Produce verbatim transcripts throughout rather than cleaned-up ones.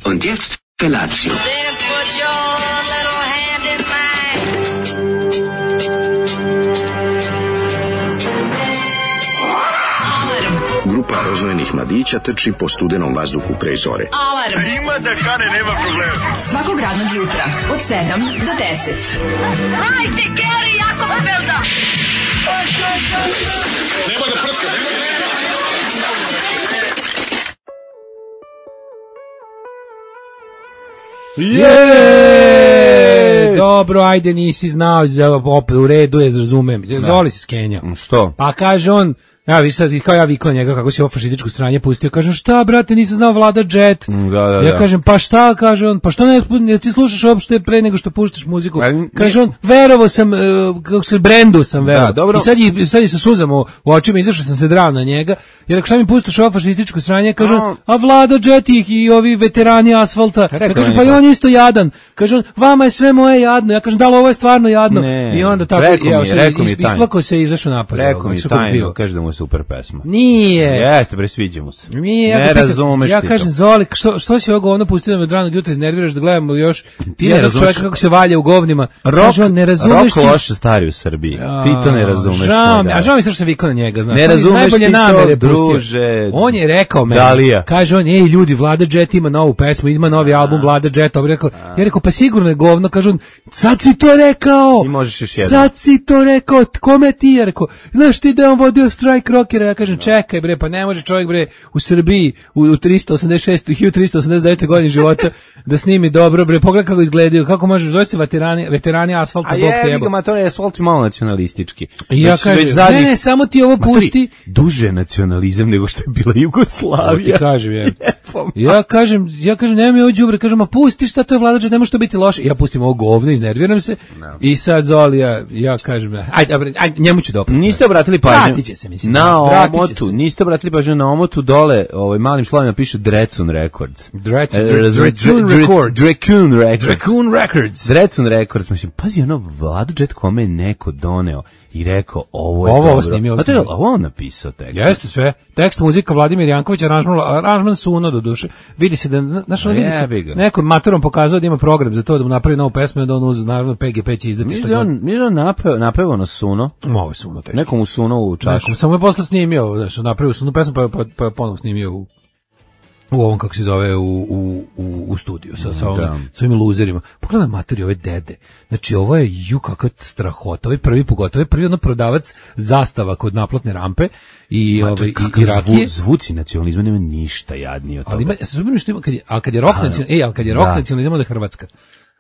Und jetzt Felatio. Grupa rozvojenih mladića trči po studenom vazduhu pre zore. Alarm! Ima da kane, nema problema. Svakog radnog jutra, od sedam do deset. Hajde, Geri, jako se velda! Nema da prska, nema da prska! Jeee! Dobro, ajde, nisi znao, opet u redu je, razumem. Zoli se skenjao. Što? Pa kaže on, ja vi sad, kao ja vikao njega kako si ovo fašističko sranje pustio, kažem šta brate, nisam znao Vlada Jet. Da, da, ja da. kažem pa šta, kaže on, pa što ne, ne ti slušaš uopšte pre nego što puštaš muziku. Pa, kaže on, verovao sam, uh, kako se brendu sam verovao. Da, dobro. I sad je, sad je sa suzama u, u očima, izašao sam se drao na njega, jer ako šta mi puštaš ovo fašističko sranje, kaže on, a Vlada Jet ih i ovi veterani asfalta. Ja kažem, pa i on je isto jadan. Kaže on, vama je sve moje jadno. Ja kažem, da li ovo je stvarno jadno? Ne, I onda tako, rekao ja, mi, is, rekao mi tajno. isplakao se i izašao napad. Rekao mi tajno, kaže da mu je super pesma. Nije. Jeste, bre, sviđa mu se. Nije, ja ne pitam, razumeš ja ti kažem, to. Zoli, što, što si ovo govno pustio da me od ranog jutra iznerviraš da gledamo još ti ne jednog razumeš čovjeka kako se valja u govnima. Rok, kaže on, ne razumeš rok ti. loše stari u Srbiji. A, ti to ne razumeš. Žao mi, da. a žao mi se što sam vikao na njega, znaš. Ne razumeš najbolje ti namere to, pustio. druže. On je rekao meni, Dalija. kaže on, ej ljudi, Vlada Jet ima novu pesmu, ima novi album Vlada Jet. On rekao, ja rekao, pa sigurno je govno, kaže on, sad si to rekao. I možeš još jedno. Sad si to rekao, kome ti je rekao? Znaš ti da je on vodio strajk rockera? Ja kažem, čekaj bre, pa ne može čovjek bre u Srbiji u, u tristo osamdeset šestoj hiljadu tristo osamdeset devete godini života da snimi dobro bre, pogledaj kako izgledaju, kako može, zove se veterani, veterani asfalta, A bog te je, jebo. ma to je asfalt malo nacionalistički. I ja Već- kažem, već zadnjih- ne, ne, samo ti ovo pusti. Duže nacionalizam nego što je bila To ti Jugoslavija. kažem, je. Jebom. Ja kažem, ja kažem, nema mi ovo đubre, kažem, a pusti šta to je Vlada Jet, ne može to biti loše. Ja pustim ovo govno, iznerviram se. I sad Zoli, ja, ja kažem, ajde, dobro, ajde, njemu ću dopustiti. Niste obratili pažnju Vratit će se, mislim. na Vratit će omotu, se. niste obratili pažnju na omotu dole, ovaj malim slovima piše Drecun Records. Drec- E, Dre- razumeš, Drecun Dre- Records. Drecun Records. Raccoon Records. Drecun Records, mislim, pazi ono Vladu Jet kome je neko doneo i rekao ovo je Ovo, ovo dobro. snimio, ovo A to je snimio. ovo on napisao tekst. Jeste sve. Tekst, muzika Vladimir Janković, aranžman, aranžman Suno do duše. Vidi se da, znaš, ono vidi se, Jebi ga. neko maturom pokazao da ima program za to da mu napravi novu pesmu i da on uz, naravno, P G P će izdati Mislim šta da god. on, mislim da on napeo, napevao na Suno, Ovo je Suno teški. nekom u Suno u čašu. Nekom, samo je posle snimio, znaš, napravio Suno pesmu pa, pa, pa ponovo snimio u u ovom, kako se zove, u, u, u, u studiju sa, sa, ovim, Da. sa ovim luzerima. Pogledaj materi ove dede. Znači, ovo je ju kakva strahota. Ovo je prvi pogotovo. Ovo je prvi ono prodavac zastava kod naplatne rampe i, Ma, to ove, je i, kakav i rakije. zvu- zvuci nacionalizma nema ništa jadnije od toga. Ali ima, ja se zbogim što ima, kad je, a kad je rock nacionalizam, ej, ali kad je rock Da. nacionalizam, onda je Hrvatska.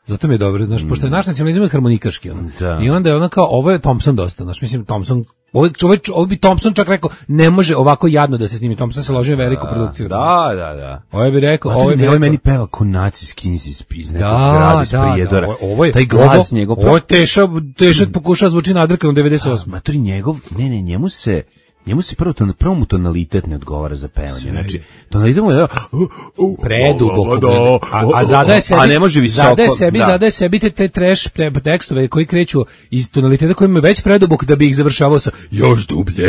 Zato mi je dobro, znaš, pošto je naš nacionalizam je harmonikaški, ono. Da. I onda je ona kao, ovo je Thompson dosta, znaš, mislim, Thompson, ovo, ovo, ovo bi Thompson čak rekao, ne može ovako jadno da se snimi, Thompson se ložio veliku produkciju. Da, da, da. Ovo bi rekao, ovo Ovo bi je rekao, meni peva ko nacijski iz iz nekog da, grada iz da, Prijedora. da, ovo- ovo je, Taj glas ovo, njegov. ovo je teša, teša pokušava zvuči nadrkano devedeset osam. Matori njegov, ne, ne, njemu se njemu se prvo ton, prvo mu tonalitet ne odgovara za pevanje. Sve. Znači, tonalitet mu je da, Preduboko. A, a zadaje sebi, a ne može visoko. Zadaje sebi, da. zadaje sebi te, te trash te- tekstove koji kreću iz tonaliteta koji imaju već predubok da bi ih završavao sa još dublje.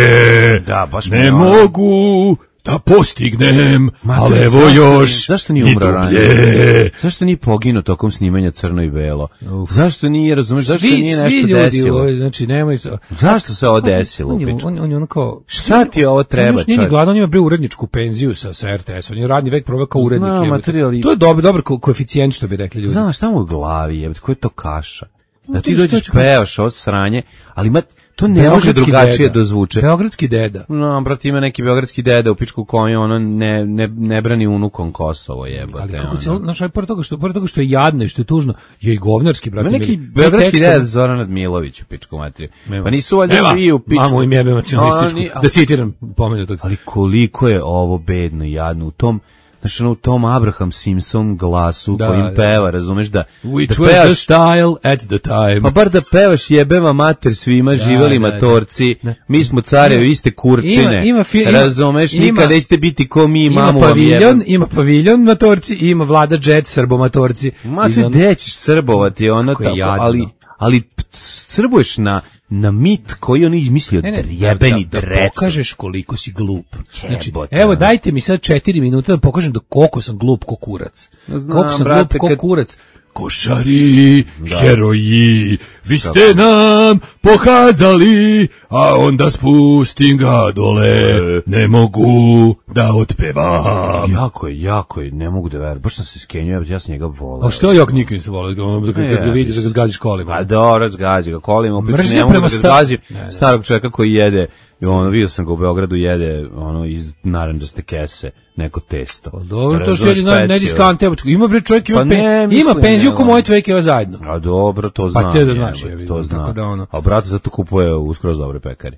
Da, baš ne mu- mogu da postignem, Matori, ali evo zašto još nije- zašto nije i umro ranije? dublje. Zašto nije poginuo tokom snimanja Crno i Belo? Zašto nije, razumeš, zašto Svi, nije svi nešto ljudi, desilo? ovaj, znači nemoj se. Zašto se ovo desilo? On je, pička? on, on je ono kao... Šta ti ovo treba, On još nije ni čovječe? gladan, on ima bre uredničku penziju sa, sa R T S, on je radni vek proveo kao urednik. Znam, jebote. matori, ali- To je dobar, dobar ko- koeficijent, što bi rekli ljudi. Znaš, šta mu u glavi je, ko je to kaša? Da ti to je dođeš, što- pevaš ovo sranje, ali ma, to ne može Beogradski drugačije deda. da zvuče. Beogradski deda. No, brate, ima neki beogradski deda u pičku koju ono ne, ne, ne brani unukom Kosovo, jebote. Ali kako ono. cijelo, znaš, ali pored toga što, pored toga što je jadno i što je tužno, je i govnarski, brate. Ima neki mili. beogradski Tekstovi- deda Zoran Radmilović u pičku materiju. Nema. Pa nisu valjda Nema. svi u pičku. Mamu im jebe nacionalističku, Oni- da citiram pomenutog. Ali koliko je ovo bedno i jadno u tom, znaš, ono, u tom Abraham Simpson glasu Da, kojim da. peva, razumeš da, Which da was the pevaš, style at the time. pa bar da pevaš jebeva mater svima, živeli da, matorci, da. mi smo carevi, iste kurčine, Ima- ima fi- ima- razumeš, ima- nikad nećete biti ko mi, Ima mamu vam paviljon, jebem. ima paviljon matorci, i ima Vlada Jet srbomatorci. Ma Iz ti on- gde ćeš srbovati, ono, Kako je tako, jadno. ali, ali p- srbuješ na, na mit koji on izmislio, Ne, ne, jebeni da, da, da dreco. pokažeš koliko si glup. Znači, Jebote. evo dajte mi sad četiri minuta da pokažem da koliko sam glup ko kurac. Znam, koliko sam brate, glup ko kad- kurac. Košari, heroji, vi ste nam pokazali, a onda spustim ga dole, ne mogu da otpevam. Jako je, jako je, ne mogu da verujem. Baš sam se skenio, ja sam njega volao. A što ja nikad nisam volao, ono, kad Ne, ga vidiš da ga zgaziš kolima. A dobro, zgađa ga kolima, opet Mržnja ne mogu da prema ga sta- zgazi Ne, ne. starog čovjeka koji jede, i ono, vidio sam ga u Beogradu, jede ono iz narandžaste kese, neko testo. Pa dobro, to Razumeš, sjedi na specijal. nediskante, ima bre čovjek, ima, Pa pe, ne, ima mislim, penziju ne, ko ono. moje tvekeva zajedno. A dobro, to Pa znam. te da znaš, jebote, ja vidim, to tako znam. da ono- A brat zato kupuje u skroz dobre pekari.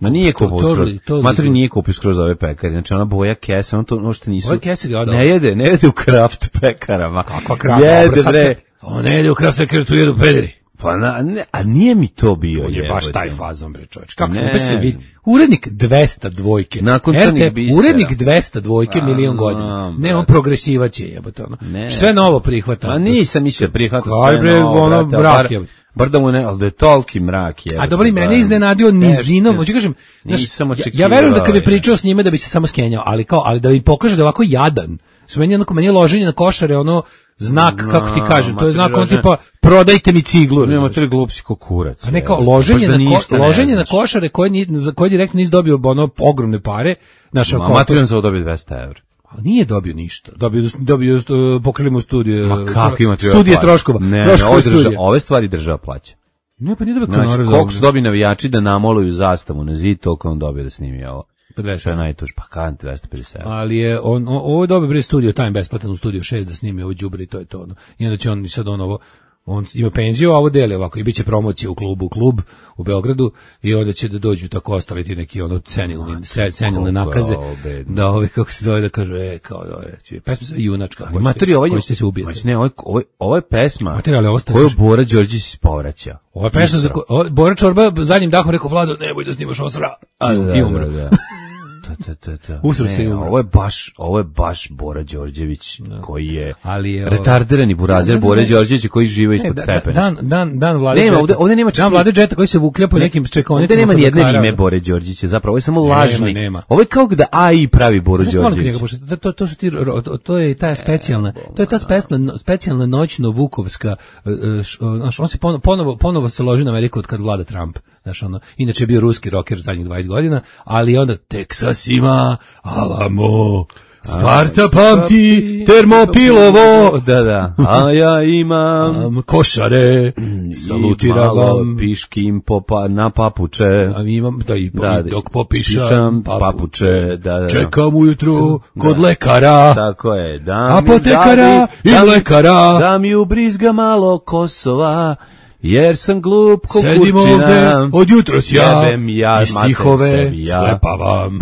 Ma nije to- kupio to skroz. li- to li- Matri nije kupio skroz dobre pekari. Znači ona boja kesa, on to možete nisu. Ove kese ga odao. Ne jede, ne jede u kraft pekarama. Kakva kraft, Jede dobro, sad bre. kad- On ne ide u kraft sekretu, tu jedu pederi. Pa na, ne, a nije mi to bio. On je baš jebote. taj fazon, bre čovječ. Kako Ne. ne. se vidi? Urednik dvesta dvojke. Nakon R T, Crnih bisera. urednik dvesta dvojke A, milion no, godina. Ne, brate. on progresivac je, jebote ono. Ne. Sve novo prihvata. A nisam mislio prihvata Kaj, sve bre, novo, ono, brate, mrak bar- je. Bar da mu ne, ali da je toliki mrak je. A dobro, i mene iznenadio nizinom, hoću kažem, znaš, Nisam ja, očekivao, ja verujem da kad bi je. pričao s njime da bi se samo skenjao, ali kao, ali da bi pokaže da je ovako jadan. Su meni jednako, meni je loženje na košare, ono, znak, No, kako ti kaže, to je znak, on materijalno- tipa, prodajte mi ciglu. Nema razumeš? tri glupsi ko kurac. A ne kao je. loženje, Baš da na, ko, ništa ne loženje na znaš. košare koje, ni, za koje direktno nisi dobio ono ogromne pare. Naša Ma, Matri za dobio dvesta evra. nije dobio ništa. Dobio, dobio uh, pokrili mu studije. Ma kako ima Studije troškova. Ne, ne, troškova ove, drža, studija. ove stvari država plaća. Ne, pa nije dobio Znači, kanara za koliko ovo. su dobili navijači da namoluju zastavu na zid, toliko on dobio da snimi ovo. Pa dvesta. Što je najtuž, pa kan dvesta pedeset evra. Ali je on, on ovo je dobio bre studio time besplatan u studio šest da snimi ovo đubre i to je to ono. I onda će on sad on ovo on ima penziju, a ovo deli ovako i biće promocija u klubu, u klub u Beogradu i onda će da dođu tako ostali ti neki ono cenilni, se- cenilne koliko nakaze je ovo bedno. da ovi kako se zove da kažu e kao da reći pesma se junačka. Ali Matri, ovaj, hoćete se ubijete. znači, ne, ovo, je- ovo, je- ovo je pesma Matri, ali ovo ste- koju Bora Đorđević povraća. Ovo je pesma za ko, o, Bora Čorba zadnjim dahom rekao Vlado nemoj da snimaš osra A, i, da, i umro. da, da. Ta, ta, ta, ta. Usro Ne, se i umro. Ovo je baš, ovo je baš Bora Đorđević koji je, Ali je, retardirani burazer Da, da, da, Bora ne. Đorđevića koji žive Ne, ispod da- stepeništa. Dan, dan, dan vlade Nema, džeta. ovde- ovde nema čak Dan ni- vlade džeta koji se vuklja po nekim čekaonicama. Ovde nema kod ni jedne lekara. ime Bore Đorđića, zapravo ovo je samo Nema, lažni. nema. Ovo je kao da A I pravi Boru Znaš stvarno kod njega, Đorđević. pošto to, to, to su ti, ro- to, to je ta specijalna, to je ta specijalna, specijalna noćno vukovska, e, e, š- o, znaš, on se ponovo, ponovo, ponovo se loži na Ameriku od kad vlada Trump, znaš, ono, inače je bio ruski rocker zadnjih dvadeset godina, ali onda Teksas ima, Alamo, Sparta pamti, Termopilovo, Da, da. A ja imam am, košare, salutiram malo vam, piškim popa, na papuče. a mi imam, da i, Da, i dok popišam, pišam papu- papuče, da, da. čekam ujutru kod Da. lekara, Tako je. Da mi- apotekara da mi- i da mi- lekara. Da mi ubrizga malo Kosova, jer sam glup ko Sedim ovde kurčina. od jutros ja, Jebem ja, i mater stihove sebi ja. slepavam.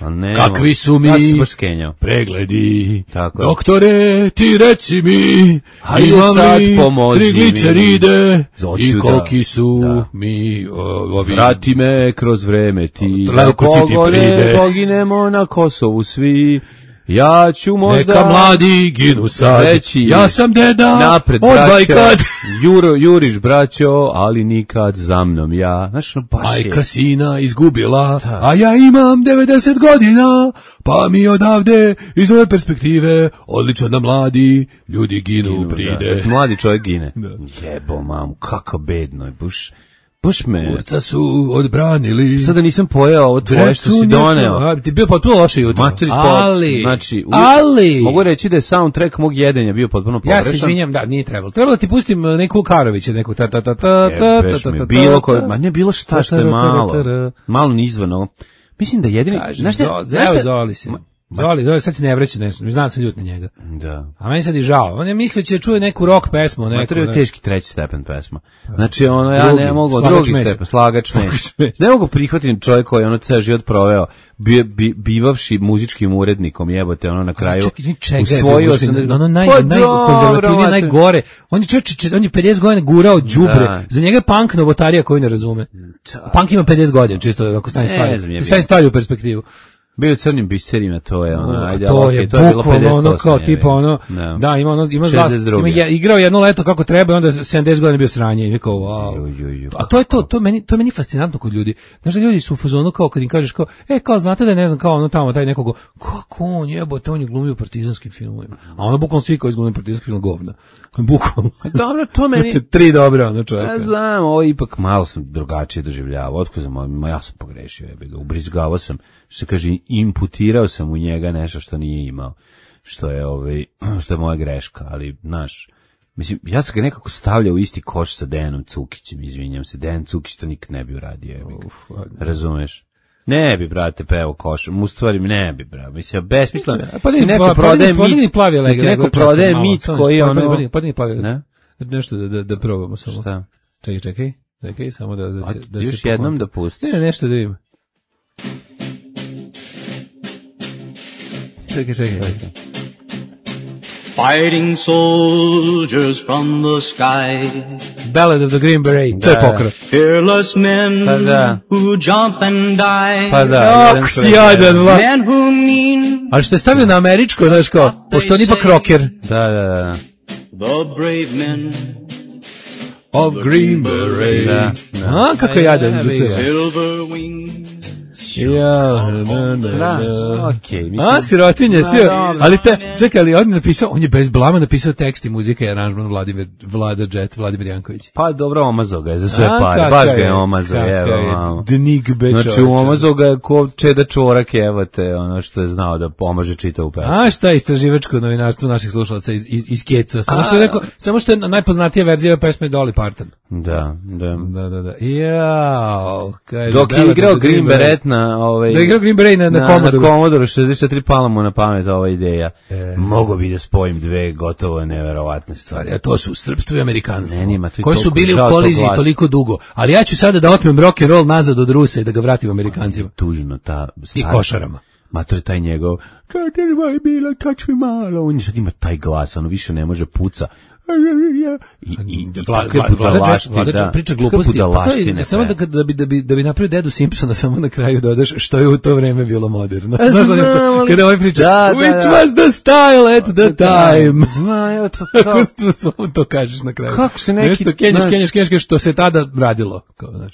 A ne, Kakvi su mi Ja sam se baš skenjao. pregledi. Tako je. Doktore, ti reci mi, Hajde imam sad li pomozi mi. trigliceride Hoću i da- koliki su da. mi o, ovi... Vrati me kroz vreme ti, da Leukociti pogone, pride. poginemo na Kosovu svi. Ja ću možda... Neka mladi ginu sad, reći ja sam deda, napred, odvaj braćo, kad. Juro, juriš, braćo, ali nikad za mnom ja. Znaš, no, baš je... Majka sina izgubila, a ja imam devedeset godina, pa mi odavde, iz ove perspektive, odlično da mladi ljudi ginu, pride. Da, mladi čovjek gine. Jebo, mamu, kako bedno je, buš... Baš me... Urca su odbranili. Sada nisam pojeo ovo tvoje što si Drecu doneo. neko- a, Ti je bio potpuno loše jutro. Materi, po- ali, znači, u- ali, mogu reći da je soundtrack mog jedenja bio potpuno pogrešan. ja se izvinjam, da, nije trebalo. Trebalo da ti pustim neku Karovića, neku ta ta ta ta ta Jebeš ta me, ta bilo ta koje, ta. ma ne bilo šta što je malo, malo nizvano. Mislim da jedini, Kažem, znaš šta, Zo- znaš evo šta- Zoli se. Zoli, Zoli, sad se ne vraća nešto, znam sam ljut na njega. Da. A meni sad i žao. On je mislio će da čuje neku rock pesmu, neku. Mater je ne. teški treći stepen pesma. Znači, ono, ja Drugi, ne mogu, slagač drugi mesa. stepen, slagač mesa. mesa. Ne mogu prihvatiti čovjek koji je ono ceo život proveo, bi, bi, bivavši muzičkim urednikom, jebote, ono na kraju. Čekaj, izvini, čega je usvojio bio sam muzički, da- ono naj, Pa naj, dobro, konzervativnije, mater. najgore. On je čovječ, on je pedeset godina gurao đubre. Da. Za njega je punk novotarija koju ne razume. Punk ima pedeset godina, čisto ako stavim Ne stvari. znam, je Ti bio. stavim stvari u perspektivu. Bio u crnim biserima, to je ono, ajde, to okay, je to je bilo bukvalno ono kao je, tipa ono, no. da, ima ono, ima zlas, ima je, igrao jedno leto kako treba i onda sedamdeset godina bio sranje i rekao, wow. Ju, ju, ju, a to je to, to meni, to meni fascinantno kod ljudi. Znaš da ljudi su u fazonu kao kad im kažeš kao, e, kao znate da je, ne znam, kao ono tamo, taj nekog, kako on jebote, on je glumio u partizanskim filmovima. A ono bukvalno svi koji izglumio partizanskim film govna. Bukvalno. Dobro, to meni... Tri dobra, ono čovjeka. Ja znam, ovo ipak malo sam drugačije doživljavao. Otko sam, ja sam pogrešio, ja bih ga ubrizgavao sam, što se kaže, imputirao sam u njega nešto što nije imao, što je, ovaj, što je moja greška, ali, znaš, mislim, ja sam ga nekako stavljao u isti koš sa Dejanom Cukićem, izvinjam se, Dejan Cukić to nikad ne bi uradio, ja bih ga, razumeš? Ne bi, brate, peo košom, u stvari ne bi, brate, mislim, besmisleno. Pa ti neko prodaje mit, ti neko prodaje mit koji je ono... Pa ti plavi, ne? Nešto da, da, da probamo samo. Šta? Čekaj, čekaj, čekaj, samo da, da se... Da još se jednom da pustiš. Ne, nešto da ima. Čekaj, čekaj. Fighting soldiers from the sky. Ballad of the Green Beret, to je pokra. Fearless men pa da. who jump and die. Pa da. Ako si jadan, vla. Men who mean. Ali što je stavio na američko, znaš kao, pošto on ipak rocker. Da, da, da. The brave men of Green Beret. Da, da. A, kako je jadan za sve. Silver wings. Ja, da, da, da. Okay, mislim. A, sirotinje, sve. Ali te, čekaj, ali on je napisao, on je bez blama napisao tekst i muzika i aranžman Vladimir, Vlada Džet, Vladimir Janković. Pa dobro, omazao ga je za sve pare, baš ga je omazao, evo. Dnig beč. Znači, omazao ga je ko Čeda Čorak, evo te, ono što je znao da pomaže čitavu pesmu. A šta je istraživačko novinarstvo naših slušalaca iz, iz, iz Keca? Samo što je rekao, samo što je najpoznatija verzija pesme Dolly Parton. Da, da. Da, da, da. Jao, kaže. Dok je igrao Green Beret na ovaj da igrao Green Beret na, na, na Commodore. Na Commodore šezdeset četiri pala mu na pamet ova ideja. E. Mogu bi da spojim dve gotovo neverovatne stvari. A to su srpstvo i amerikanstvo. Ne, nima, koji su bili u koliziji toliko dugo. Ali ja ću sada da otmem rock and roll nazad od Rusa i da ga vratim Amerikancima. Tužno ta i košarama. Ma to je taj njegov kad je moj bilo touch me malo. On sad ima taj glas, ono više ne može puca. I, i, i Vlada priča gluposti. Pa samo da, da, bi, da, bi, da bi napravio Dedu Simpsona, samo na kraju dodaš što je u to vreme bilo moderno. Kada ovaj priča, da, which da, was the style at the time. Zna, to, kako to, to kažeš na kraju. Kako se neki... Nešto kenješ, kenješ, kenješ, što se tada radilo. Kao, znaš.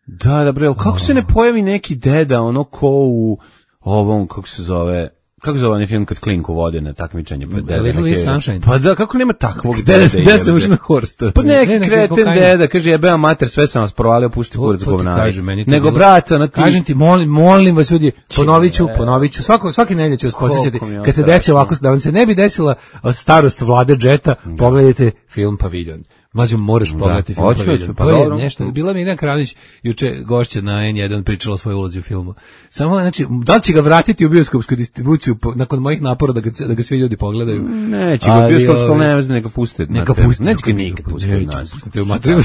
Da, da, bre, kako se ne pojavi neki deda, ono ko u ovom, kako se zove... Kako zove onaj film kad klinku vode na takmičenje? Pa, deda, Little Miss Sunshine. Pa da, kako nema takvog deda? Gde se ušli na horsta? Pa neki ne, ne, kreten deda, kaže, jebeo mater, sve sam vas provalio, pušti kurac govnari. Nego, brate, ono ti... Kažem ti, molim, molim vas ljudi, ponovit ću, ponovit ću, svako, svaki nedelje ću vas posjećati, kad se desi ovako, da vam se ne bi desila starost Vlade Džeta, pogledajte film Paviljon. Mlađo, moraš pogledati film Paviljon. Pa to je nešto. Bila mi Irina Kranić juče gošća na en jedan pričala o svojoj ulozi u filmu. Samo, znači, da li će ga vratiti u bioskopsku distribuciju nakon mojih napora da ga, da ga svi ljudi pogledaju? Neće ga u bioskopsku, ne znam, neka pustiti. Neka pustiti. Neće ga nikad pustiti. Neće pustiti u materiju.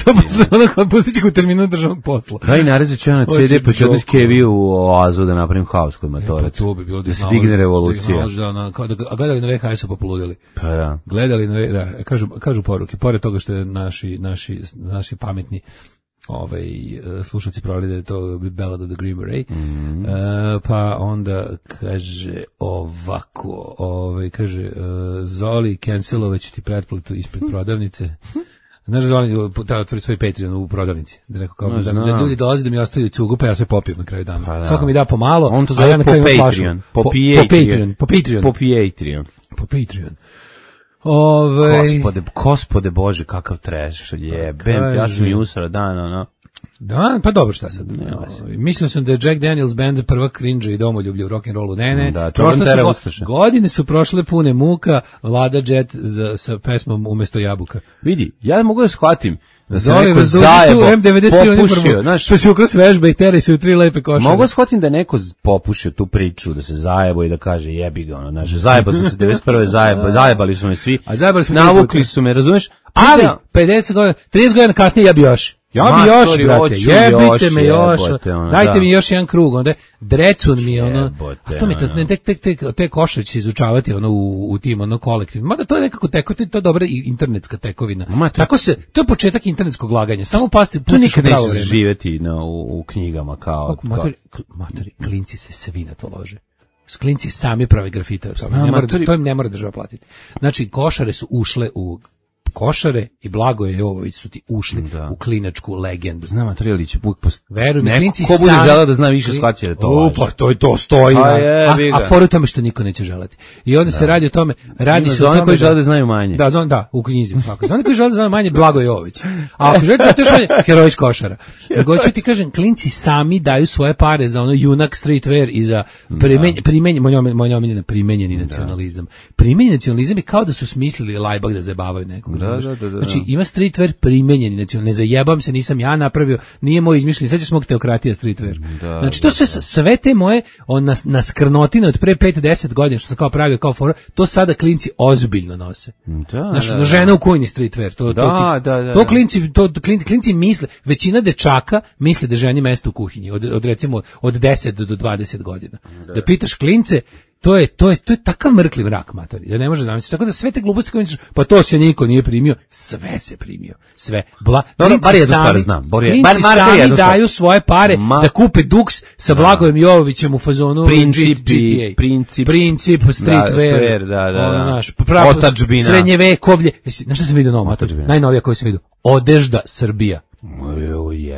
Pustit će ga u terminu državnog posla. Daj, narezat ću ja na ce de, pa ću odnoći Kevi u oazu da napravim haos kod Matorac. To bi bilo da se digne revolucija. A gledali na ve ha es-u pa poludili. Pa da. Gledali na, da, kažu, kažu poruke, pored toga što je naši, naši, naši pametni ovaj, slušalci provali da je to Ballad of the Green Beret, mm-hmm. uh, pa onda kaže ovako, ovaj, kaže uh, Zoli, cancelovat ću ti pretplatu ispred prodavnice. Znaš, Zoli, da otvori svoj Patreon u prodavnici, da, neko kao, no, da, da ljudi dolaze da mi ostavljaju cugu, pa ja sve popijem na kraju dana. Pa da. Svako mi da pomalo, on to zove ja na po Patreon. Po, po, po Patreon. Po Patreon. Po Patreon. Po Patreon. Ove... Gospode, gospode Bože, kakav trash, jebem, ja sam i usra dan, ono. Da, pa dobro, šta sad. No, mislio sam da je Jack Daniels band prva cringe i domoljublje u rock'n'rollu. Ne, ne. Da, su, godine su prošle pune muka, Vlada Jet za, sa pesmom Umesto jabuka. Vidi, ja mogu da shvatim da se Zoli, neko zajebo, popušio, znaš, što si ukras vežba i teri se u tri lepe košare. Mogu shvatim da neko popušio tu priču, da se zajebo i da kaže jebi ga, ono, znaš, zajebo sam se devedeset prve zajebo, zajebali su me svi, a zajebali su navukli su me, razumeš? Ali, pedeset godina, trideset godina kasnije ja bi još. Ja bi još, brate, jebite me još, ono, dajte da. mi još jedan krug, onda drecun mi, ono, jebote, a to mi, ono. Tek, tek, tek, te košare će izučavati, ono, u, u tim, ono, kolektivima, mada to je nekako teko, to je dobra internetska tekovina, Ma, to, tako se, to je početak internetskog laganja, samo pasti, to nikad neće živjeti no, u, u knjigama, kao, Kako, materi, materi, klinci se svi na to lože. Klinci sami prave grafite. To, ne mora, to im ne mora država platiti. Znači, košare su ušle u Košare i Blagoje Jovović su ti ušli da. u klinačku legendu. Znam, Matrijalić je puk post... Veruj mi, klinci ko bude želeo da zna više shvaća da to važi. Pa to, to stoji. A, a, je, a, a foru tome što niko neće želeti. I onda da. se radi o tome, radi Ima se o tome... Za one koji žele da znaju manje. Da, za, da u knjizi. Za one koji žele da znaju manje, Blagoje Jovović. A ako želite da to je heroj iz Košara. Nego ću ti kažem, klinci sami daju svoje pare za ono junak streetwear i za primenjen, primenjen, moj omiljena primenjeni nacionalizam. Primenjeni nacionalizam je kao da su smislili Lajbak da zabavaju nekog. Da, da, da, da. Znači, ima streetwear primenjeni, znači ne zajebam se, nisam ja napravio, nije moj izmišljeni, sećaš mog teokratija streetwear. Da, znači to da, sve da. sve te moje on nas na skrnotine od pre pet do deset godina što sam kao pravio kao fora, to sada klinci ozbiljno nose. Da, znači, da, da. žena u kujni streetwear, to da, to, da, da, to klinci to klinci, klinci misle, većina dečaka misle da ženi mesto u kuhinji od, od recimo od deset do dvadeset godina. Da, da pitaš klince, To je to je to je takav mrkli mrak, matori. Ja ne može zamisliti. Tako da sve te gluposti koje misliš, pa to se niko nije primio, sve se primio. Sve. Bla, no, no, bar jednu stvar znam. Bar je, bar sami daju svoje pare Ma, da kupe Dux sa Blagojem Jovovićem u fazonu princip, G T A. Princip, princip streetwear, da, da, da, da. Naš, otadžbina. Srednjevekovlje. Jesi, znaš šta sam vidio novo, matori? Najnovija koju sam vidio. Odežda Srbija.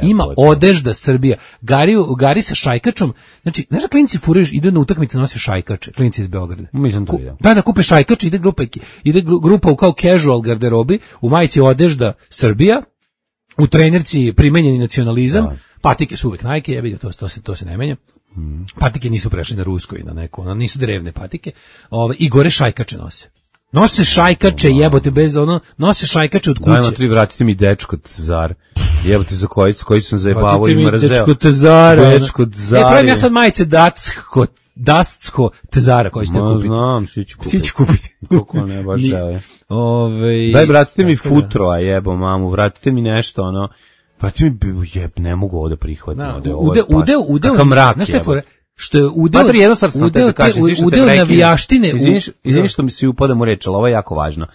Ima odežda Srbija. Gari, Gari sa šajkačom. Znači, znaš da klinci furaju, ide na utakmice, nosi šajkače. Klinci iz Beograda. Mislim to vidio. Da, da kupe šajkače, ide grupa, ide grupa u kao casual garderobi, u majici odežda Srbija, u trenerci primenjeni nacionalizam, da. Patike su uvek Nike, ja vidim, to, to, se, to se ne menja. Hmm. Patike nisu prešli na rusko i na neko, ono, nisu drevne patike. Ove, I gore šajkače nose. Nose šajkače, jebote, bez ono, nose šajkače od kuće. Dajmo tri, vratite mi dečko Tazar. Jebote, za koji, s koji sam zajebavao i mrzeo. Dečko Tazara. Dečko Tazara. Ne, pravim ja sad majice Dacko, Dacko Tazara koji ste kupiti. Znam, svi će kupiti. Svi će kupiti. Kako ne, baš žele. Ove... Daj, vratite mi futro, a jebo mamu, vratite mi nešto, ono, vratite mi, jeb, ne mogu ovo da prihvatim. Da, ude, ude, ude, ude, kakav mrak, znaš te fore? Što je udeo, Matri, jedno stvar sam udeo, te da kažem, te, udeo navijaštine. Izviniš, izviniš što mi se upadam u reč, ali ovo je jako važno.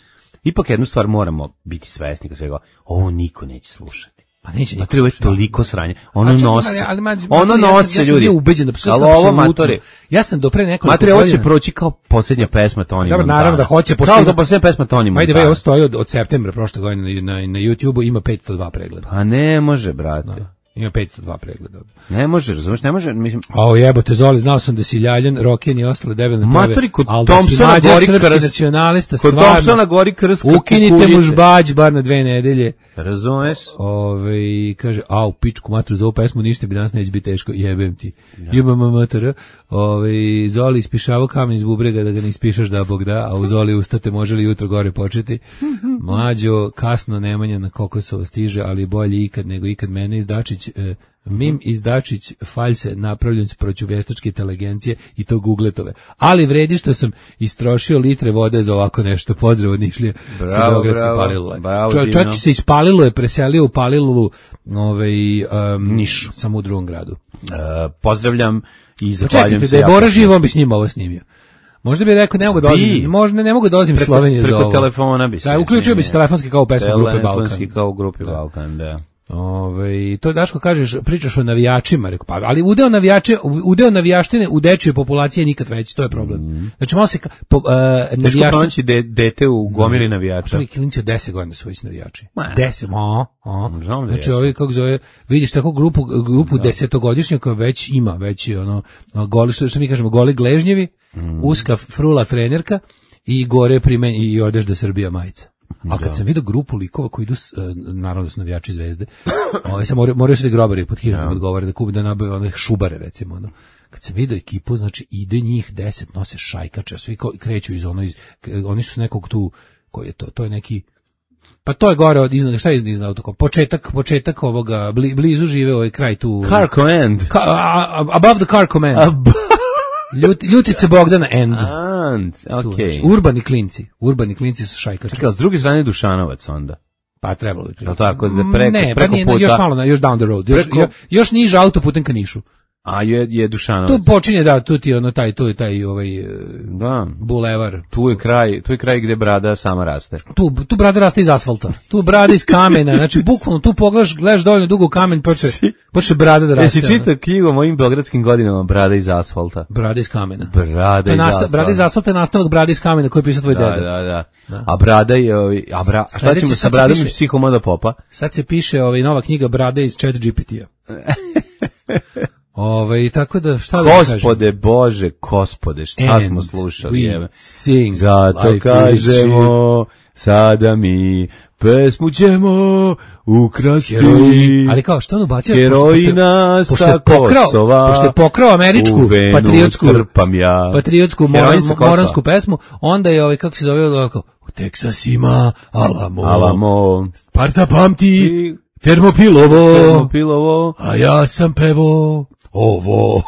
Ipak jednu stvar moramo biti svesni kad svega, ovo niko neće slušati. Pa neće niko. Matri, ovo je toliko sranje. Ono čak, nosi. Ali, ali, ono nosi, ja sam, ljudi. Ja sam ubeđen da ali ovo, Matri. Ja sam do pre nekoliko Matri, ovo će proći kao posljednja pesma Toni Montana. Naravno da hoće. Kao da posljednja pesma Toni Montana. Ajde, ovo stoji od, od septembra prošle godine na, na, na YouTubeu, ima petsto dva pregleda. Pa ne može, brate. Da. Ima petsto dva pregleda. Ne može, razumiješ, ne može, mislim... O jebote, Zoli, znao sam da si Ljaljan, Roken i ostale debelne tebe. Maturi, kod Thompsona da gori krst. Nacionalista, kod Thompsona gori krst. Ukinite mu žbađ, bar na dve nedelje. Razumeš? Ove, kaže, a u pičku matru za ovu pesmu ništa bi danas neće biti teško, jebem ti. Jebam matr. Ove, Zoli ispišavao kamen iz bubrega da ga ne ispišaš da Bog da, a u Zoli ustate može li jutro gore početi. Mlađo, kasno Nemanja na Kokosovo stiže, ali bolje ikad nego ikad mene izdačić. E, Mim Izdačić faljse napravljen s proću vještačke inteligencije i to gugletove. Ali vredi što sam istrošio litre vode za ovako nešto. Pozdrav od Nišlije sa Beogradske Palilule. Čovjek se iz Palilule preselio u Palilulu ovaj, um, Nišu. Sam u drugom gradu. Uh, pozdravljam i zahvaljujem se. Da je Bora živ, on bi s njima ovo snimio. Možda bi rekao, ne mogu da dolazim, možda ne mogu da dolazim iz Slovenije za ovo. Preko telefona bi se. Da, uključio bi se telefonski kao u pesmu Grupe Balkan. Telefonski kao u Grupi Balkan, da. Ove, to Daško kažeš, pričaš o navijačima, rekao, pa, ali udeo navijače, udeo navijaštine u dečjoj populaciji je nikad veći, to je problem. Mm. Znači malo se po, uh, navijaštine... Teško pronaći de, dete u gomili navijača. Ovi klinci od deset godina su već navijači. deset, a, a. Znam da znači ovi, kako zove, vidiš tako grupu, grupu desetogodišnjaka već ima, već ono, goli, što mi kažemo, goli gležnjevi, mm. uska frula trenerka i gore primen, i odežda Srbija majica. Ali kad sam vidio grupu likova koji idu, naravno da su navijači Zvezde, ovaj, sam moraju, moraju se da grobari pod hitnom odgovore, da kupi da nabave one šubare, recimo. Ono. Kad sam vidio ekipu, znači ide njih deset, nose šajkače, svi kreću iz ono, iz, oni su nekog tu, koji je to, to je neki, pa to je gore od iznad, šta je iznad autokom? Početak, početak ovoga, bli, blizu žive ovaj kraj tu. Car Command. Ka, a, above the Car Command. Ab Ljut, Ljutice Bogdana End. And, okay. Tu, urbani klinci, urbani klinci su šajkači. Čekaj, s druge strane Dušanovac onda. Pa trebalo bi. No tako, da preko, ne, preko pa nije, puta. Još malo, još down the road. Još, preko... još, još niže autoputem ka Nišu. A je, je Dušanovac. Tu počinje, da, tu ti ono, taj, tu je taj, ovaj, da. bulevar. Tu je kraj, tu je kraj gde brada sama raste. Tu, tu brada raste iz asfalta. Tu brada iz kamena, znači bukvalno tu pogledaš, gledaš dovoljno dugo u kamen, počne, počne brada da raste. Jesi čitao knjigu o mojim beogradskim godinama Brada iz asfalta? Brada iz kamena. Brada iz nasta, asfalta. Brada iz asfalta je nastavak Brada iz kamena koji je pisao tvoj da, deda. Da, da, da. A Brada je, a bra, šta Sledeće, ćemo sa sad se Bradom piše- i psihomoda popa? Sad se piše ovaj nova knjiga Brade iz Chat G P T-a. Ovaj tako da šta da kažem? Gospode Bože, gospode, šta And smo slušali? we Jebe. sing Zato life is kažemo, sada mi pesmu ćemo ukrasti. Heroji, ali kao što on ubacio? Herojina sa Kosova. Pošto je pokrao američku u venu patriotsku trpam ja. patriotsku Heroin sa Kosova. moransku pesmu, onda je ovaj kako se zove ovako, u Teksas ima Alamo. Alamo. Sparta pamti I Termopilovo. Termopilovo. A ja sam pevo ovo.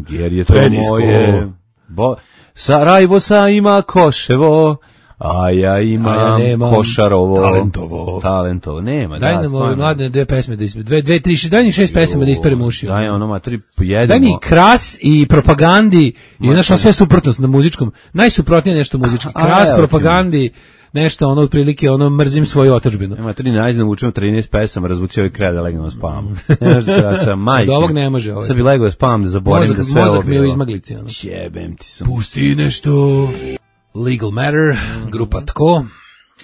Jer je to Penisko. moje. Bo, Sarajevo sa ima Koševo. A ja imam A ja nemam Košarovo. Talentovo. Talentovo. Nema, Daj da, nam ove stvarno. mladne dve pesme da ispe, dve, dve, tri, šest, daj mi šest pesama da isperem uši. Daj ono, materi, pojedemo. Daj mi kras i propagandi i znaš, ono sve suprotnost na muzičkom. Najsuprotnije nešto muzički. A, Kras, evo ti. propagandi, nešto ono otprilike ono mrzim svoju otadžbinu. Nema tri najzna učemo trinaest pesama, razvuci ovaj kraj da legnem na spam. Ne znaš da se ja sam majke. Od ovog ne može ovo. Sad bi legao da spam, da zaboravim Mozak, da sve ovo mozak mi je u bilo. izmaglici. Ono. Jebem ti sam. Pusti nešto. Legal Matter, grupa Tko.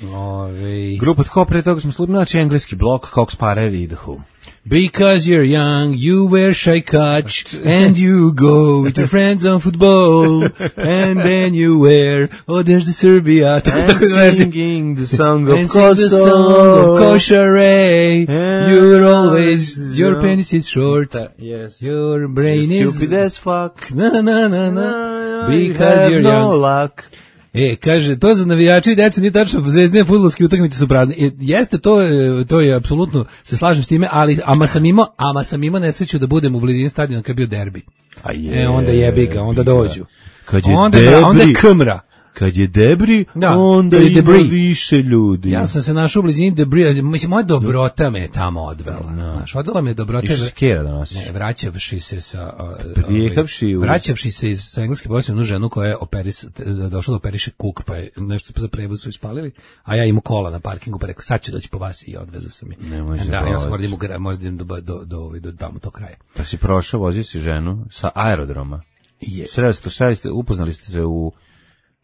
Ove... Grupa Tko, pre toga smo slušali, znači engleski blok, Cox Parer i The Who. Because you're young, you wear shy catch, and you go with your friends on football, and then you wear, oh, there's the Serbia. And singing the song of And sing the song of Košare. And You're always, your penis is short, Yes. your brain is... Stupid as fuck. Na, na, na, na. I Because have you're no young. luck. E, kaže, to za navijače i decu nije tačno, zvezdine fudbalske utakmice su prazne. E, jeste, to je, to je apsolutno, se slažem s time, ali ama sam imao, ama sam imao nesreću da budem u blizini stadiona kad je bio derbi. A je, E, onda jebi ga, onda dođu. Kad je onda, debri, onda je kmra. kad je debri, Da, onda kad je ima debris. više ljudi. Ja sam se našao u blizini debri, mislim, moja dobrota me je tamo odvela. Znaš, odvela me je dobrota. Išao si kjera da nosiš. Ne, vraćavši se sa Prijehavši u- vraćavši se iz sa engleske poslije jednu ženu koja je operis došla da operiše kuk, pa je nešto za prevoz su ispalili, a ja imam kola na parkingu, pa rekao sad ću doći po vas i odvezao sam je. Nemoj Da, ja zabavati. sam moram da možda idem do do do do, do tamo to kraja. Pa si prošao, vozio si ženu sa aerodroma. Je. Sreli ste, sreli ste, upoznali ste se u,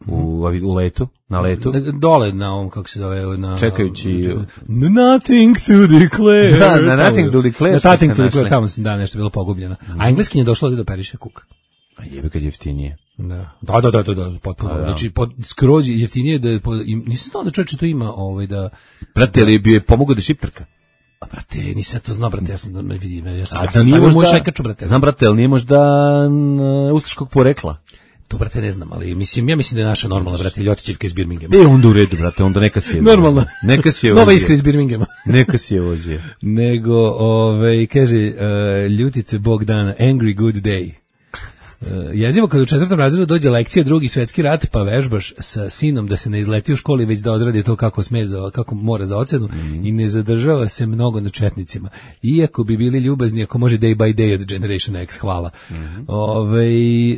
u, u letu, na letu. Dole na ovom, kako se zove, na... Čekajući- Nothing to declare. Da, na Tamo- Nothing to declare Na ste Nothing se to declare, našli. tamo sam, da, nešto bilo pogubljeno. A engleski je došlo ovdje da operiše kuk. A jebe kad jeftinije. Da, da, da, da, da, da potpuno. da. Znači, pod, skroz jeftinije da, po, im, nisam znao da čovječe to ima, ovaj, da... Brate, ali bi je pomogao da šiptrka? A, brate, nisam to znao, brate, ja sam, da vidim, ja sam, A ja da sam nije stavio moju možda, šajkaču, brate. znam brate, ali nije možda n, ustaškog porekla. To, brate, ne znam, ali mislim, ja mislim da je naša normalna, brate, Ljotićevka iz Birminghama. E, onda u redu, brate, onda neka si je. Normalno. Neka si je Nova vozio. iskra iz Birminghama. Neka si je vozio. Nego, ovaj, kaže, uh, Ljutice Bogdana, Angry Good Day. Uh, jezivo kad u četvrtom razredu dođe lekcija Drugi svjetski rat, pa vežbaš sa sinom da se ne izleti u školi, već da odradi to kako sme za, kako mora za ocenu mm. i ne zadržava se mnogo na četnicima. Iako bi bili ljubazni, ako može day by day od Generation X, hvala. Mm. Ove, e,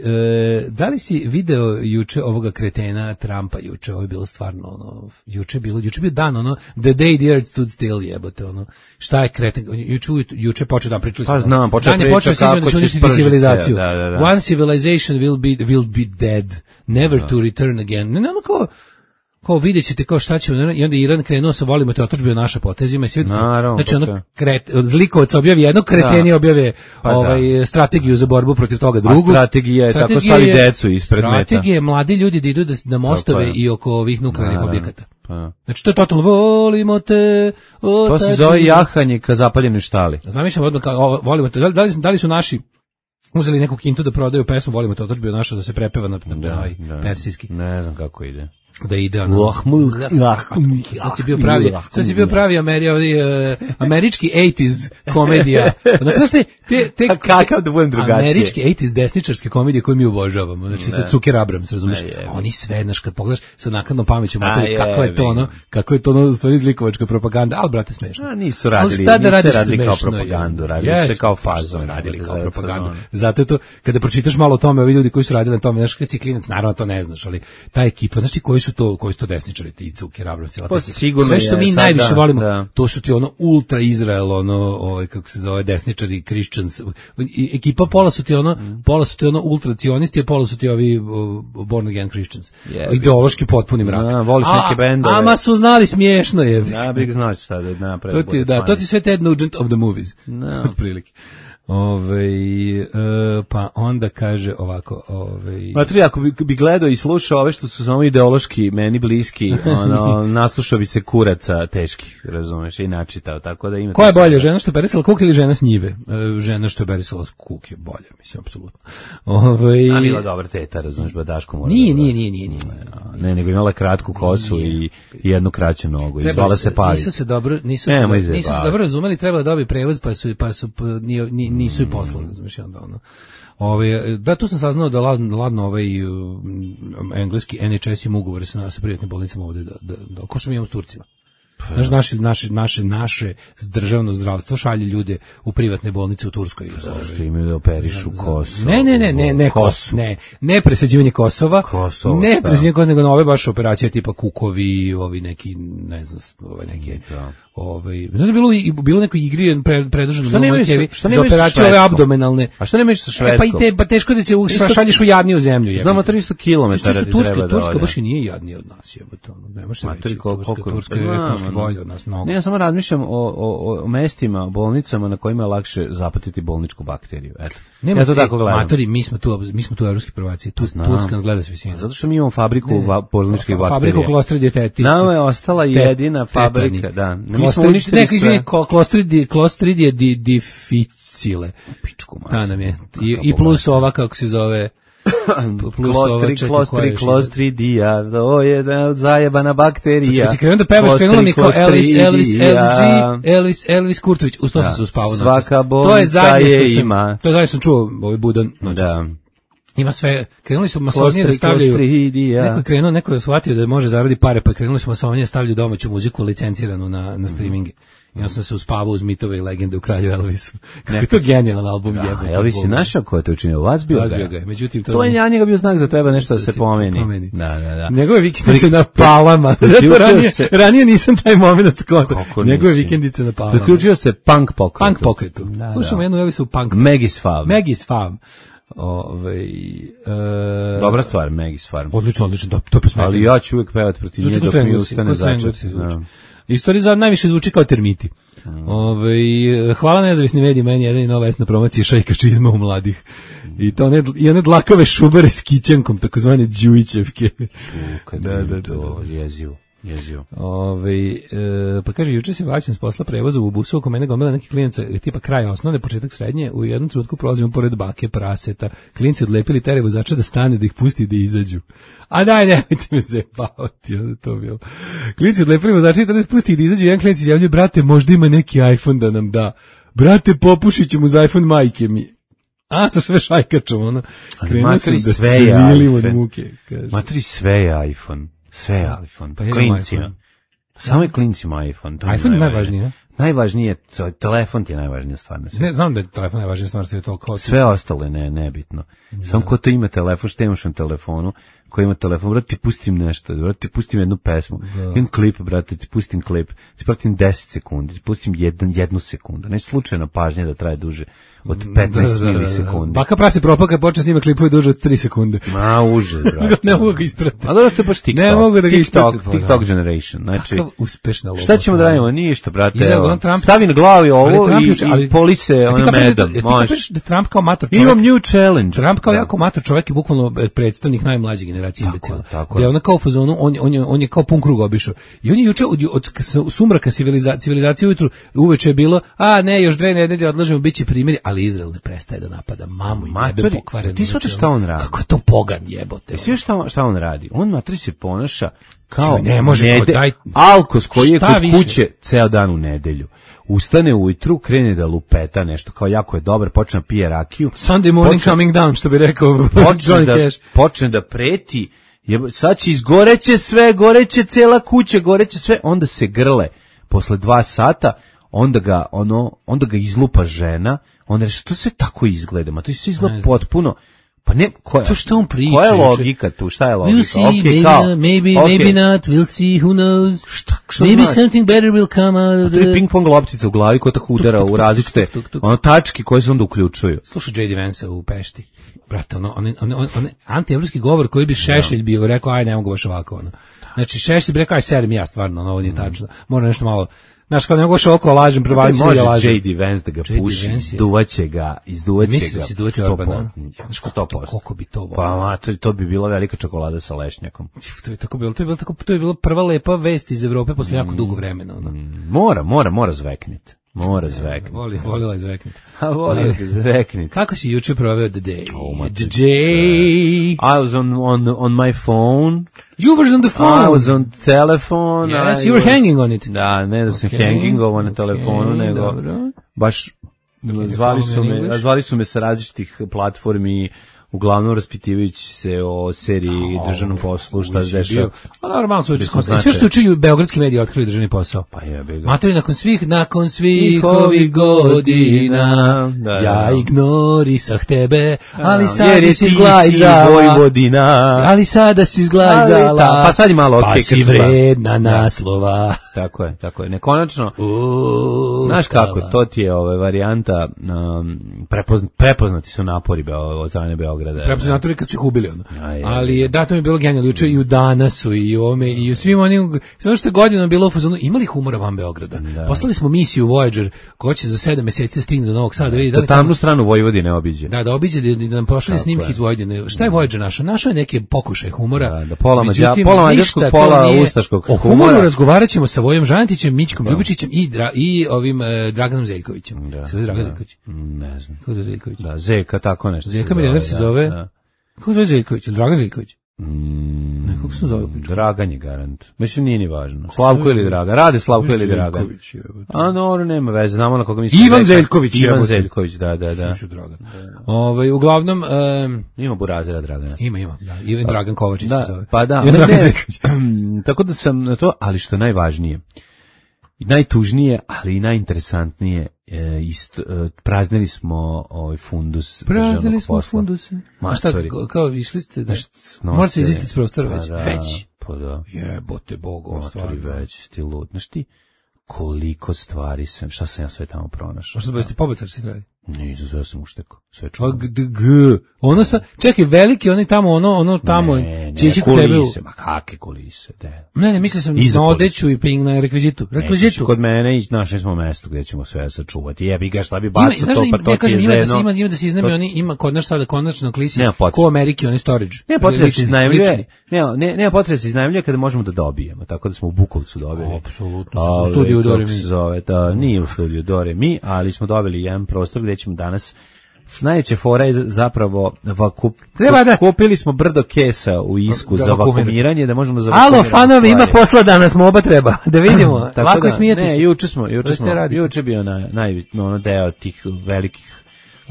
da li si video juče ovoga kretena Trumpa juče? Ovo je bilo stvarno, ono, juče je bilo, juče je bio dan, ono, the day the earth stood still, jebote, ono, šta je kreten, juče, juče počeo dan, pričali smo. Pa znam, počeo Dan je priča počeo, kako da će će uništiti spržiti civilizaciju. se, da, da, da. One civilization will be will be dead, never to return again. Ne, ne, ono kao, kao vidjet ćete kao šta će, i onda Iran krenuo sa volimo te otadžbinu naša potezima i sve. Naravno, Znači, ono, počeo. kret, zlikovac objavi jedno, kreteni Da. objave Pa da. ovaj, strategiju za borbu protiv toga drugu. strategija je tako Strategija stavi je- decu ispred meta. Strategija je mladi ljudi da idu da, na mostove je. i oko ovih nuklearnih Naravno. objekata. Pa. Znači, to je totalno, volimo te, o, To se tati. zove jahanje ka zapaljenoj štali. Zamišljam odmah kao, o, volimo te, da li, da li, da li su naši uzeli neku kintu da prodaju pesmu, volimo te otadžbinu naša da se prepeva na, na, na ovaj Da. persijski. Ne znam kako ide. da ide ono. Sad si bio pravi, sad si bio pravi Ameri, ovaj, američki osamdesetih komedija. Znaš te, te, te, kakav da budem drugačije. Američki osamdesetih desničarske komedije koje mi obožavamo. Znači, sad Zucker Abrams, razumiješ? Oni sve, znaš, kad pogledaš sa nakladnom pameću, materi, kako je to ono, kako je to ono, stvari zlikovačka propaganda, ali, brate, smešno. A, nisu radili, nisu da radili kao propagandu, radili se kao fazon. Radili kao propagandu. Zato je to, kada pročitaš malo o tome, ovi ljudi koji su radili na tome, znaš, kad si klinac, naravno to ne znaš, ali ta ekipa, znaš ti koji su to, koji su to desničari, ti Zucker Abrams, pa, sve što mi najviše da, volimo, da. To su ti ono ultra Izrael, ono, ovaj, kako se zove, desničari, Christians, ekipa pola su ti ono, mm. pola su ti ono ultracionisti, a pola su ti ovi uh, born again Christians. Yeah, ideološki potpuni mrak. Da, voliš a, neke bendove. Ama su znali smiješno je. Da, bih znao šta da napravi. To ti, da, to ti sve Ted Nugent of the movies. No. Otprilike. Ove, e, pa onda kaže ovako, ove... Matri, ako bi, bi gledao i slušao ove što su samo ideološki meni bliski, ono, naslušao bi se kuraca teških, razumeš, i načitao, tako da ima... Ko je bolje, žena što je berisala kuk ili žena s njive? E, žena što je berisala kuk je bolje, mislim, apsolutno. Ove... A bila dobra teta, razumeš, Badaško mora... Nije, nije, nije, nije, nije. Ne, nego imala kratku kosu i, i jednu kraću nogu, i zvala se Pavi. Nisu se dobro, nisu se, dobro, nisu se dobro razumeli, trebalo da dobi prevoz, pa su, pa su, pa, nije, nije, nisu i poslali, znaš, onda ono. Ove, da, tu sam saznao da ladno, ladno ovaj uh, engleski N H S ima ugovore sa, sa privatnim bolnicama ovde, da, da, da, ko što mi imamo s Turcima. Znaš, naše, naše, naše, naše državno zdravstvo šalje ljude u privatne bolnice u Turskoj. Zašto imaju da operišu Kosovo? Ne, ne, ne, ne, ne, kos, ne, ne presađivanje Kosova, Kosovo, ne presađivanje Kosova, nego nove baš operacije tipa kukovi, ovi neki, ne znam, ove neki, ovaj, znači bilo bilo neko igri pre, predržano što nema što za operacije ove abdomenalne. A što nemaš sa Švedskom? E, pa i te pa teško da će šalješ u jadniju zemlju, je. Znamo tristo kilometara Turska, da Turska baš i nije jadnija od nas, jebote, ono. Nemaš se reći, Turska, Turska je ekonomski bolja od nas mnogo. Ne, ja samo razmišljam o o o mestima, bolnicama na kojima je lakše zapatiti bolničku bakteriju. Eto. Nema, ja to tako gledam. Matori, mi smo tu, mi smo tu evropski prvaci. Tu Turska gleda se visina. Zato što mi imamo fabriku bolničkih bakterija. Fabriku Clostridia tetiti. Nama je ostala jedina fabrika, da. Mi smo uništili sve. Clostridia, Clostridia difficile. Pičku mač. Ta nam je. I, i plus ova, kako se zove... Klostri, klostri, klostridia, to je zajebana bakterija. Kad si krenuo da pevaš, krenulo mi kao Elvis, Elvis, L G, Elvis, Elvis Kurtović, uz to sam se uspavao. Svaka bolnica je ima. To je zadnje sam čuo, ovaj Budan. Da. Ima sve, krenuli su masonije da stavljaju, neko je krenuo, neko je shvatio da može zaraditi pare, pa krenuli su masonije da stavljaju domaću muziku licenciranu na, na streaminge. I ja sam se uspavao uz mitove i legende u Kralju Elvisu. Kako je to genijalan album, jebote. Elvis je našao ko je to učinio, vas bio ga. ga. Međutim, to, to je ja njega bio znak za tebe nešto da se pomeni. pomeni. Da, da, da. Njegove vikendice na Palama. ranije, se... ranije nisam taj moment kako. Njegove vikendice na Palama. Priključio se punk pokretu. Punk pokretu. Da, slušamo da. jednu Elvisu punk. Maggie's Farm. Maggie's Farm. Ove, e... Dobra stvar, Maggie's Farm. Odlično, odlično, to, to je pesma. Ali ja ću uvijek pevati protiv nje dok mi ustane začet. Istorija za najviše zvuči kao termiti. Mm. Ove, hvala nezavisni mediji, meni jedan i nova esna promocija šajkačizma u mladih. I to one, i one dlakave šubare s kićankom, takozvane Đujićevke. Čuka, da, da, da, jezivo. Jezio. Ove, e, pa kaže, juče se vraćam s posla prevoza u busu, oko mene gomila neki klijenca, tipa kraj osnovne, početak srednje, u jednom trenutku prolazimo pored bake, praseta, klinci odlepili tere vozača da stane, da ih pusti da izađu. A daj, nemojte me zajebavati, onda to bilo. Klinci odlepili vozača da pusti da izađu, jedan klinac izjavljuje, brate, možda ima neki iPhone da nam da. Brate, popušit ću mu za iPhone majke mi. A, sa sve šajkačom, ono. Krenuo sam da cvilimo od muke, kaže. Matri, sve je iPhone. Sve je iPhone, pa klincima. Samo je klincima iPhone. To iPhone je najvažniji, ne? Najvažnije, telefon ti je najvažnija stvar na svijetu. Ne, znam da je telefon najvažnija stvar na svijetu. Sve ostalo je ne, nebitno. Da. Samo ko to ima telefon, što imaš na telefonu, ko ima telefon, brate, ti pustim nešto, brate, ti pustim jednu pesmu, da. jedan klip, brate, ti pustim klip, ti pratim deset sekundi, ti pustim jedan, jednu sekundu. Ne slučajno pažnje da traje duže od petnaest da, da, milisekundi. Baka prase propao kad počne snima klipove duže od tri sekunde. Ma, uže, brate. Ne mogu ga ispratiti. A dobro, to je baš TikTok. Ne mogu da ga TikTok, TikTok generation. Znači, kakav uspešna lova. Šta ćemo da radimo? Ništa, brate. Idemo, to. Trump, Stavi na glavi ovo ali i, juče, ali, i polise ono medom. Ti kapiraš da Trump kao mator čovjek. Imam new challenge. Trump kao da. jako mator čovjek je bukvalno predstavnik najmlađe generacije imbecila. Tako Da je ona kao u fazonu, on, on, je, on je kao pun krug obišao. I on je juče od, od sumraka civilizacije, civilizacije ujutru, uveče je bilo, a ne, još dve nedelje odlažemo, bit će primjeri, ali Izrael ne prestaje da napada mamu i bebe pokvarenu. Ti shvataš šta on radi? Kako je to pogan jebote. Ti šta, šta on radi? On matri se ponaša kao ne može, nede, daj, alkos koji je kod više? kuće ceo dan u nedelju. Ustane ujutru, krene da lupeta nešto, kao jako je dobar, počne da pije rakiju. Sunday morning počne, coming down, što bi rekao počne da, počne da preti, je, sad će izgoreće sve, goreće cela kuća, goreće sve, onda se grle. Posle dva sata, onda ga, ono, onda ga izlupa žena, onda reče, to sve tako izgleda, ma to se izgleda potpuno. Pa ne, koja, to što on priča, koja je logika tu, šta je logika? We'll see, okay, maybe, kao, maybe, okay. maybe not, we'll see, who knows. Šta, šta maybe znači? something better will come out of the... To je ping-pong loptica u glavi koja tako udara tuk, tuk, u različite tuk, tuk, tuk. ono tački koje se onda uključuju. Slušaj J D Vance u Pešti. Brate, ono, on, on, on, on antievropski govor koji bi Šešelj bio, rekao, aj, ne mogu baš ovako, ono. Znači, Šešelj bi rekao, aj, serim ja, stvarno, ono, ovo nije tačno. Moram nešto malo... Znaš, kao ne mogu oko lažem, prevalit ću ja lažem. Može J D Vance da ga puši, izduvaće ga, izduvaće ga. Misli da se izduvaće Orbana? sto posto. Koliko bi to volio? Pa, ma, to, to bi bila velika čokolada sa lešnjakom. To je tako bilo, to je bilo, tako, to je bilo prva lepa vest iz Evrope posle jako dugo vremena. Ono. Mora, mora, mora zveknit. Mora zveknit. Voli, volila je zveknit. A voli da zveknit. Kako si juče proveo the day? Oh, the day. I was on, on, on my phone. You were on the phone. I was on telephone. Yes, I you were was, hanging on it. Da, ne da sam okay. hanging ovo na telefonu, okay, nego dobro. baš okay, zvali su me, zvali su me sa različitih platformi, uglavnom raspitivajući se o seriji oh, Državnom poslu, šta se dešava. A normalno su sve što učiju beogradski mediji otkrili državni posao. Pa jebe ga. Materi, nakon svih, nakon svih ovih godina, da, da, ja ignorisah tebe, ali sada si zglajzala. Vojvodina. Ali sada si zglajzala. Pa sad je malo okej. Pa si vredna naslova. Tako je, tako je. Nekonačno, znaš kako, to ti je ove varijanta, um, prepozna, prepoznati su napori od strane Beograda. Prepoznatori kad su ih ubili, ono. Aj, ali je, da, to mi je bilo genijalno, juče i u Danasu, i u ovome, i u svim onim, sve što je godinama bilo u fazonu, imali humora van Beograda. Da. Poslali smo misiju Voyager, koja će za sedam meseci stigne do Novog Sada. Da vidi, da li tamnu tamo, stranu Vojvodine obiđe. Da, da obiđe, da, da nam pošalje snimke iz Vojvodine. Šta je Voyager našao? Našao je neke pokušaje humora. Da, da pola, mađa, pola mađarskog, pola ustaškog humora. O humoru razgovarat ćemo sa Vojom Žanetićem, Mićkom Ljubičićem i, dra, i ovim eh, Draganom Zeljkovićem. Da, se Dragan da, Zeljković? Ne znam. Kako je Zeljković? Da, Zeka, tako nešto. Zeka milioner se zove. Da. Kako se zove Zeljković? Dragan Zeljković? Mm, ne, kako se zove? Dragan je garant. Mislim, nije ni važno. Slavko ili Dragan? Rade Slavko ili Dragan? A, no, nema veze. Znamo na koga mislim. Ivan Zeljković. Ivan Zeljković, da, da, da. Dragan. Ovaj, uglavnom... Um, ima Burazira Dragana. Ima, ima. Da. Ivan Dragan Kovačić da, se zove. Pa da. Ne, ne, tako da sam na to, ali što je najvažnije, i najtužnije, ali i najinteresantnije, e, ist, e, praznili smo ovaj fundus praznili smo funduse. A šta, kao, kao išli ste, da, morate izlistiti s prostora već, da, već. Pa da. Jebote Bogo, stvarno. Već, ti lud. Znaš ti, koliko stvari sam, šta sam ja sve tamo pronašao. Možda ste pobecar se zdravi? Ne, izazveo sam ušteko. Sve čuo. G, g, ono sa, čekaj, veliki, oni tamo, ono, ono tamo, ne, će ići kod tebe. Ma kakve kulise, de. Ne, ne, mislio sam na odeću i ping na rekvizitu. Rekvizitu. Ne, kod mene i našli smo mesto gdje ćemo sve sačuvati. Jebi ga, šta bi bacao to, pa to ja kažem, ti je zeno. Da se ima, ima da se iznajmljuje, oni ima kod naš sada konačno klisi, ko u Ameriki, oni storage. Ne, potreba se iznajmljuje, ne, ne, nema potreba se iznajmljuje kada možemo da dobijemo, tako da smo u Bukovcu dobili. Apsolutno, u studiju Dore Mi. Zove, da, nije u studiju Dore Mi, ali smo dobili jedan prostor gdje ćemo danas. Najveća fora je zapravo vakup, da. kupili smo brdo kesa u Isku da, za vakumiranje, da možemo za vakumiranje. Alo, fanovi, ima posla danas, mo oba treba, da vidimo, lako da, smijeti se. Ne, juče smo, juče smo, juče bio na, najbitno ono deo tih velikih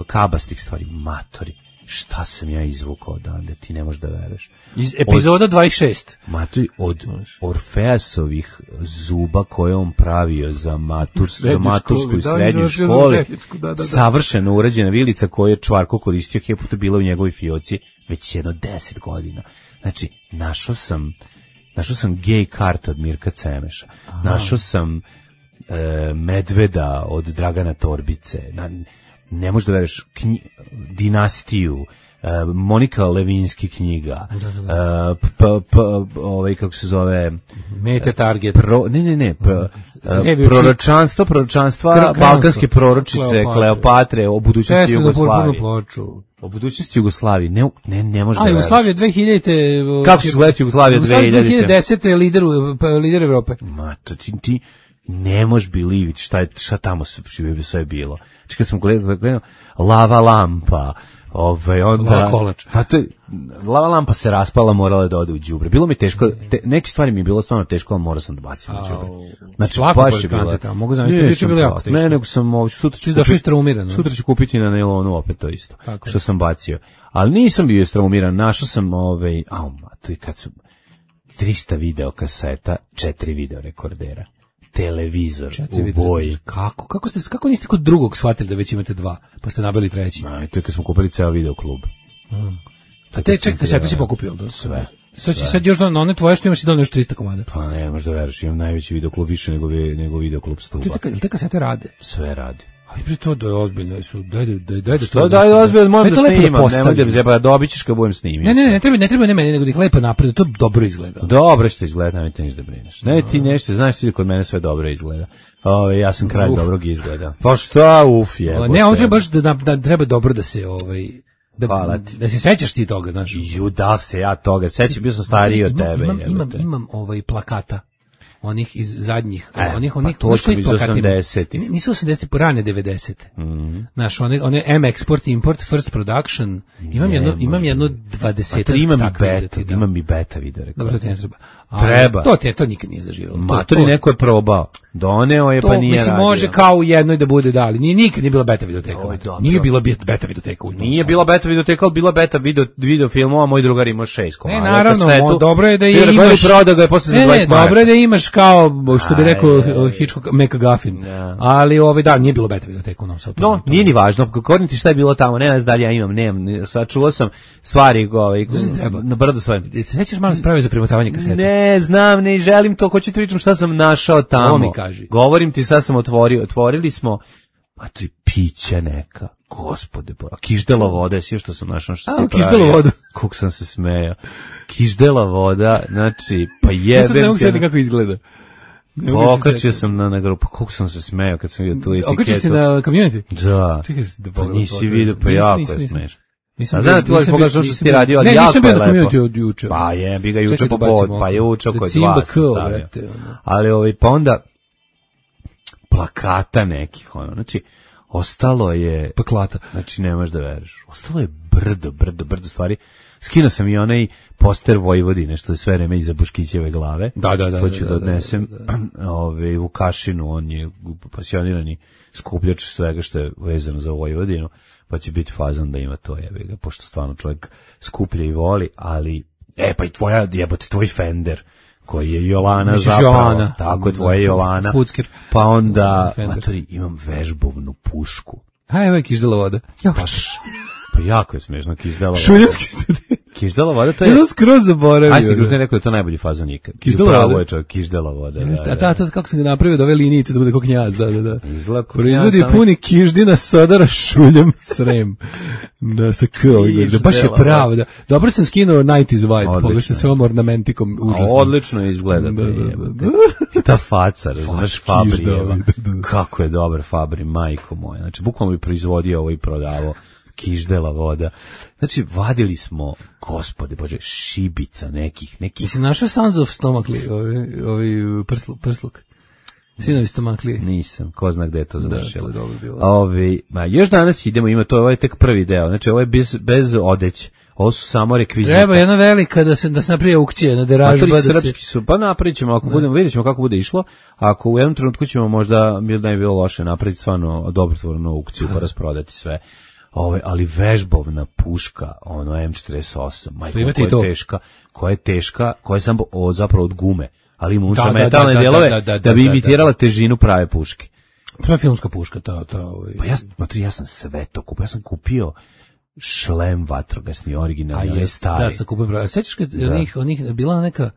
kabastih stvari, matori. Šta sam ja izvukao odande, ti ne možeš da veruješ. Iz epizoda dvadeset šest. Matori, od Orfeasovih zuba koje on pravio za, matur, za matursku i srednju školu, da, da, da. Savršeno urađena vilica koju je Čvarko koristio, je puta bila u njegovoj fioci već jedno deset godina. Znači, našao sam, našao sam gej kartu od Mirka Cemeša, aha. Našao sam e, medveda od Dragana Torbice, na, ne možeš da veruješ, knji, dinastiju, Monika Levinski knjiga, da, da, da. Uh, p, p, ovaj, kako se zove... Mete Target. Pro, ne, ne, ne, pro, uh, proročanstvo, proročanstva, balkanske proročice, Kleopatre, Kleopatre o budućnosti Jugoslavije. O budućnosti Jugoslavije, ne, ne, ne može da A, Jugoslavija dve hiljadite... Kako se gleda Jugoslavija dve hiljadite? dve hiljade desete lider, lider Evrope. Ma, to ti, ti ne možeš biliviti šta, je, šta tamo sve, sve bilo. Znači, kad sam gledao, gledao Lava lampa, ovaj, onda... Lava kolač. Pa to, lava lampa se raspala, morala da ode u đubre. Bilo mi teško, te, neke stvari mi je bilo stvarno teško, ali morao sam da bacim u đubre. Znači, baš je bilo. Tamo. Mogu zamisliti, biće bilo jako teško. Ne, nego sam ovo, sutra ću, kupiti, istraumiran, sutra ću kupiti na nailonu opet to isto, tako što je. Sam bacio. Ali nisam bio istraumiran, našao sam, ovaj, au, to je kad sam, trista video kaseta, četiri video rekordera. Televizor četiri u boji. Kako? Kako ste kako niste kod drugog shvatili da već imate dva, pa ste nabili treći? Aj, to je kad smo kupili ceo video klub. Mm. A te čekaj, kasete si pokupio, da? Sve. Sad će sad još na one tvoje što imaš i donio još trista komada. Pa ne, možda veriš, imam najveći video klub više nego nego video klub Stuba. Te, te kasete rade? Sve radi. Aj pri to da je ozbiljno, su daj daj daj da što daj ozbiljno, moram da snimam, nemoj da zeba, dobićeš kad budem snimio. Ne, ne, ne, treba, ne treba ne meni, nego da ih lepo napravi, to dobro izgleda. Dobro što izgleda, nemoj te ništa da brineš. Ne, ti nešto, znaš ti kod mene sve dobro izgleda. Ove, ja sam kralj dobrog izgleda. Pa šta, uf je. Ne, on treba baš da, da treba dobro da se ovaj da, da se sećaš ti toga, znaš. Ju, da se ja toga sećam, bio sam stariji od tebe. Imam, imam, imam ovaj plakata. Onih iz zadnjih, e, onih, onih, pa to će iz osamdesetih. Nisu osamdesete, rane devedesete. Mm. Znaš, one, one M Export, Import, First Production, imam ne, jedno, imam jedno dvadeset. Pa imam i beta, da. imam i beta video. Dobro, to ti ne treba. A, treba. To ti to nikad nije zaživalo. Ma, to, to neko je probao. Doneo je, to, pa nije mislim, radio. može kao u jednoj da bude dali. Nije nikad nije bila beta videoteka. Nije bila beta videoteka. Nije bila beta videoteka, ali bila beta video, video filmova, moj drugar imao šest komada. Ne, naravno, mo, dobro je da je imaš... Prodao ga je posle za dvadeset maraka. Dobro je da imaš kao, što bi rekao Hitchcock, McGuffin. Ali ovaj, da, nije bilo beta videoteka u Novom Sadu. No, nije ni važno, korim ti šta je bilo tamo, ne znam da li ja imam, nemam, sad čuo sam stvari, ovaj, na brdo svoje. Se sećaš malo sprave za premotavanje kasete? Ne, znam, ne želim to, hoću ti pričam šta sam našao tamo. Ovo mi kaži. Govorim ti, sad sam otvorio, otvorili smo, a to je piće neka, gospode, a kiždela voda, sve što sam našao, što a, kiždela voda. Kuk sam se smejao. Kiždela voda, znači, pa jebem. Ja sad ne mogu sjetiti kako izgleda. Okačio sam na, na grupu, kako sam se smejao kad sam vidio tu etiketu. Okačio si na community? Da. Čekaj se da pa nisi vidio, pa jako je smešno. Nisam a znam da ti ovaj pogledao što si ti radio, ali jako je lepo. Ne, nisam bio na community od juče. Pa je, bi ga juče popod, pa je juče oko dva sam stavio. Ali ovaj, pa onda plakata nekih, ono, znači, ostalo je... Paklata. Znači, nemaš da veriš. Ostalo je brdo, brdo, brdo stvari. Skinuo sam i onaj poster Vojvodine, što je sve vreme iza Buškićeve glave. Da, da, da. To ću da, da odnesem da, da, da. Ove, Vukašinu, on je pasionirani skupljač svega što je vezano za Vojvodinu, pa će biti fazan da ima to, jebi ga, pošto stvarno čovjek skuplja i voli, ali, e, pa i tvoja, jebote, tvoj Fender, koji je Jolana Misliš zapravo, Jolana. Tako je tvoja Jolana, Fuckir. Pa onda, matori, imam vežbovnu pušku. A evo je kiždela voda. Pa, pa jako je smiješno, kiždela voda. Šuljevski student. Kiždela voda, to je... Ja sam skroz zaboravio. Ajde, gružno je rekao da to najbolji fazon nikad. Kiždela voda. Je čovjek, kiždela voda. Jeste, da, da. A ta, kako sam ga napravio da ove linijice da bude kao knjaz, da, da, da. Izgleda kao proizvodi knjaz, puni kiždina sodara šuljem srem. Da, sa k ovaj, da baš je pravo, da. Dobro sam skinuo devedesetih vibe, pogledaj sve ovom ornamentikom, užasno. A odlično izgleda. Da, da, da, da. I ta faca, razumeš, Fabrijeva. Kako je dobar Fabri, majko moja. Znači, bukvalno bi proizvodio ovo i prodavao. Kiždela voda. Znači, vadili smo, gospode Bože, šibica nekih, nekih... Jesi našao Sons of Stomakli, ovi, ovi prslu, prsluk? Sinovi Stomakli? Nisam, ko zna gde je to završilo. Da, to je dobro bilo. Ovi, ma, još danas idemo, ima to, ovo je tek prvi deo, znači ovo je bez, bez odeć, ovo su samo rekvizita. Treba jedna velika da se, da se naprije aukcije na deražba. Da srpski su, pa napravit ćemo, ako budemo, vidjet ćemo kako bude išlo, ako u jednom trenutku ćemo možda, da je bilo loše napraviti stvarno dobrotvornu aukciju, pa rasprodati sve. Ove, ali vežbovna puška, ono M četrdeset osam, majko, koja je to? teška, koja je teška, koja je samo o, zapravo od gume, ali ima unutra metalne delove da, da, da, da bi imitirala da, da. težinu prave puške. Prva filmska puška, ta, ta, ovaj. Pa ja, matri, ja sam sve to kupio, ja sam kupio šlem vatrogasni, originalni, je stari. Da, sam kupio, sećaš kad da. onih, onih, bila neka,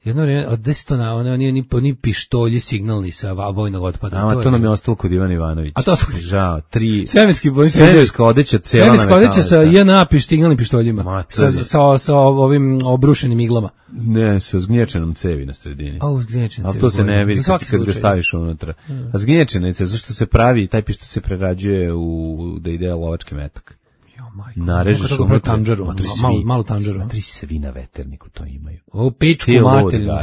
Jedno vrijeme, od deset na one, oni, oni, oni pištolji signalni sa vojnog otpada. Ama to, to nam je ostalo kod Ivana Ivanovića. A to su... Žao, tri... Svemirski bojni. Svemirska odeća cijela na metalu. Svemirska odeća sa J N A piš, signalnim pištoljima. Ma, sa, sa, sa ovim obrušenim iglama. Ne, sa zgnječenom cevi na sredini. A, zgnječena cevi. A to se ne vidi kad, kad ga staviš unutra. Hmm. A zgnječena cevi, zašto se pravi, taj pištolj se prerađuje u, da ide lovački metak. Narežeš unutra, tanđaru, malo, malo tanđaru. Svi svi na veterniku to imaju. O, pičku materinu.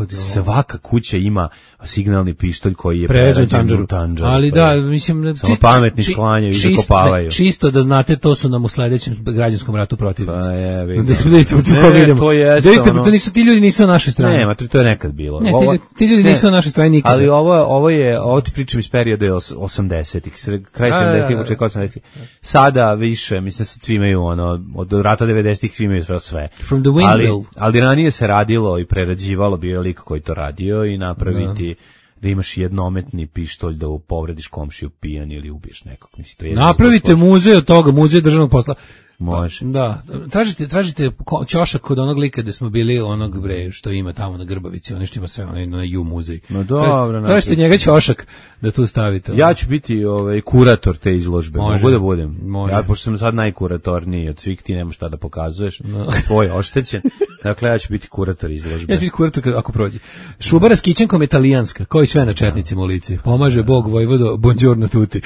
Svaka kuća ima signalni pištolj koji je prerađen tanđaru. tanđaru. Ali da, mislim... Samo pametni sklanjaju i zakopavaju. Čisto da znate, to su nam u sledećem građanskom ratu protivnici. Pa je, vidim. Da smo vidite u koga idemo. To jeste, da vidite, to nisu, ti ljudi nisu na našoj strani. Ne, to je nekad bilo. Ne, ovo, ti, ti ljudi ne, nisu na našoj strani nikada. Ali ovo, ovo je, ovo ti pričam iz perioda osamdesetih, kraj sedamdesetih, početka osamdesetih. Sada više, mislim, svi imaju ono, od rata devedesetih svi imaju sve. From the ali, ali ranije se radilo i prerađivalo, bio je lik koji to radio i napraviti da, da imaš jednometni pištolj da povrediš komšiju pijan ili ubiješ nekog. Mislim, to je napravite muzej od toga, muzej državnog posla. Može. Da, tražite, tražite ćošak kod onog lika gde smo bili, onog bre što ima tamo na Grbavici, ono što ima sve, ono na Ju muzej. No dobro, tražite njega ćošak da tu stavite. Ja ću biti ovaj kurator te izložbe, može, mogu da budem. Može. Ja pošto sam sad najkuratorniji od svih, ti nemaš šta da pokazuješ, no. Tvoj je oštećen. Dakle ja ću biti kurator izložbe. Ja ću biti kurator ako prođe. Šubara s kićenkom je italijanska, kao i sve na četnicima u lici. Pomaže Bog vojvodo, buongiorno tutti.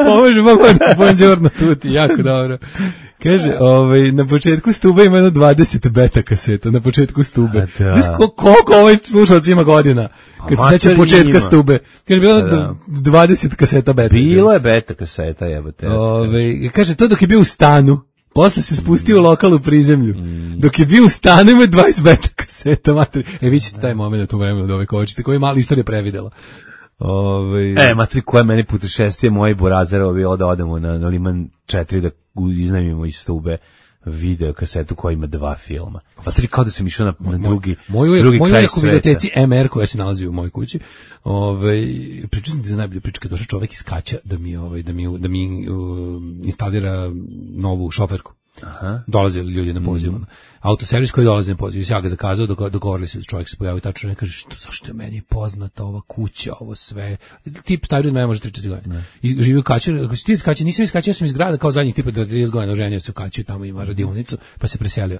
Pomaže Bog vojvodo, buongiorno tutti. Jako dobro. Kaže, ovaj, na početku Stube ima jedno dvadeset beta kaseta, na početku Stube. Znaš koliko ovaj slušalac ima godina? Kad se seća početka ima. Stube. Kad je bilo da. dvadeset kaseta beta. Bilo je beta kaseta, jebote. Ovaj, kaže, to dok je bio u stanu, posle se spustio mm. u lokalnu prizemlju. Mm. Dok je bio u stanu ima dvadeset beta kaseta. Materi. E, vi ćete taj moment u vremenu da ovaj kočite, koji je malo istorija previdela. Ove... E, matri, koja meni putešestvije moji Burazerovi bilo da odemo na, na Liman četiri da iznajmimo iz Stube video kasetu koja ima dva filma. Matri, kao da sam išao na, na drugi, moj, drugi moj kraj sveta. Moju videoteci M R koja se nalazi u mojoj kući. Ove, pričao sam ti za najbolju priču kad došao čovjek iz Kaća da mi, ovaj, da mi, da mi uh, instalira novu šoferku. Aha. Dolazili ljudi na poziv. Mm. Autoservis koji dolazi na poziv. Ja ga zakazao, dogovorili se da čovjek se pojavi tačno i kaže, što, zašto je meni poznata ova kuća, ovo sve. Tip taj ljudi me može tri četiri godine. I živi u Kaću, ako si ti iz Kaća, nisam iz Kaća, ja sam iz grada kao zadnjih tipa trideset godina, oženio se u Kaću i tamo ima radionicu, pa se preselio.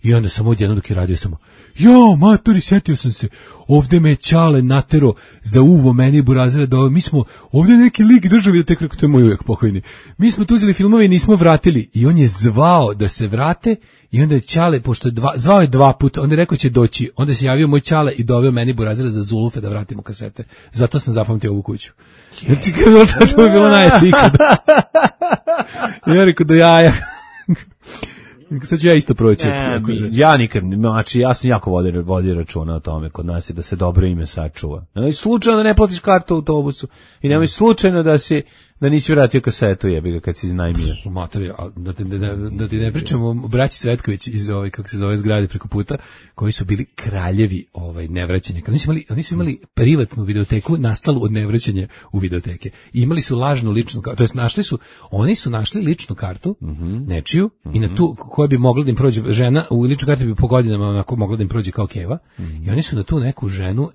I onda sam odjedno dok je radio samo, jo, matori, sjetio sam se, ovde me Ćale natero za uvo meni Burazera da mi smo, ovde neki lik državi da tek rekao, to je moj uvijek pokojni. Mi smo tu uzeli filmove i nismo vratili. I on je zvao da se vrate i onda je Ćale, pošto je dva, zvao je dva puta, onda je rekao će doći, onda se javio moj Ćale i doveo meni Burazera za Zulufe da vratimo kasete. Zato sam zapamtio ovu kuću. Znači, to je bilo najjače ikada. Ja rekao do jaja. Sad ću ja isto proći. Ne, ja nikad, znači ja sam jako vodio, vodio računa o tome kod nas i da se dobro ime sačuva. Nemoj slučajno da ne platiš kartu u autobusu i nemoj slučajno da si da nisi vratio kasetu, jebi ga kad si iznajmio. Mater, da ti da, da ti ne pričamo o braći Cvetković iz ovaj kako se zove zgrade preko puta, koji su bili kraljevi ovaj nevraćanja. Kad nisu imali, oni su imali privatnu videoteku nastalu od nevraćanja u videoteke. I imali su lažnu ličnu kartu, to jest našli su, oni su našli ličnu kartu, mm -hmm. nečiju, mm -hmm. i na tu koja bi mogla da im prođe žena, u ličnoj karti bi po godinama onako mogla da im prođe kao keva. Mm -hmm. I oni su na tu neku ženu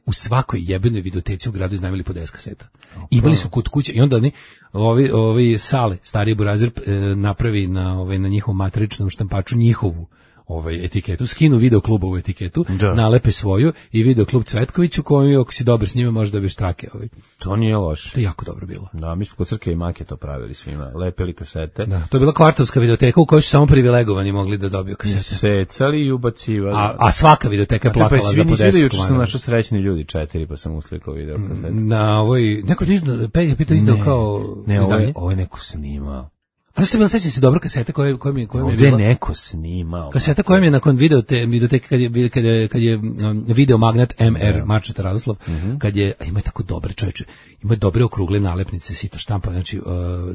u svakoj jebenoj videoteci u gradu iznajmili po deset kaseta. Okay. Imali su kod kuće i onda oni ovi ovi Sale, stari Burazer e, napravi na ovaj na njihovom matričnom štampaču njihovu ovaj etiketu, skinu video klubovu etiketu, da. Nalepe svoju i video klub Cvetković u kojem ako si dobar s njima možeš dobiješ trake, ovaj. To nije loše. To je jako dobro bilo. Da, mi smo kod Crke i Make to pravili svima, lepili kasete. Da, to je bila kvartovska videoteka u kojoj su samo privilegovani mogli da dobiju kasete. Secali i ubacivali. A, a svaka videoteka je plakala za po deset. Juče sam našao srećni ljudi četiri, pa sam uslikao video kasete. Na ovoj neko je izdao, Peggy pitao izdao kao ne, ovo je, ovo je neko snimao. A se bilo sećam se dobro kasete koje koje mi koje mi je bila. Ovdje neko snimao. Kaseta koja mi je nakon video te videoteke kad je kad je kad je um, video magnet M R yeah. Marčeta Radoslav, mm -hmm. kad je a ima tako dobre čoveče. Ima dobre okrugle nalepnice, sito štampa, znači uh,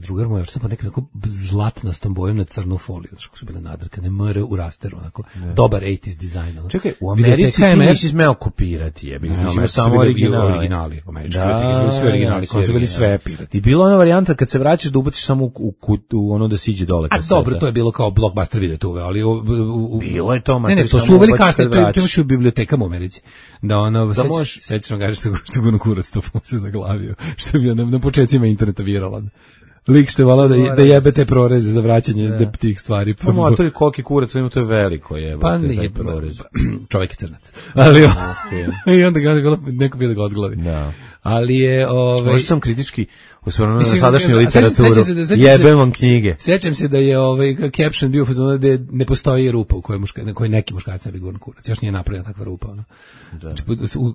drugar moj štampa neka tako zlatnastom bojom na crnu foliju, znači kako su bile nadrkane, M R u rasteru, onako yeah. dobar osamdesetih dizajn. Ono. Čekaj, u Americi ti nisi smeo kopirati, jebi ga, mi samo originali. originali, američki, da, sve originali, koji su bili sve pirati. I bila ona varijanta kad se vraćaš da ubaciš samo u, u, u ono da siđe dole A kaseta. dobro, to je bilo kao blockbuster video tu, ali u, u, u, bilo je to, ne, ne, to su uveli kasnije, to je to u bibliotekama u Americi. Da ono, da seć, sećam ga što što guno kurac to se zaglavio, što bi na, na početcima interneta viralan. Lik što je volao da, da jebe te proreze za vraćanje da. tih stvari. Pa motor i koliki kurac, ima to je veliko jebe. Pa nije prorez. Čovjek je crnac. Ali okay. I onda ga neko bi da ga odglavi. Da. Ali je ovaj možda sam kritički osvrnuo na sadašnju literaturu. Jebem vam knjige. Sećam se da je ovaj caption bio fazon da ne postoji rupa u kojoj muška, na kojoj neki muškarac ne bi gurno kurac. Još nije napravljena takva rupa, ono. Da. Znači,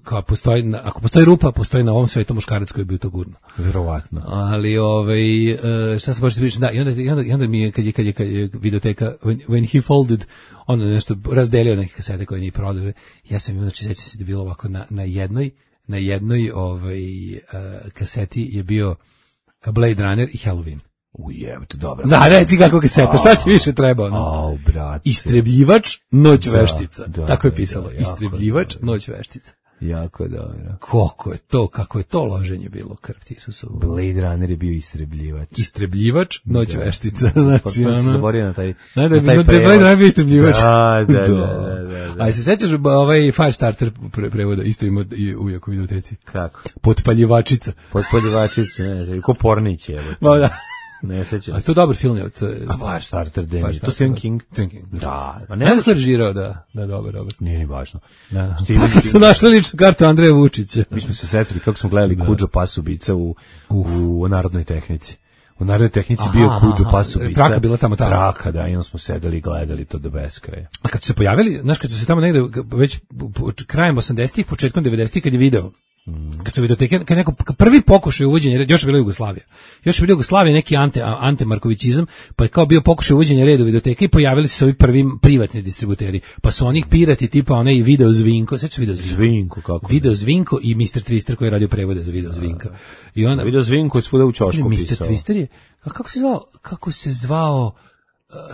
kao postoji, ako postoji rupa, postoji na ovom svetu muškarac koji bi u to gurno. Verovatno. Ali ovaj šta se može reći, da, i onda i onda, i onda mi je kad je kad je, kad je videoteka when, when he folded, on nešto razdelio neke kasete koje nije prodao. Ja sam im znači sećam se da je bilo ovako na na jednoj na jednoj ovaj uh, kaseti je bio Blade Runner i Halloween. Ujebate, dobro. Da, reci kako kaseta, šta ti više treba? Ono? Au, brate. Istrebljivač, noć da, veštica. Da, tako je da, pisalo. da, Istrebljivač, dobro. Noć veštica. Jako je dobro. Koliko je to, kako je to loženje bilo, krv ti Isusovu. Blade Runner je bio istrebljivač. Istrebljivač, noć da. veštica. Znači, pa, pa ono... zaborio na taj, da, na taj da, prevod. Blade Runner bio istrebljivač. Da, da, da. da, da, da. A se sećaš ovaj Firestarter pre, prevoda, isto ima i uvijek u videoteci. Kako? Potpaljivačica. Potpaljivačica, ne znam, ko Pornić je. Ma da. Ne sećam. A to je dobar film je. To je... A Firestarter, Danny. To Stephen King. Stephen King. Da. Pa ne znam ko je režirao, da. Da, dobro, dobro. Nije ni važno. Da. Pa sad su našli ličnu kartu Andreja Vučića. Mi smo se setili kako smo gledali Kudžo Pasubica u, u, u Narodnoj tehnici. U Narodnoj tehnici aha, bio Kudžo Pasubica. Traka bila tamo tamo. Traka, da, i onda smo sedeli i gledali to do beskraja. A kad su se pojavili, znaš, kad su se tamo negde, već krajem osamdesetih, početkom devedesetih, kad je video, mm. kad su videoteke, kad neko prvi pokušaj uvođenja, još je bila Jugoslavija. Još je bila Jugoslavija neki ante, ante Markovićizam, pa je kao bio pokušaj uvođenja reda u videoteke i pojavili su se ovi prvi privatni distributeri. Pa su onih pirati tipa onaj Video Zvinko, sećaš Video Zvinko? Zvinko, kako? Video Zvinko i mister Twister koji je radio prevode za Video Zvinka. I onda Video Zvinko je svuda u ćošku mister pisao. mister Twister je, a kako se zvao, kako se zvao,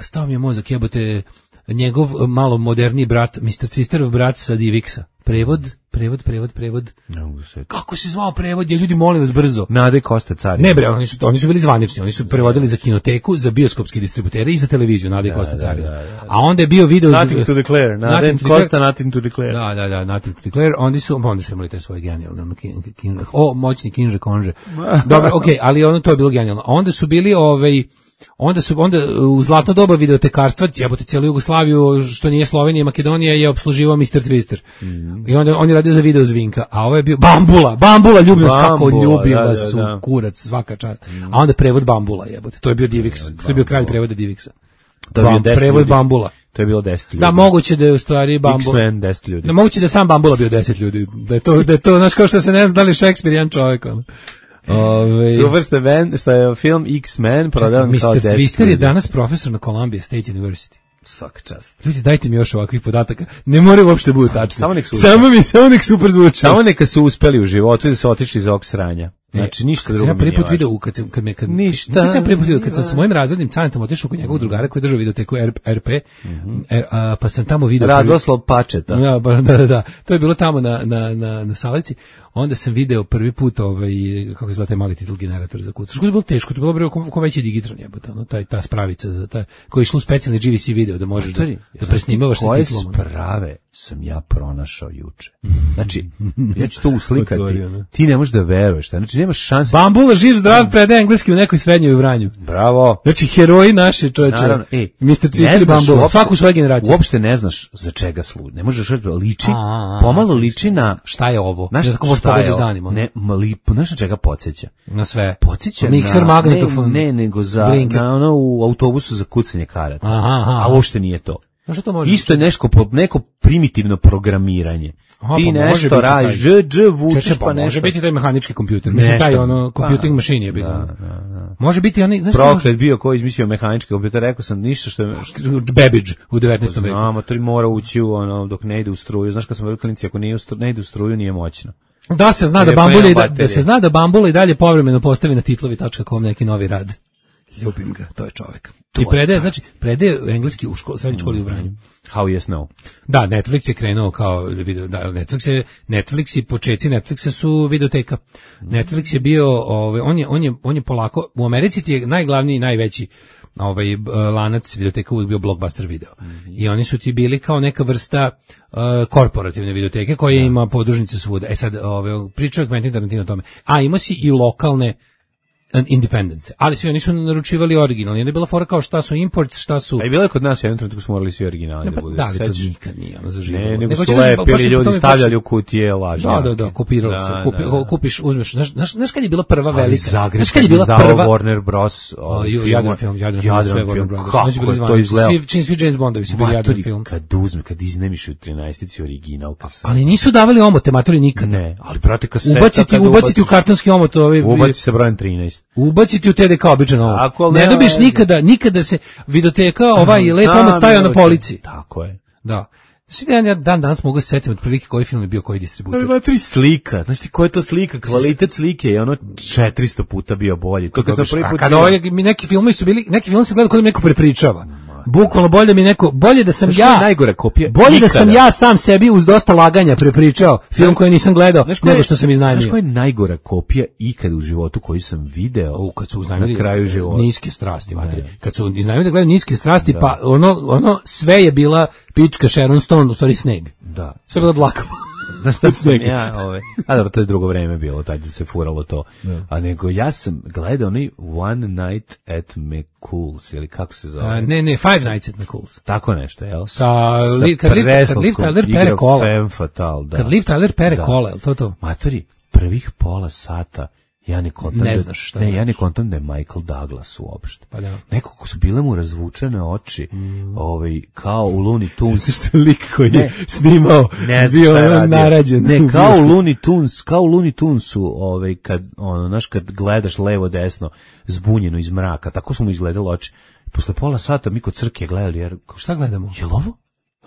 stao mi je mozak, jebote, njegov malo moderni brat, mister Twisterov brat sa Divixa. Prevod, prevod, prevod, prevod. No, kako se zvao prevod? Je ljudi molim vas brzo. Nade Kosta Cari. Ne bre, oni su oni su bili zvanični, oni su prevodili za kinoteku, za bioskopske distributere i za televiziju Nade da, Kosta Cari. Da, da, da. A onda je bio video Nothing to declare. Nade Kosta Nothing to declare. Da, da, da, Nothing to declare. Oni su onda su imali te svoje genijalne Kinže. O, moćni Kinže Konže. Dobro, okej, okay, ali ono to je bilo genijalno. Onda su bili ovaj Onda su onda u zlatno doba videotekarstva, jebote cijelu Jugoslaviju, što nije Slovenija i Makedonija, je opsluživao mister Twister. Mm. I onda on je radio za Video Zvinka, a ovo je bio Bambula, Bambula ljubim vas kako ljubim vas da, su da, da. Kurac, svaka čast. Mm. A onda prevod Bambula, jebote. To je bio Divix, to je bio kralj prevoda Divixa. To je bio prevod ljudi. Bambula. To je bilo deset ljudi. Da, moguće da je u stvari Bambula. X-Men deset ljudi. Da, moguće da je sam Bambula bio deset ljudi. Da je to, da je to, znaš kao što se ne zna da li Šekspir jedan čovjek, ono. Ove... Super ste ben, što je film X-Men prodavan kao mister Twister je danas profesor na Columbia State University. Svaka čast. Ljudi, dajte mi još ovakvih podataka. Ne moraju uopšte budu tačni. Samo nek su samo mi, samo nek super zvuči. Samo neka su uspeli u životu i da su otišli iz ovog sranja. Znači ništa drugo. Ja prvi put video kad sam kad me kad ništa. Sam prvi put video kad sam sa mojim razrednim caretom otišao kod njegovog drugara koji je držao videoteku R P, mm-hmm. er, a, pa sam tamo video Radoslav Pačeta. Ja, da, da, da. To je bilo tamo na na na na Salici. Onda sam video prvi put ovaj kako izgleda taj mali titl generator za kucaš. To je bilo teško, to je bilo bre ko veći digitron jebote, ono taj ta spravica za taj koji je išlo specijalni G V C video da možeš da, da presnimavaš sa titlom. Koje sprave sam ja pronašao juče. Znači, ja ću to uslikati. Ti ne možeš da veruješ, znači nemaš šanse. Bambula živ zdrav predaje engleski u nekoj srednjoj u Vranju. Bravo. Znači heroji naše čoveče. E, mister Twister i Bambula, uopšte, svaku svoju generaciju. Uopšte ne znaš za čega služi. Ne možeš liči. A, pomalo liči na šta je ovo? Znaš kako možeš pogađaš danima? Ne, mali, znaš na čega podsjeća? Na sve. Podsjeća mikser, na magnetofon. Ne, ne, nego za blinker. Na ono u autobusu za kucanje karata. Aha, aha. A uopšte nije to. Znaš to može? Isto je nešto neko primitivno programiranje. Aha, ti pa nešto radiš, dž, dž, vučeš pa, pa nešto. Može biti taj mehanički kompjuter, mislim taj ono computing pa, machine je bilo. Da, da, da. Može biti oni, znaš što? Proklet bio ko izmislio mehanički kompjuter, rekao sam ništa što je Babbage u devetnaestom veku. Znamo, to mora ući u ono dok ne ide u struju. Znaš kad smo bili klinici, ako ne, ne ide u struju nije moćno. Da se zna da Bambula i da, da se zna da Bambula i dalje povremeno postavi na titlovi tačka com neki novi rad. Ljubim ga, to je čovjek. To I predaje, znači, predaje engleski u školi, srednjoj školi u Vranju. How yes no. Da, Netflix je krenuo kao video, da, Netflix je, Netflix i početci Netflixa su videoteka. Netflix je bio, ovaj, on je, on je, on je polako, u Americi ti je najglavniji i najveći ovaj lanac videoteka uvijek bio Blockbuster video. Mm-hmm. I oni su ti bili kao neka vrsta uh, korporativne videoteke koja da. ima podružnice svuda. E sad, ovaj, pričao Quentin Tarantino o tome. A ima si i lokalne independence, ali svi oni su naručivali originalni. Onda je bila fora kao šta su imports, šta su... A i bilo je kod nas jednom trenutku smo morali svi originalni ne, da pa, bude. Da, ali Seć... to nikad nije ono zaživalo. Ne, nego su lepili ljudi, stavljali u kutije lažnjake. Da, da, da, kopirali da, su. Kupi, da, da. Kupiš, uzmeš, znaš, znaš, znaš kad je bila prva ali velika? Zagreb, znaš kad je bila prva... Warner Bros. O, Jadran film, Jadran film, Jadran sve film. Warner Bros. Kako je to izgledao? Svi, čim svi James Bondovi su bili Jadran film. Kad uzme, kad iznemiš u trinaestici original, pa sam... Ali nisu davali omote, matori nikada. Ne, ali brate kaseta... Ubaciti, ubaciti u kartonski omot ovaj... Ubaciti se brojem trinaest. Ubaciti u T D K običan omot. Ako ne dobiš nikada, nikada se videoteka ovaj lep omot stavio na polici. Tako je. Da. Znači, ja dan danas mogu se setiti otprilike koji film je bio koji distributer. Ali matri slika, znači ti koja je to slika, kvalitet slike je ono četiristo puta bio bolji. To kad sam prvi put... A kada ovaj, mi neki filmovi su bili, neki film se gleda kod neko prepričava. Bukvalno bolje da mi neko, bolje da sam znaš ja, najgore kopija bolje nikada. Da sam ja sam sebi uz dosta laganja prepričao film koji nisam gledao, nego što sam iznajmio. Znaš koja je najgora kopija ikad u životu koju sam video u, kad su iznajmili na kraju života? Niske strasti, materi. Kad su iznajmili da gledaju Niske strasti, da. Pa ono, ono sve je bila pička Sharon Stone, u stvari sneg. Da. Sve je bila dlaka. Znaš šta sam ja, ove, a dobro, to je drugo vreme bilo, tad se furalo to. Da. A nego ja sam gledao onaj One Night at McCool's, ili kako se zove? A, ne, ne, Five Nights at McCool's. Tako nešto, jel? Sa, Sa li, kad, Liv, kad Liv Tyler pere kola. Femme Fatale, da. Kad Liv Tyler pere da. kola, je to to? Matori, prvih pola sata ja ne kontam ne da, znaš šta ne, da ja ne kontam da je Michael Douglas uopšte. Pa da. Nekako su bile mu razvučene oči, mm. ovaj, kao u Looney Tunes. Zato što lik koji je snimao, ne bio on narađen. Ne, kao u Looney Tunes, kao u Looney Tunesu, ovaj, kad, ono, znaš, kad gledaš levo, desno, zbunjeno iz mraka, tako su mu izgledali oči. Posle pola sata mi kod crke gledali, jer... Šta gledamo? Je li ovo? Je li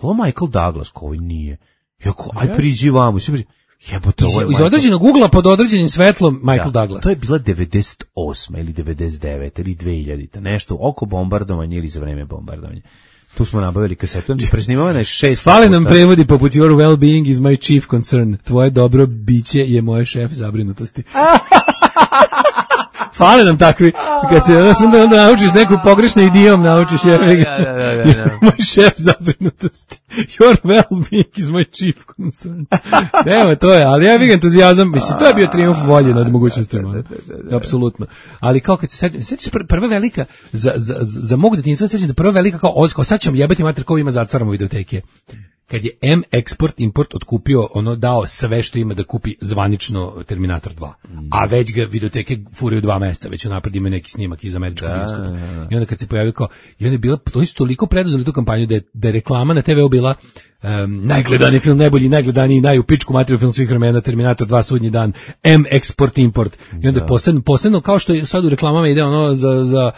ovo Michael Douglas? Koji nije. Jako, aj priđi vamo, svi priđi. Jebote, iz, iz određenog ugla pod određenim svetlom Michael da, Douglas. To je bila devedeset osma ili devedeset devete ili dve hiljadite, nešto oko bombardovanja ili za vreme bombardovanja. Tu smo nabavili kasetu, presnimavana je šest. Fale nam prevodi poput Your well-being is my chief concern. Tvoje dobro biće je moje šef zabrinutosti. Fale nam takvi, kad se onda, onda naučiš neku pogrešnu idiom, naučiš je, da, da, da, da. moj šef zabrinutosti. Your well-being is my chief concern. Nema, to je, ali ja bih entuzijazam, mislim, to je bio trijumf volje nad mogućnostima, apsolutno. Ali kao kad se sećam, sećaš prva velika, za, za, za mog detinjstva sećam da prva velika kao, kao sad ćemo jebati mater ko ima zatvaramo videoteke. Kad je M Export Import otkupio, ono dao sve što ima da kupi zvanično Terminator dva. Mm. A već ga videoteke furaju dva meseca, već unapred ima neki snimak iz američkog iskuda. I onda kad se pojavio kao, i onda je bila, to su toliko preduzeli tu kampanju da je, da je reklama na te ve u bila um, najgledaniji film, najbolji, najgledaniji, najupičku materiju film svih vremena, Terminator dva, Sudnji dan, M Export Import. I onda je posebno, posebno kao što je sad u reklamama ide ono za, za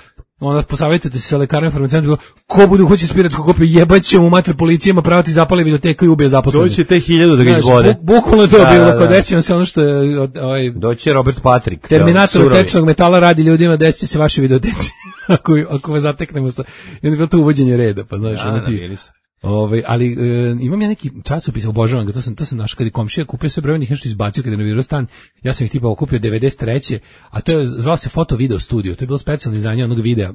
onda posavjetujete se sa lekarom farmaceutom, ko bude hoće spiračku kopiju, jebaće mu mater policijama, pravati zapale videoteku i ubije zaposlene. Doći te hiljadu da ga izvode. Bu, bukvalno to da, bilo, da, da. Kod desio se ono što je... Ovaj, doći Robert Patrick. Terminator tečnog metala radi ljudima, desit će se vaše videoteci, ako, ako vas zateknemo sa... I onda je bilo to uvođenje reda, pa znaš, da, ono ti... Ove, ali e, imam ja neki časopis, obožavam ga, to sam, to sam našao kad je komšija kupio sve brojnih nešto izbacio kada je renovirao stan, ja sam ih tipa okupio devedeset treće, a to je, zvao se Foto Video Studio, to je bilo specijalno izdanje onog videa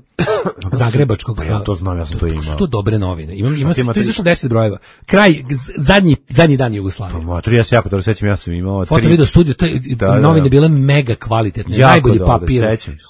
zagrebačkog. Pa ja to znam, ja sam to imao. To su to dobre novine, imam, imam, to je izašlo deset brojeva, kraj, zadnji, zadnji dan Jugoslavije. Pa, ja se jako dobro sećam, ja sam imao... Foto Video Studio, to je, da, novine da, bile mega kvalitetne, jako najbolji dobro, papir,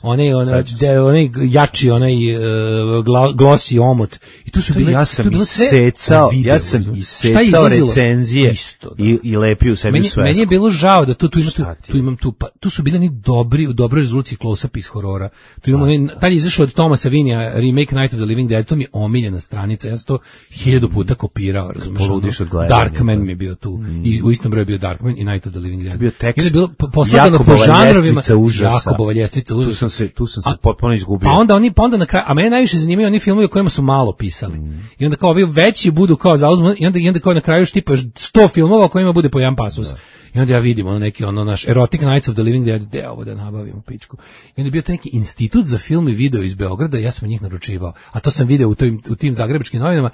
onaj, onaj, onaj jači, onaj uh, glosi omot, i tu su bile, ja sam isecao, ja sam isecao recenzije isto, i, i lepio u sebi meni, u svesku. Meni je bilo žao da tu, tu, tu, tu imam tu, pa, tu su bili ni dobri, u dobroj rezoluciji close-up iz horora. Tu imamo, ne, tad je izašao od Thomasa Vinija remake Night of the Living Dead, to mi je omiljena stranica, ja sam to hiljadu puta kopirao, razumiješ? Darkman mi je bio tu, mm. i u istom broju je bio Darkman i Night of the Living Dead. Bio tekst, je bilo poslagano po žanrovima, Jakobova ljestvica užasa. Tu sam se, tu sam se potpuno izgubio. Pa onda oni, pa onda na kraju, a mene najviše zanimaju oni filmovi o kojima su malo pisali. Mm. I onda kao ovi veći budu kao zauzmu, i onda, i onda kao na kraju štipaš sto filmova o kojima bude po jedan pasus. Da. I onda ja vidim ono neki ono naš Erotic Nights of the Living Dead, gde ovo da nabavimo pičku. I onda je bio taj neki institut za film i video iz Beograda, ja sam njih naručivao. A to sam video u, toj, u tim zagrebačkim novinama.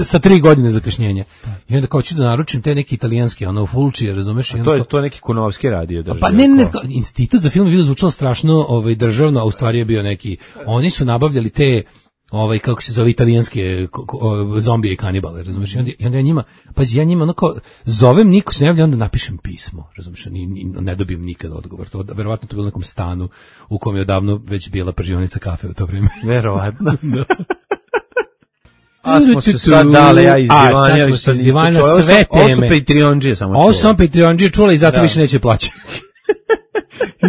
sa tri godine zakašnjenja. I onda kao ću da naručim te neki italijanske, ono, fulčije, razumeš? A to je to neki Kunovski radio držao. Pa ne, ne, institut za film je bio zvučalo strašno ovaj, državno, a u stvari je bio neki, oni su nabavljali te ovaj kako se zove italijanske zombije i kanibale, razumiješ? I onda, i onda ja njima, pazi, ja njima onako zovem, niko se ne javlja, onda napišem pismo, razumiješ? Ni, ni, ne dobijem nikad odgovor. To verovatno to bilo u nekom stanu u kom je odavno već bila pržionica kafe u to vrijeme. Verovatno. Da. A smo se sad dale, ja iz divanja, a sad smo se iz divanja sve teme. Ovo su Patreonđije samo čula. Ovo su samo Patreonđije čula i zato da. Više neće plaćati.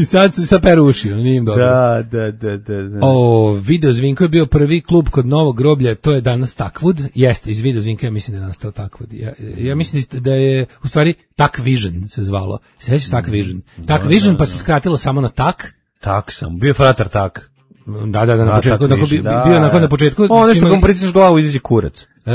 I sad su sa peruši, nije im dobro. Da, da, da, da, da. O, Video Zvinko je bio prvi klub kod Novog groblja, to je danas Takwood. Jeste, iz Video Zvinka ja mislim da je nastao Takwood. Ja, ja mislim da je, u stvari, Tak Vision se zvalo. Se sjećaš Tak Vision? Tak da, Vision, da, pa se skratilo samo na Tak. Tak sam, bio fratar Tak. Da, da, da, na početku, da, bi, da, bio nakon na početku. O, nešto imali... kom pritisneš glavu, izađe kurac. Uh,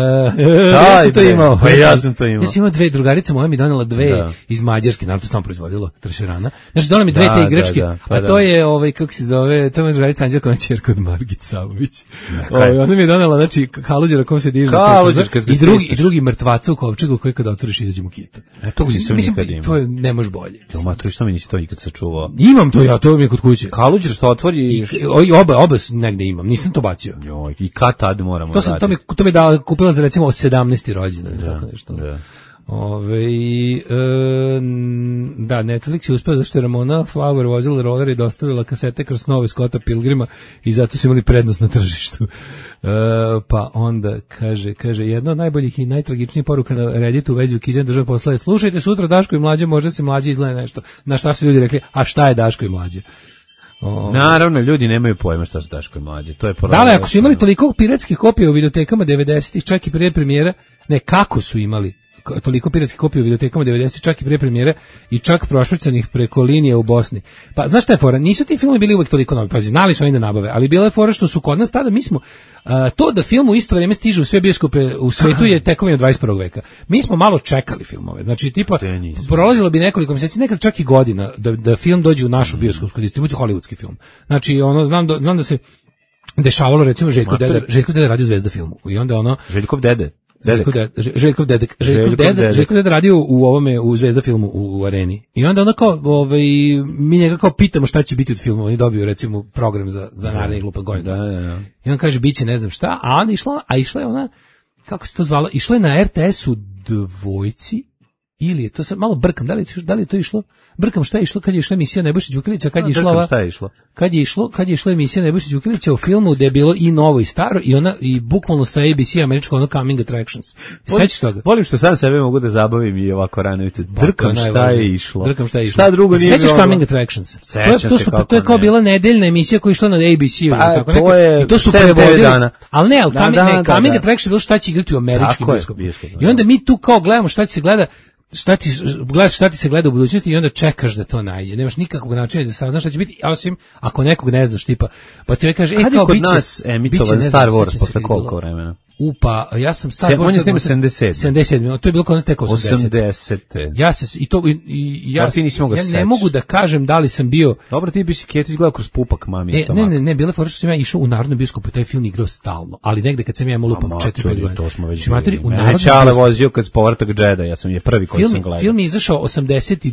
ja sam to imao. Pa ja sam to imao. Ja sam imao dve drugarice, moja mi donela dve da. Iz Mađarske, naravno to sam proizvodilo, trešerana. Znači, donela mi dve da, te igračke, da, da, pa a to da. Je, ovaj, kako se zove, to je drugarica Anđelkova ćerka od Margit Savović. Ovaj, ona mi je donela, znači, kaluđera kom se diže. Kaluđer, kad I drugi, i drugi mrtvaca u kovčegu koji kada otvoriš izađe mu kita. E, to nisam nikad imao. To je, ne može bolje. Jo, ma, to što mi nisi to nikad sačuvao. Imam to ja, to mi je kod kuće. Kaluđer što otvori i oba, oba negde imam, nisam to bacio. Joj, i kad tad moramo to sam, to mi, to mi da kupila za recimo sedamnaesti rođendan, da, tako nešto. Da. Ove, e, da, Netflix je uspeo zašto je Ramona Flower vozila roller i dostavila kasete kroz snove Scotta Pilgrima i zato su imali prednost na tržištu. E, pa onda kaže, kaže, jedna od najboljih i najtragičnijih poruka na Redditu u vezi ukidanja države posla je: slušajte sutra Daško i Mlađe, možda se Mlađe izgleda nešto. Na šta su ljudi rekli, a šta je Daško i Mlađe? O, naravno, ljudi nemaju pojma šta su Daško i Mlađe. To je da, ali ako su imali toliko piratskih kopija u videotekama devedesetih, čak i prije premijera, ne, kako su imali toliko piratskih kopija u videotekama devedesetih, čak i prije premijere i čak prošvrcanih preko linije u Bosni. Pa znaš šta je fora? Nisu ti filmovi bili uvek toliko novi, pa znali su oni da nabave, ali bila je fora što su kod nas tada, mi smo, uh, to da film u isto vrijeme stiže u sve bioskope u svetu je tekovina dvadeset prvog veka. Mi smo malo čekali filmove, znači tipa prolazilo bi nekoliko mjeseci, nekad čak i godina da, da film dođe u našu bioskopsku distribuciju, hollywoodski film. Znači ono, znam da, znam da se dešavalo recimo Željko Deda, Željko Deda radio u Zvezda filmu i onda ono... Željkov dede. Željkov Dedek. Željkov Dedek. Željkov Dedek. Željkov Dedek radio u ovome, u Zvezda filmu u, u Areni. I onda ono kao, ovaj, mi njega kao pitamo šta će biti od filmu. Oni dobiju recimo program za, za narednih glupa godina. Da, da, da. I on kaže, bit će ne znam šta, a onda išla, a išla je ona, kako se to zvala, išla je na R T S-u dvojci, ili je to sad, malo brkam, da li, da li je to išlo? Brkam šta je išlo kad je išla emisija Nebojša Đukanovića, kad je išla ova, šta je išlo? Kad je išlo, kad je išla emisija Nebojša Đukanovića u filmu gde je bilo i novo i staro i ona i bukvalno sa A B C američko ono Coming Attractions. Sećaš toga? Volim što sam sebe mogu da zabavim i ovako rano jutro. Drkam šta je išlo. Drkam šta je išlo. Šta drugo nije bilo. Sećaš Coming Attractions? To je to su to je kao bila nedeljna emisija koja je išla na A B C-u pa, tako to je i to su prevodili. Al ne, al Coming Coming Attractions bilo šta će igrati u američkim bioskopima. I onda mi tu kao gledamo šta će se gleda. Šta ti gledaš, šta ti se gleda u budućnosti i onda čekaš da to najde. Nemaš nikakvog načina da saznaš šta će biti, osim ako nekog ne znaš, tipa, pa ti kaže, e, kao kod biće, nas emitovan Star Wars posle koliko vremena? Upa, ja sam Star Wars... On je snima sedamdeset. sedamdeset, to je bilo kod nas tek osamdeset. osamdeset. Ja se, i to, i, i ja, ja ne ne mogu da kažem da li sam bio... Dobro, ti bi si Keti izgledao kroz pupak, mami. E, ne, ne, ne, bila fora što sam ja išao u Narodnom bioskopu, taj film igrao stalno, ali negde kad sam ja imao lupam četiri pet godina. To smo već bili. U Narodnom Čale vozio kad povratak Džeda, ja sam je prvi koji sam gledao. Film je izašao osamdeset, uh,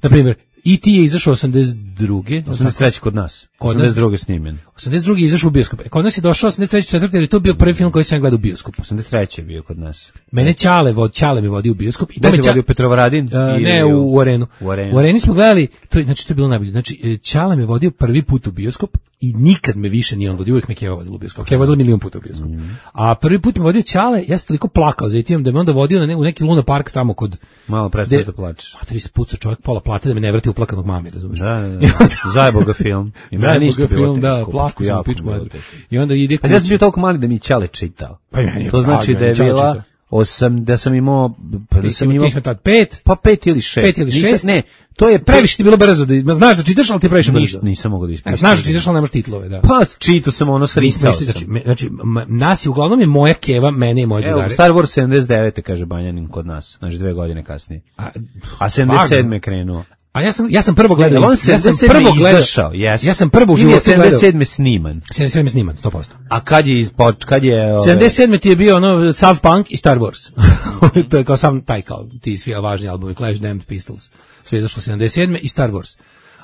na primjer, E T je izašao osamdeset druge osamdeset treće kod nas. Kod osamdeset druge snimljen. osamdeset druge je izašao u bioskop. Kod nas je došao osamdeset treće četvrte jer je to bio prvi film koji sam gledao u bioskopu. osamdeset treće je bio kod nas. Mene Ćale vod Ćale mi vodi u bioskop i to me vodio Petrovaradin uh, ne u, u Arenu. U Arenu. U Areni smo gledali, to je, znači to je bilo najbolje. Znači Ćale me vodio prvi put u bioskop i nikad me više nije on vodio, uvijek me Keva vodila u bioskop. Keva vodila milion puta u bioskop. Mm. A prvi put me vodio Ćale, ja sam toliko plakao za itim da me onda vodio na ne, u neki Luna Park tamo kod malo prestaje da plačeš. A tri spuca čovjek pola plate da me ne vrati uplakanog mami, razumiješ? Da, da, da. Zajebo ga film. I meni isto film, da, plakao sam pičku mater. I onda ide kući. A ja sam bio toliko mali da mi Ćale čitao. Pa meni, to znači da je bila osam, da sam imao, pa da sam imao pet, pa pet ili šest. Pet ili šest. Ne, to je previše ti bilo brzo da znaš da čitaš, ali ti previše brzo. Nis, nisam mogao da ispričam. Znaš da čitaš, ali nemaš titlove, da. Pa čitao sam ono sricao sam. Znači, znači nas je uglavnom je moja Keva, mene i moje drugare. Evo, Star Wars sedamdeset devete kaže Banjanin kod nas, znači dve godine kasnije. A, a sedamdeset sedme krenuo. A ja sam ja sam prvo gledao. Ne, on ja sam prvo gledao. Yes. Ja sam prvo u životu gledao. sedamdeset sedme sniman. sedamdeset sedme sniman, sto posto. A kad je ispod, kad je ove... sedamdeset sedme ti je bio ono Sav Punk i Star Wars. To je kao sam taj kao ti svi važni albumi Clash, Damned, Pistols. Sve je izašlo sedamdeset sedme i Star Wars.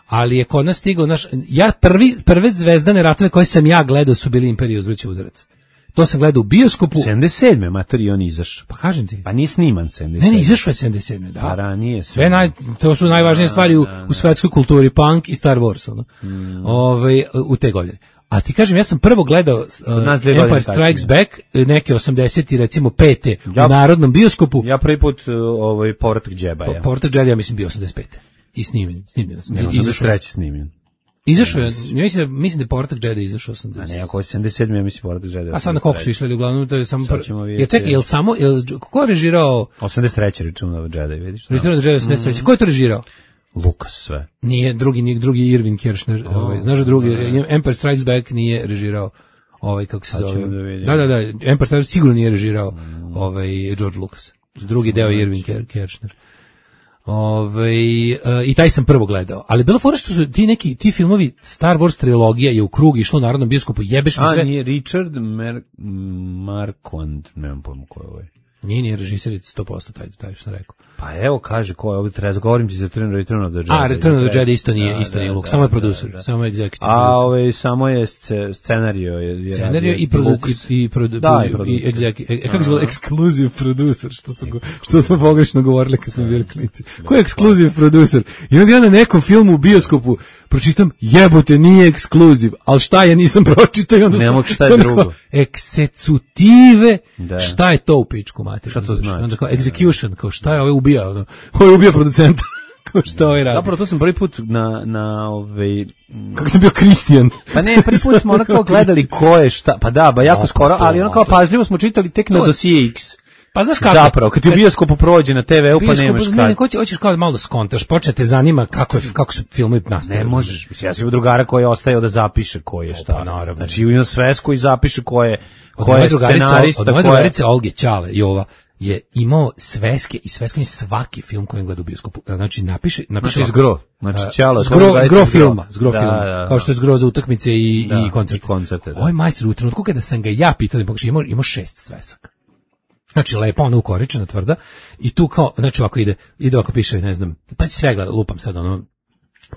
Ali je kod nas stigao naš ja prvi prve zvezdane ratove koje sam ja gledao su bili Imperija uzvraća udarac. To sam gledao u bioskopu. sedamdeset sedme materi on izašao. Pa kažem ti. Pa nije sniman sedamdeset sedme. Ne, ne, izašao je sedamdeset sedme, da. Pa ranije sve naj, to su najvažnije stvari u, u svetskoj kulturi, punk i Star Wars, ono. Mm. Ove, u te godine. A ti kažem, ja sam prvo gledao uh, Empire Strikes Back, neke osamdeset recimo pete ja, u narodnom bioskopu. Ja prvi put uh, ovaj Povratak Džedaja. Povratak Džedaja mislim bio osamdeset pete. I snimljen, snimljen. Ne, osamdeset treće snimljen. Izašao je, ja mislim da mislim da Povratak Džedaja izašao osamdeset. A ne, ako je sedamdeset sedme ja mislim Povratak Džedaja. A sad na koliko su išli, uglavnom to je samo prvo. Je čekaj, jel samo jel ko je režirao osamdeset treće Return of the Jedi, vidiš? Return of the Jedi osamdeset treće. Ko je to režirao? Lucas sve. Nije drugi, nije drugi Irvin Kershner, oh, ovaj, znaš da drugi ne. Empire Strikes Back nije režirao ovaj kako se zove. Da, da, da, Empire Strikes sigurno nije režirao mm. ovaj George Lucas. Drugi deo je Irvin Kershner. Ovaj uh, i taj sam prvo gledao, ali bilo fora što su ti neki ti filmovi Star Wars trilogija je u krug išlo u narodnom bioskopu, jebeš mi sve. A nije Richard Mer Marquand, nemam pojma ko je ovaj. Nije, nije režiser sto posto taj, taj što sam rekao. Pa evo kaže ko je ovdje treba, govorim ti za Return of the Jedi. A, Return of the Jedi isto nije, da, isto nije Luke, samo je producer, da, da. samo je executive A, producer. Ove, samo je scenario. Je, je scenario i, produ, i, i, produ, da, i, i, i executive, e, kako se zove, exclusive producer, što, su, što smo pogrešno govorili kad smo bili klinici. Ko je exclusive producer? I onda ja na nekom filmu u bioskopu pročitam, jebote, nije ekskluziv, ali šta je, nisam pročitao. Onda ne mogu šta je drugo. Eksecutive, da. Šta je to u pičku mater? Šta to znači? Onda kao execution, kao šta je ovaj ubija, ono, ovaj ubija producenta, kao šta ovaj radi. Zapravo to sam prvi put na, na ovaj... Kako sam bio Kristijan. Pa ne, prvi put smo onako gledali ko je šta, pa da, ba jako o, skoro, ali ono kao pažljivo smo čitali tek na dosije X. Pa znaš kako? Zapravo, kad ti u bioskopu prođe na te ve u pa nemaš kad. Ne, hoćeš, hoćeš kao malo da skontaš, počete zanima kako je, kako su filmovi nastali. Ne možeš, ja sam u drugara koji je ostao da zapiše ko je šta. Pa naravno. Znači u svesku i zapiše ko je, ko je scenarista. Od moje drugarice Olge Ćale Jova je imao sveske i sveske je svaki film koji gleda u bioskopu. Znači napiše, napiše znači zgro. Znači Ćala, zgro, zgro filma, zgro da, filma. Da, da. Kao što je zgro za utakmice i da, i koncerte. I koncerte da. Ovaj majstor u trenutku kada sam ga ja pitao da pokaže, imao imao šest svesaka. Znači lepo ona ukoričena tvrda i tu kao znači ovako ide ide ovako piše ne znam pa sve gleda lupam sad ono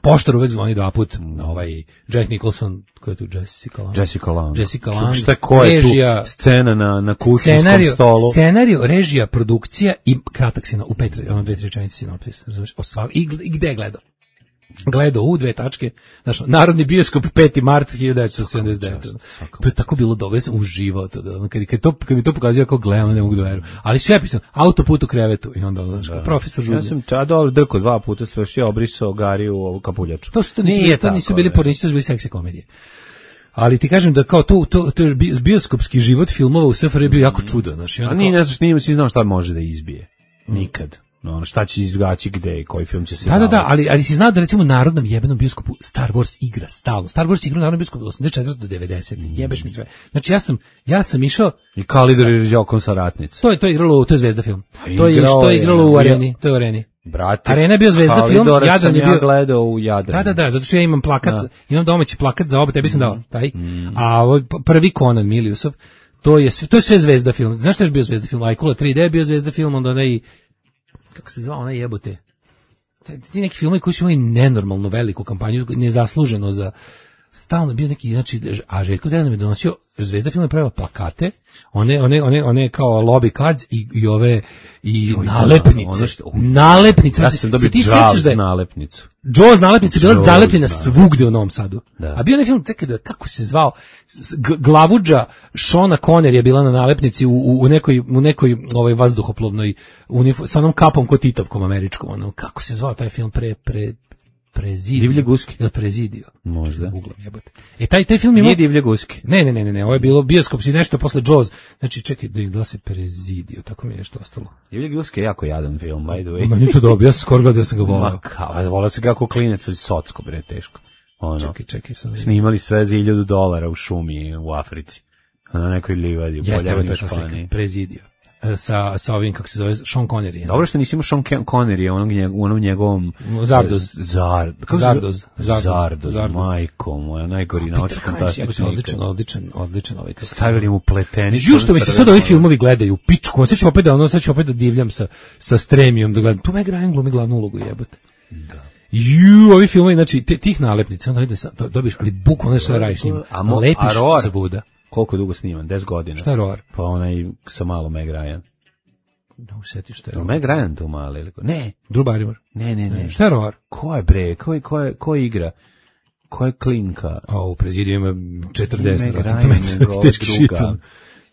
poštar uvek zvoni dva put na ovaj Jack Nicholson ko je tu Jessica Lange Jessica Lange Jessica Lange šta ko je režija, tu scena na na kućnom stolu scenarijo režija produkcija i kratak sino u pet ono dve tri rečenice sinopsis razumeš o sva i, i gde je gledao gledao u dve tačke, znači Narodni bioskop peti mart hiljadu devetsto sedamdeset devete. To je tako bilo dobro, ja sam uživao to, da, kad, kad, to, kad mi to pokazuje kako gledam, ne mogu da verujem. Ali sve pisano, autoput u krevetu i onda, znači, da. Profesor Žudnja. Ja sam čadao drko dva puta, svršio, obrisao Gariju u kapuljaču. To, su, to nisu, Nije to nisu bili pornici, to su bili seksi komedije. Ali ti kažem da kao to, to, to je bioskopski život filmova u S F R J bio jako čudo. Znači, a nije, ne znaš, nije si znao šta može da izbije. Nikad. No, šta će izgaći gde, koji film će se da, da, da, ali, ali si znao da recimo u narodnom jebenom bioskopu Star Wars igra stalno. Star Wars igra u narodnom bioskopu od osamdeset četvrte do devedesete. Mm. Jebeš mi sve. Znači ja sam, ja sam išao... I Kalidor je Đokom sa ratnic. To je, to je igralo, to je Zvezda film. To je, to je igralo u Areni. To je u Areni. Brate, Arena je bio Zvezda film, Jadran je bio... ja gledao u Jadranu. Da, da, da, zato što ja imam plakat, da. imam domaći plakat za oba, tebi sam dao taj. Mm. A ovaj prvi Conan Miliusov, to je, to je sve Zvezda film. Znaš šta je bio Zvezda film? Ajkula tri D je bio Zvezda film, onda onaj... kako se zvao, ona jebote. Ti neki filmovi koji su imali nenormalno veliku kampanju, nezasluženo za stalno bio neki, znači, a Željko Dejan mi je donosio, Zvezda film je pravila plakate, one, one, one, one kao lobby cards i, i ove, i Joj, nalepnice. Ono što, nalepnice. Ja sam dobio Jaws da nalepnicu. Jaws nalepnica bila zalepljena svugde u Novom Sadu. Da. A bio je film, čekaj da, kako se zvao, glavuđa Šona Conner je bila na nalepnici u, u, u nekoj, u nekoj ovaj, vazduhoplovnoj, uniform, sa onom kapom ko Titovkom američkom. Ono, kako se zvao taj film pre, pre, Prezidio. Divlje guske. Ili Prezidio. Možda. Googlam jebote. E taj taj film ima Nije Divlje guske. Ne, ne, ne, ne, ne, ovo je bilo bioskop si nešto posle Jaws. Znači čekaj da da se Prezidio, tako mi je nešto ostalo. Divlje guske je jako jadan film, by the way. Ma nije to dobro, ja sam skoro gledao, ja sam ga voleo. Kao, voleo se kako klinec, ali socko bre teško. Ono. Čekaj, čekaj, sam. Snimali sve za hiljadu dolara u šumi u Africi. Na nekoj livadi u Poljavnoj Španiji. Prezidio. sa, sa ovim, kako se zove, Sean Connery. Dobro što nisi imao Sean Connery, onom, njeg, onom njegovom... Zardoz. Zar, Zardoz. Zardoz. Zardoz, Zardoz. majko moja, najgori naučni fantastični. Odličan, odličan, odličan ovaj. Stavili mu pletenicu. Ju što mi se sad ovi filmovi gledaju, pičku, sad ću opet da, ono, sad ću opet da divljam sa, sa Stremijom, da gledam. Tu Meg Ryan glumi glavnu ulogu, jebote. Da. Ju, ovi filmovi, znači, te, tih nalepnica, onda vidiš, dobiš, ali bukvalno sve radiš s njim. Lepiš svuda. Koliko je dugo sniman? deset godina. Šta je Roar? Pa onaj sa malo Meg Ryan. Ne usjetiš šta je Roar. Meg Ryan tu mali ili ko? Ne. Drew Barrymore. Ne, ne, ne. Šta je Roar? Ko je bre? Ko je, ko je, ko je igra? Ko je klinka? A u prezidiju ima četrdeset. Meg Ryan, nego druga.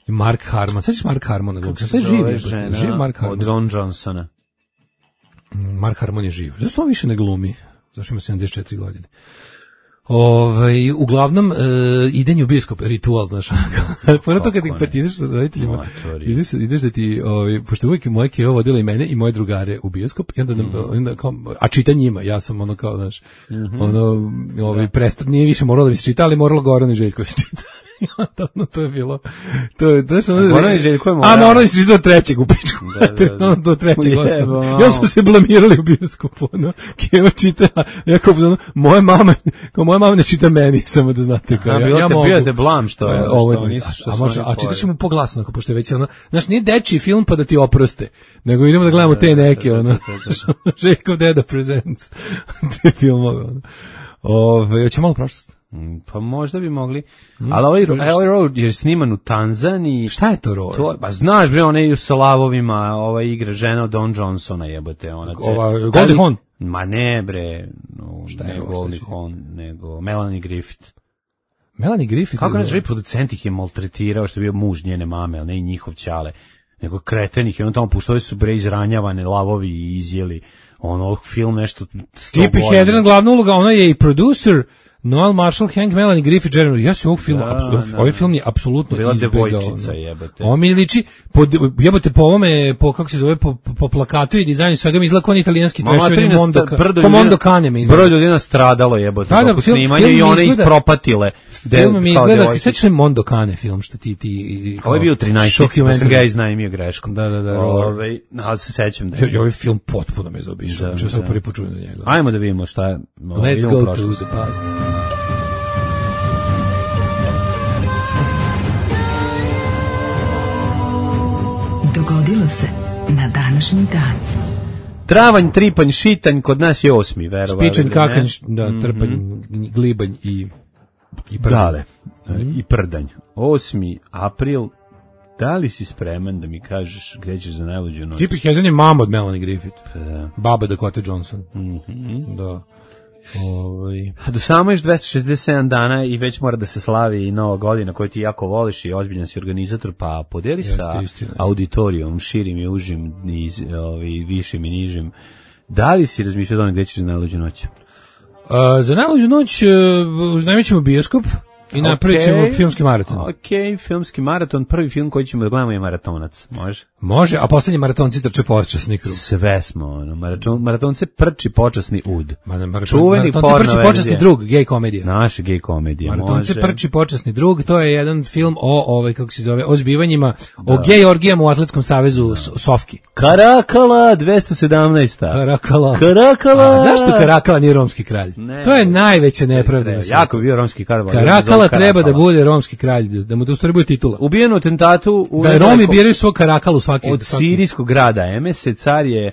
I Mark Harmon. Sad ćeš Mark Harmon. Kako se zove žena? Živ Mark Harmon. Od Ron Johnsona. Mark Harmon je živ. Zašto on više ne glumi? Zašto ima sedamdeset četiri godine? Ovaj uglavnom e, idenje u bioskop ritual, znaš. Pored toga kad pa ti ideš sa roditeljima, ideš, ideš da ti, ovaj, pošto uvijek moje kevo vodila i mene i moje drugare u bioskop, i onda, mm. onda kao, a čita njima, ja sam ono kao, znaš, mm-hmm. ono, ovaj, prestat, nije više moralo da mi se čita, ali moralo Goran i Željko se čita. No, to je bilo, to je, znaš, ono, Goran i Željko je moralo. A, moralo se do trećeg u pičku, da, da, da. do trećeg ostalo. Ja smo se blamirali u bioskopu, ono, kevo čita, ja kao, ono, moje mame, kao moja mama ne čita meni, samo da znate, kao, a, ja, bilo ja te, mogu. Bio te blam, što je, ovo, što nisu, što a, može, a čitaš mu poglasno, ako pošto je već, ono, znaš, nije dečiji film pa da ti oproste, nego idemo da gledamo te neke, ono, Željkov deda presents, te filmove, ono. Ove, hoće malo prošlost. Pa možda bi mogli, mm. ali ovaj, ovaj Road je sniman u Tanzaniji. Šta je to Road? To, pa znaš bre, ona je sa lavovima, ova igra žena od Don Johnsona, jebote. Ona ova, Goldie Hawn? Ma ne bre, no, šta ne Goldie Hawn, nego Melanie Griffith. Melanie Griffith? Kako neće reći, producent ih je maltretirao, što je bio muž njene mame, ali ne i njihov ćale, nego kretenih, i on tamo puštali su bre izranjavane lavovi i izjeli, ono, film nešto sto Tippi Hedren, glavna uloga, ona je i producer, Noel Marshall, Hank, Melanie Griffith, Jeremy. Ja se ovog filma, da, apsu, da, ovaj film je apsolutno bila izbegao. Devojčica, jebote. On mi liči, po, jebote, po ovome, po, kako se zove, po, po plakatu i dizajnu svega mi izgleda kao italijanski trešovi Mondo, ko Mondo Cane me izgleda. Broj ljudina stradalo, jebote, da, dok snimanje i one izgleda, ispropatile. Film mi izgleda, sve što je Mondo Cane film, što ti, ti, ovo je bio trinaesti, pa sam ga iznajmio greškom. Da, da, da. Ove, ali se sećam da je. Ovaj film potpuno me zaobišao, da, sam prvi put čuo za njega. Ajmo da vidimo šta je. Let's go to the past. Dogodilo se na današnji dan. Travanj, tripanj, šitanj, kod nas je osmi, verovali. Spičanj, kakanj, da, trpanj, mm-hmm. glibanj i, i prdanj. Dale, mm-hmm. i prdanj. osmi april, da li si spreman da mi kažeš gde ćeš za najluđu noć? Tippi Hedren je mama od Melanie Griffith. Da. Baba Dakota Johnson. Mm-hmm. Da. Ovaj. Do samo još dvesta šezdeset sedam dana i već mora da se slavi i Nova godina koju ti jako voliš i ozbiljan si organizator, pa podeli Jeste, sa istina. Auditorijom, širim i užim, i, ovaj, višim i nižim. Da li si razmišljao o tome gde ćeš za najluđu noć? Uh, za najluđu noć uh, najmit ćemo bioskop i napravit ćemo okay. filmski maraton. Ok, filmski maraton, prvi film koji ćemo da gledamo je Maratonac, može? Može, a poslednji maratonci trče počasni krug. Sve smo, ono, maraton, maratonce prči počasni ud. Maraton, Čuveni maratonce prči počasni drug, gej komedija. Naša gej komedija, maratonce može. Prči počasni drug, to je jedan film o, ovaj, kako se zove, o zbivanjima, da. O gej orgijama u Atletskom savezu da. Sofki. Karakala, dvesta sedamnaesta. Karakala. Karakala. A, zašto Karakala nije romski kralj? Ne, to je najveća nepravda. Ne, jako bio romski kralj. Karakala treba da bude romski kralj, da mu to stvari bude titula. Ubijen u atentatu u da Romi biraju svog Karakalu svaki od svaki. Sirijskog grada Emese, car je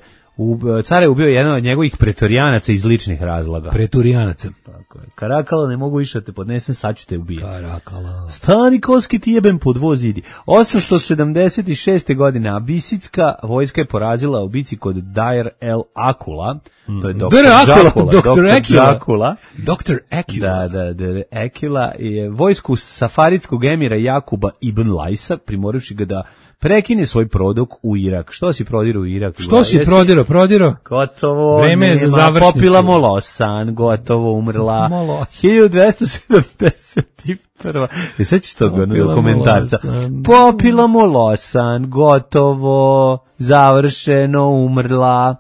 car je ubio jedan od njegovih pretorijanaca iz ličnih razloga. Pretorijanaca. Tako je. Karakala, ne mogu više da te podnesem, sad ću te ubijeti. Karakala. Stani koski ti jebem pod voz idi. osamsto sedamdeset šeste godine abisitska vojska je porazila u bici kod Dair el Akula. To je doktor Džakula. doktor Džakula. doktor Akula. Da, da, da. Akula je vojsku safaridskog emira Jakuba ibn Lajsa, primorivši ga da prekine svoj prodok u Irak. Što si prodirao u Irak? Što si prodirao? Prodirao? Gotovo. Vreme je za završnicu. Popila molosan, gotovo umrla. Molos. hiljadu dvesta sedamdeset prva. I sad ćeš toga dokumentarca. Popila molosan, gotovo, završeno, umrla.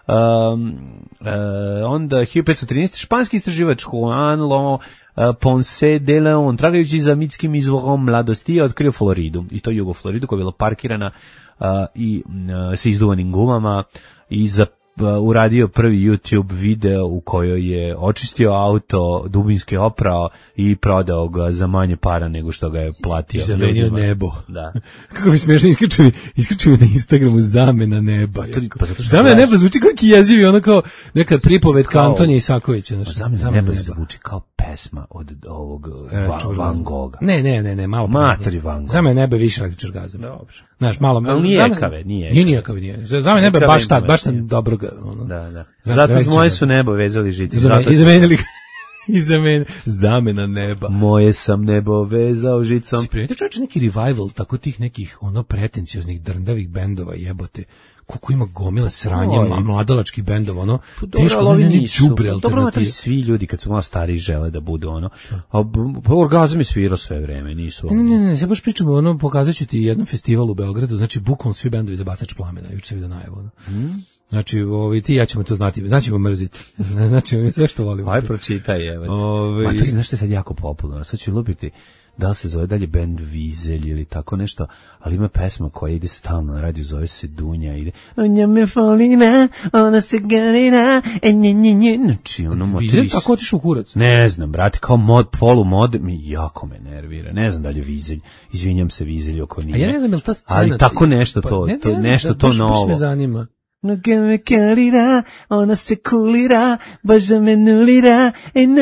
Um, uh, onda hiljadu petsto trinaeste. Španski istraživač Juan Lo Ponce de Leon, tragajući za mitskim izvorom mladosti, je otkrio Floridu, i to jugo Floridu, koja je bila parkirana a, i a, sa izduvanim gumama i za uradio prvi YouTube video u kojoj je očistio auto, dubinski oprao i prodao ga za manje para nego što ga je platio. I zamenio nebo. Da. Kako mi smiješno, iskače mi, iskače mi na Instagramu zamena neba. Pa zato što zamena gledaš. neba zvuči kao jezivi, ono kao neka pripovetka Antonija Isakovića. Znači, zamena, zamena neba neba zvuči kao pesma od ovog e, Van, Van Gogha. Ne, ne, ne, ne, malo. Matori Van Gogha. Zamena neba je više električar gazom. Dobro. Znaš, malo. Ali nije zamena, ekave, nije. Nije nijekave, nije. Zamena neba je baš tad, baš sam dobro ga. Ono. Da, da. Zato moje su nebo vezali žici. I zamenili ga. I zamena, zamena neba. Moje sam nebo vezao žicom. Sprijete čovječe neki revival tako tih nekih ono pretencioznih drndavih bendova jebote. Koliko ima gomila sranje, Oj. mladalačkih bendova, ono, Dobro, teško ali ne nisu. đubre Dobro, alternative. ali svi ljudi kad su malo stariji žele da budu ono. A b- orgazam je svirao sve vreme, nisu Ne, oni. ne, ne, ne, sad baš pričamo, ono, pokazat ću ti jedan festival u Beogradu, znači bukvalno svi bendovi za bacač plamena, juče se vidio najavu, ono. Hmm? Znači, ovi, ti i ja ćemo to znati, znači ćemo mrziti. Znači, sve što volimo. Aj, pročitaj, evo. Ovi- Ma to je, znaš što je sad jako popularno, sad ću lupiti da li se zove dalje band Vizelj ili tako nešto, ali ima pesma koja ide stalno na radiju, zove se Dunja, ide Onja me folina, ona se garina, e nje nje nje, znači ono motivis. Vizelj tako otišao u kurac. Ne znam, brate, kao mod, polu mod, mi jako me nervira, ne znam da li je Vizelj, izvinjam se Vizelj oko nije. A ja ne znam je li ta scena... Ali tako nešto Pa, to, ne, to ne znam, nešto da, to baš, novo. Baš me zanima. Noge me kalira, ona se kulira, baš da me nulira, e na,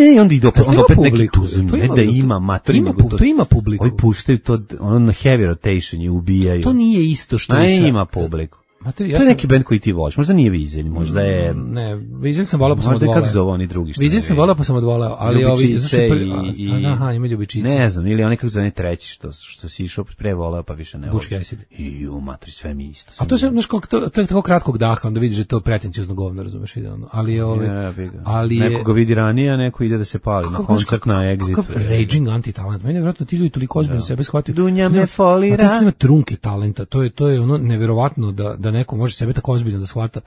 i onda ide opet, to onda ima opet neki publiku, tuzum, to ne ima- da ima, mater, ima nego pu- to ima publiku. Ovi puštaju to, ono na heavy rotation i ubijaju. To nije isto što A i sa- ima publiku. Mater, ja To je sam- neki band koji ti voliš, možda nije Vizelj, možda je... Ne, Vizelj sam volao pa sam Možda je odvoleo. kako zove oni drugi što Vizelj ne sam vidim. volao pa sam odvoleo, ali ovi... Ljubičice zašto je prvi- i, a, i... Aha, ima ljubičice. Ne znam, ili oni kako zove treći što, što si išao pre voleo pa više ne Buški voliš. Acid. I u matri, sve mi isto. A to je znaš kako to, to je tako kratkog daha, onda vidiš da je to pretenciozno govno, razumeš, ide ono. Ali ove, Ja, bi ga. ali je Neko ga vidi ranije, a neko ide da se pali na kako- koncert kako- na Exit. Kakav raging anti-talent. Meni je vjerojatno ti ljudi toliko ozbiljno sebe shvataju. Dunja Ima- me folira. A to ima trunke talenta. To je to je ono neverovatno da da neko može sebe tako ozbiljno da shvata,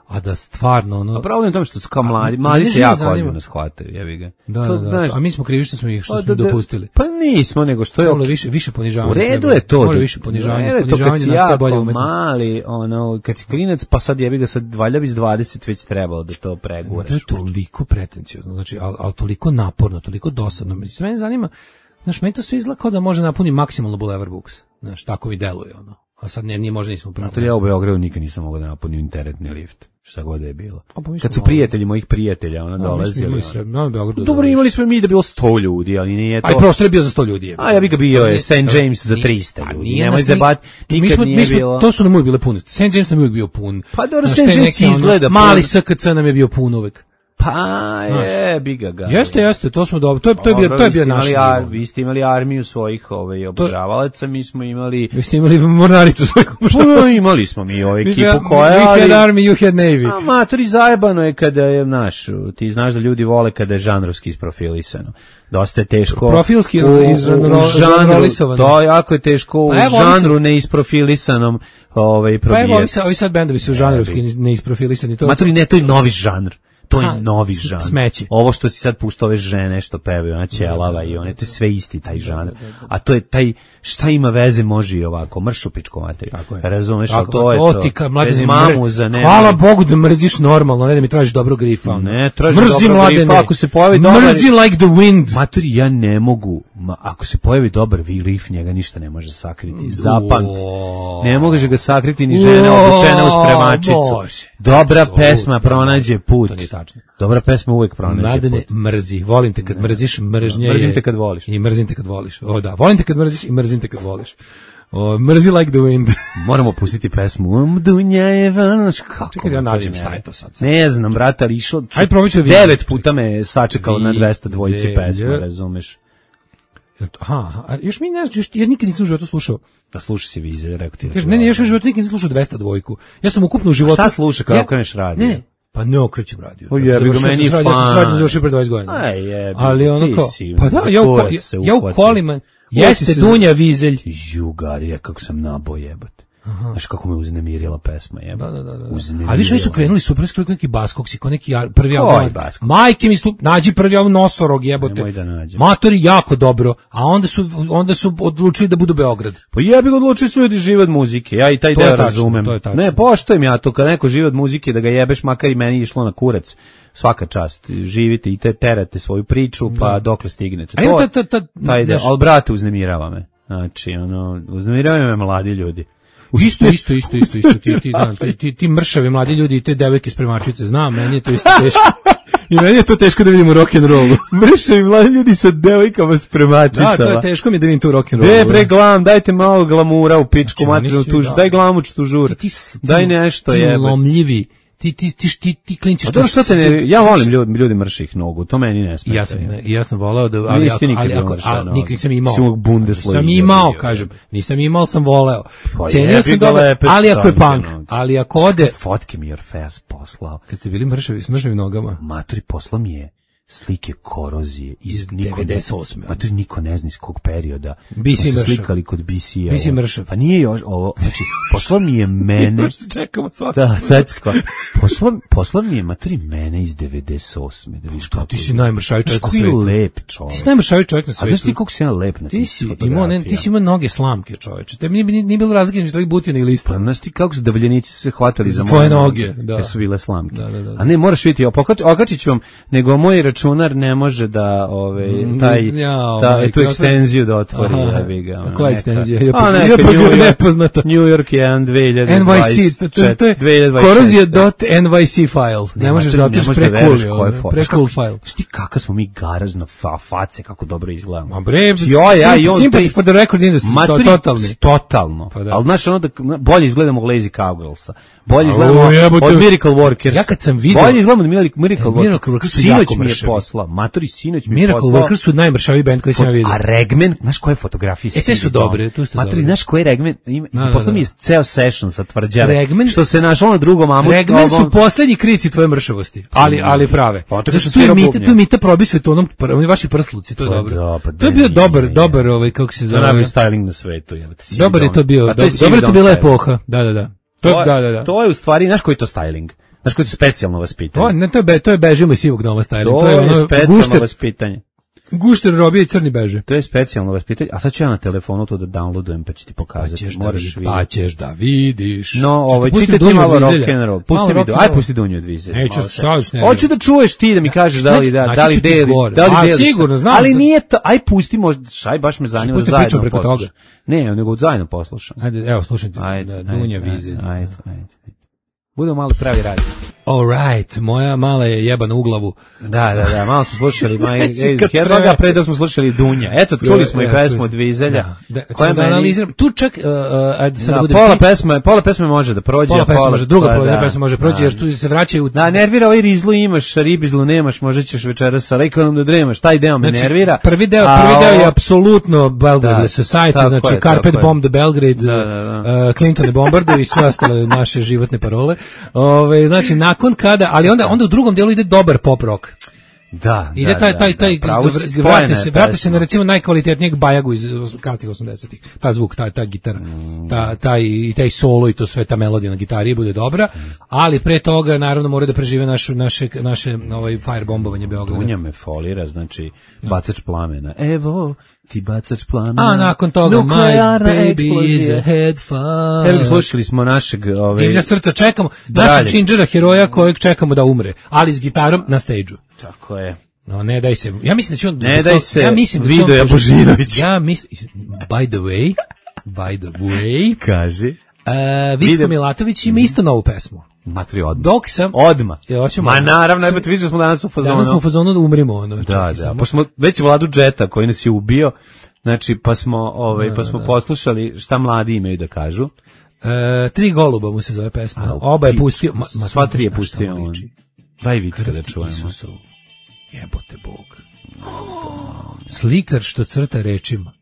a da stvarno ono. A problem je u tome što su kao A, mladi, mene mladi se živo jako zanima. ozbiljno shvataju, jebi ga. Da, To, da, da. znaš, A mi smo krivi što smo ih što pa smo da- im da- dopustili. Pa nismo, nego što je Trebalo ok- više više ponižavanja. U redu treba. je to. Mora da- više ponižavanja, u redu je to kad ponižavanje si nastaje bolje jako umetnost. mali, ono, kad si klinac, pa sad jebi ga sad valjda bi s dvadeset već trebalo da to preguraš. To je toliko pretenciozno, znači, ali, ali toliko naporno, toliko dosadno. Mislim, mene zanima, znaš, meni to sve izgleda kao da može napuni maksimalno Boulevard Books. Znaš, tako mi deluje, ono. A sad ne, nije možda nismo pravo. To ja u Beogradu nikad nisam mogao da napunim teretni lift, šta god da je bilo. A, pa mi Kad smo su prijatelji mojih prijatelja, ona Da, mi smo dolazili. imali ono. sve, na Beogradu. Dobro, imali smo mi da je bilo sto ljudi, ali nije to... Aj, prostor je bio za sto ljudi. je. A ja bih ga bio To je nije- Saint to- James za nije- trista pa ljudi. nije Nemoj nas ni- zabat, mi nikad smo- nije mi smo- bilo. To su nam uvijek bile pune. Saint James nam je uvijek bio pun. Pa dobro, Znaš, Saint te James neke, ono, izgleda pun. Mali S K C nam je bio pun uvijek. Pa je, bi ga ga. Jeste, jeste, to smo dobro. To je to je bio Dobro, to je vi bio ste naš. imali ar- nivo. Vi ste imali armiju svojih ovaj, obožavalaca, mi smo imali... Vi ste imali mornaricu svoju. Puno imali smo mi ovaj ekipu koja... We had ali- army, you had navy. A matori, zajebano je kada je, znaš, ti znaš da ljudi vole kada je žanrovski isprofilisano. Dosta je teško. Profilski u, izžanro- u žanru, žanrolisovano. to jako je teško u Pa evo, ovi žanru su- neisprofilisanom ovaj, Pa evo, ovi, probijati. sad, ovi sad bendovi su žanrovski neisprofilisani. To, Matori, ne, to je novi žanr. To je Ha, novi s- žanr. smeće. Ovo što si sad puštao ove žene što pevaju, ona ćelava i one, to je sve isti taj žanr. A to je taj, šta ima veze može i ovako, mršu pičko materiju. Tako je. Razumeš, ali Tako, to je o, to. ti ka- mladene, Bez mr- mamuza, ne. Hvala Bogu da mrziš normalno, ne da mi tražiš dobrog grifa. ono. Ne, tražiš Mrzi dobrog mladene. grifa, ako se pojavi dobar- Mrzi like the wind. Matori, ja ne mogu, ma, ako se pojavi dobar riff, njega ništa ne može sakriti. Zapamti. O. Ne može ga sakriti ni žena O, obučena u spremačicu. Bože. Dobra Apsolutno. pesma pronađe put. To nije tačno. Dobra pesma uvek pronađe Mladene, put. mrzi. Volim te kad mrziš, mržnje Mrzim je- te kad voliš. I mrzim te kad voliš. O da, volim te kad mrziš i mrzim te kad voliš. O, mrzi like the wind. Moramo pustiti pesmu. Um, Dunja je vanoš. Kako? Čekaj da ja matori, nađem ne. šta je to sad. Ne znam, brate, ali išlo... Ajde, probat ću da vidim. Devet puta me je sačekao na dvesta dvojici Vizelj. pesma, razumeš? Aha, a još mi ne znaš, ja nikad nisam u životu slušao. Da slušaj si Vizelj, rekao ti. da Kažem, ću ne, ne, ovo. još u životu nikad nisam slušao dvesta dvojku. Ja sam ukupno u životu... šta sluša kada Ja- okreneš radio? Ne, pa ne okrećem radio. O, Ja jebi ga, završio meni sam je srednju- Ja sam fan. srednju završio pre dvadeset godina. Aj, jebi, Ali ono ti kao, si, pa da, za ja u, kurac ko- se ja u uhvatio. kolima, Jeste jeste se- Dunja Vizelj. Jugarija, kako sam nabo jebate. Znaš kako me uznemirila pesma, jeba. Da, da, da, da. Ali više su krenuli super skoro neki Baskoksi, ko neki prvi album. Majke mi stup, nađi prvi album Nosorog, jebote. Matori jako dobro, a onda su onda su odlučili da budu Beograd. Pa jebi ga, odlučili su ljudi žive od muzike. Ja i taj deo razumem. Ne, poštujem ja to kad neko živi od muzike da ga jebeš, makar i meni išlo na kurac. Svaka čast, živite i te terate svoju priču, pa dokle stignete. To, ta, ta, ta, taj deo, ali brate, uznemirava me. Znači, ono, uznemirava me mladi ljudi. Isto, isto, isto, isto, isto, ti, ti, da, ti, ti mršavi mladi ljudi i te devojke spremačice, znam, meni je to isto teško. I meni je to teško da vidim u rock'n'rollu. Mršavi mladi ljudi sa devojkama spremačicama. Da, to je teško mi da vidim tu rock'n'rollu. De, bre, glam, dajte malo glamura u pičku materinu tuž, daj glamuč tužur, daj nešto jebe. Ti lomljivi. Ti ti ti ti ti klinčiš. To što te ne, ja volim ljudi, ljudi mrših nogu, to meni ne smeta. Ja sam ja sam voleo da ali ako, ali ako a, nikad nisam imao. Sam imao, kažem, nisam imao, sam voleo. Cenio sam dobro, ali ako je punk, ali ako ode fotke mi your face poslao. Kad ste bili mršavi, s mršavim nogama. Maturi poslao mi je slike korozije iz devedeset osme. A to niko ne zna iz kog perioda. B C mršav. Slikali kod B C-a. B C mršav. Pa nije još ovo, znači, poslao mi je mene. Čekamo svaki. Da, sad skoro. Poslao, poslao mi je materi mene iz devedeset osme. Da vidiš kako. Ti si najmršaviji čovjek na svijetu. Koji lep čovjek. Ti si najmršaviji čovjek na svijetu. A znaš ti koliko si ja lep na ti si imao, ne, ti si imao noge slamke, čovječe. Te nije, nije bilo razlike između tvojih butina i lista. Pa znaš ti kako su davljenici se hvatali za tvoje noge, da. Jer su bile slamke. Da, da, da. A ne, moraš vidjeti, okačit ću vam, nego moj računar ne može da ove taj ja, ta tu ekstenziju da otvori, da bi ga. A koja ekstenzija? Je pa nepoznata. New York je dve hiljade dvadeset N Y C, to je korozija dot N Y C file. Ne možeš da otvoriš pre-cool, pre-cool file. Šti kakav smo mi garažna fa face, kako dobro izgledamo. Ma bre, sympathy for the record industry, totalni. Totalno. Al znaš ono da bolje izgledamo od Lazy Cowgirlsa. Bolje izgledamo od Miracle Workers. Ja kad sam video, bolje izgledamo od Miracle Workers. Sinoć mi je poslao. Matori sinoć mi Miracle poslao. Workers su najmršaviji bend koji sam ja vidio. A Regmen, znaš koje fotografije? E, te su dobre, tu su dobre. Matori, znaš koji Regmen? Poslao mi je ceo session sa tvrđave. Što se našlo na drugom amu. Regmen su poslednji krici tvoje mršavosti, ali ali prave. Zato tu je mita, tu je mita probi svetonom, oni vaši prsluci, to je dobro. To je bio dobar, dobar ovaj kako se zove. Najbolji styling na svetu, je. Dobar je to bio, dobro je to bila epoha. Da, da, da. To da, da, da. To je u stvari, znaš koji je to styling? Znaš koji je to specijalno vaspitanje? To, ne, to, je, be, to je bežimo iz sivog doma styling. To, to je, ono, specijalno gušter, vaspitanje. Gušter robije i crni beže. To je specijalno vaspitanje. A sad ću ja na telefonu to da downloadujem pa ću ti pokazati. Pa ćeš, Moraš da, vid, pa ćeš da vidiš. No, ovaj, čitaj ti malo rock'n'roll. Pusti mi, aj pusti Dunju od Vizelja. Neću, šta ću ne. Hoću da čuješ ti da mi kažeš da li da, da li deli, da li deli. Sigurno, znam. Ali nije to, aj pusti možda, aj baš me zanima da zajedno poslušam. Ne, nego zajedno poslušam. Ajde, evo, slušajte. Dunja Vizelj. Ajde, ajde. Budemo malo pravi radi. All right, moja mala je jebana u glavu. Da, da, da, malo smo slušali Herloga, pre da smo slušali Dunja. Eto, čuli smo i pesmu od Vizelja. Koja da analiziram, tu čak, uh, ajde sad da, da bude... Pola pesme, pola pesme može da prođe. Pola pesme može, druga pa, pola da, pesme može prođe, da, jer tu se vraćaju... Da, nervira ovaj rizlu imaš, ribizlu nemaš, možda ćeš večeras sa lejkonom da dremaš, taj deo me znači, nervira. Prvi deo, prvi deo je apsolutno Belgrade Society, znači Carpet Bomb the Belgrade, da, da, da. Uh, Clinton ne bombarduju i sve ostale naše životne parole. Ove, znači, nakon kada, ali onda, onda u drugom delu ide dobar pop rock. Da, ide da, taj, taj, taj, da, da, vrati se, vrati se na recimo najkvalitetnijeg Bajagu iz kasnih osamdesetih. Ta zvuk, ta, ta gitara, mm. ta, taj, i taj solo i to sve, ta melodija na gitari bude dobra, mm. ali pre toga naravno mora da prežive našu, naše, naše ovaj, firebombovanje Beograda. Dunja me folira, znači, bacač plamena. Evo, ti bacač plamena. A nakon toga, my baby is a head fire. Evo, slušali smo našeg... Ove, Divlja srca, čekamo, našeg Činđera, heroja kojeg čekamo da umre, ali s gitarom na stage-u. Tako je. No, ne daj se. Ja mislim da će on... Ne daj se, ja mislim da Vido Jabožinović. Ja mislim... By the way, by the way... Kaži. Uh, Vicko Milatović ima isto novu pesmu. Matri odmah. Dok sam... Odmah. Ja, Ma naravno, najbolje vidio smo danas u fazonu. Danas smo u fazonu da umrimo. Ono, da, da. Pa smo već Vladu Džeta koji nas je ubio, znači pa smo, ovaj, da, pa smo da, poslušali šta mladi imaju da kažu. E, tri goluba mu se zove pesma. A, Oba je pustio... Ma, ma, sva tri je pustio on. Daj Vicka da čujemo. Isusov. Jebote Bog. Oh, slikar što crta rečima.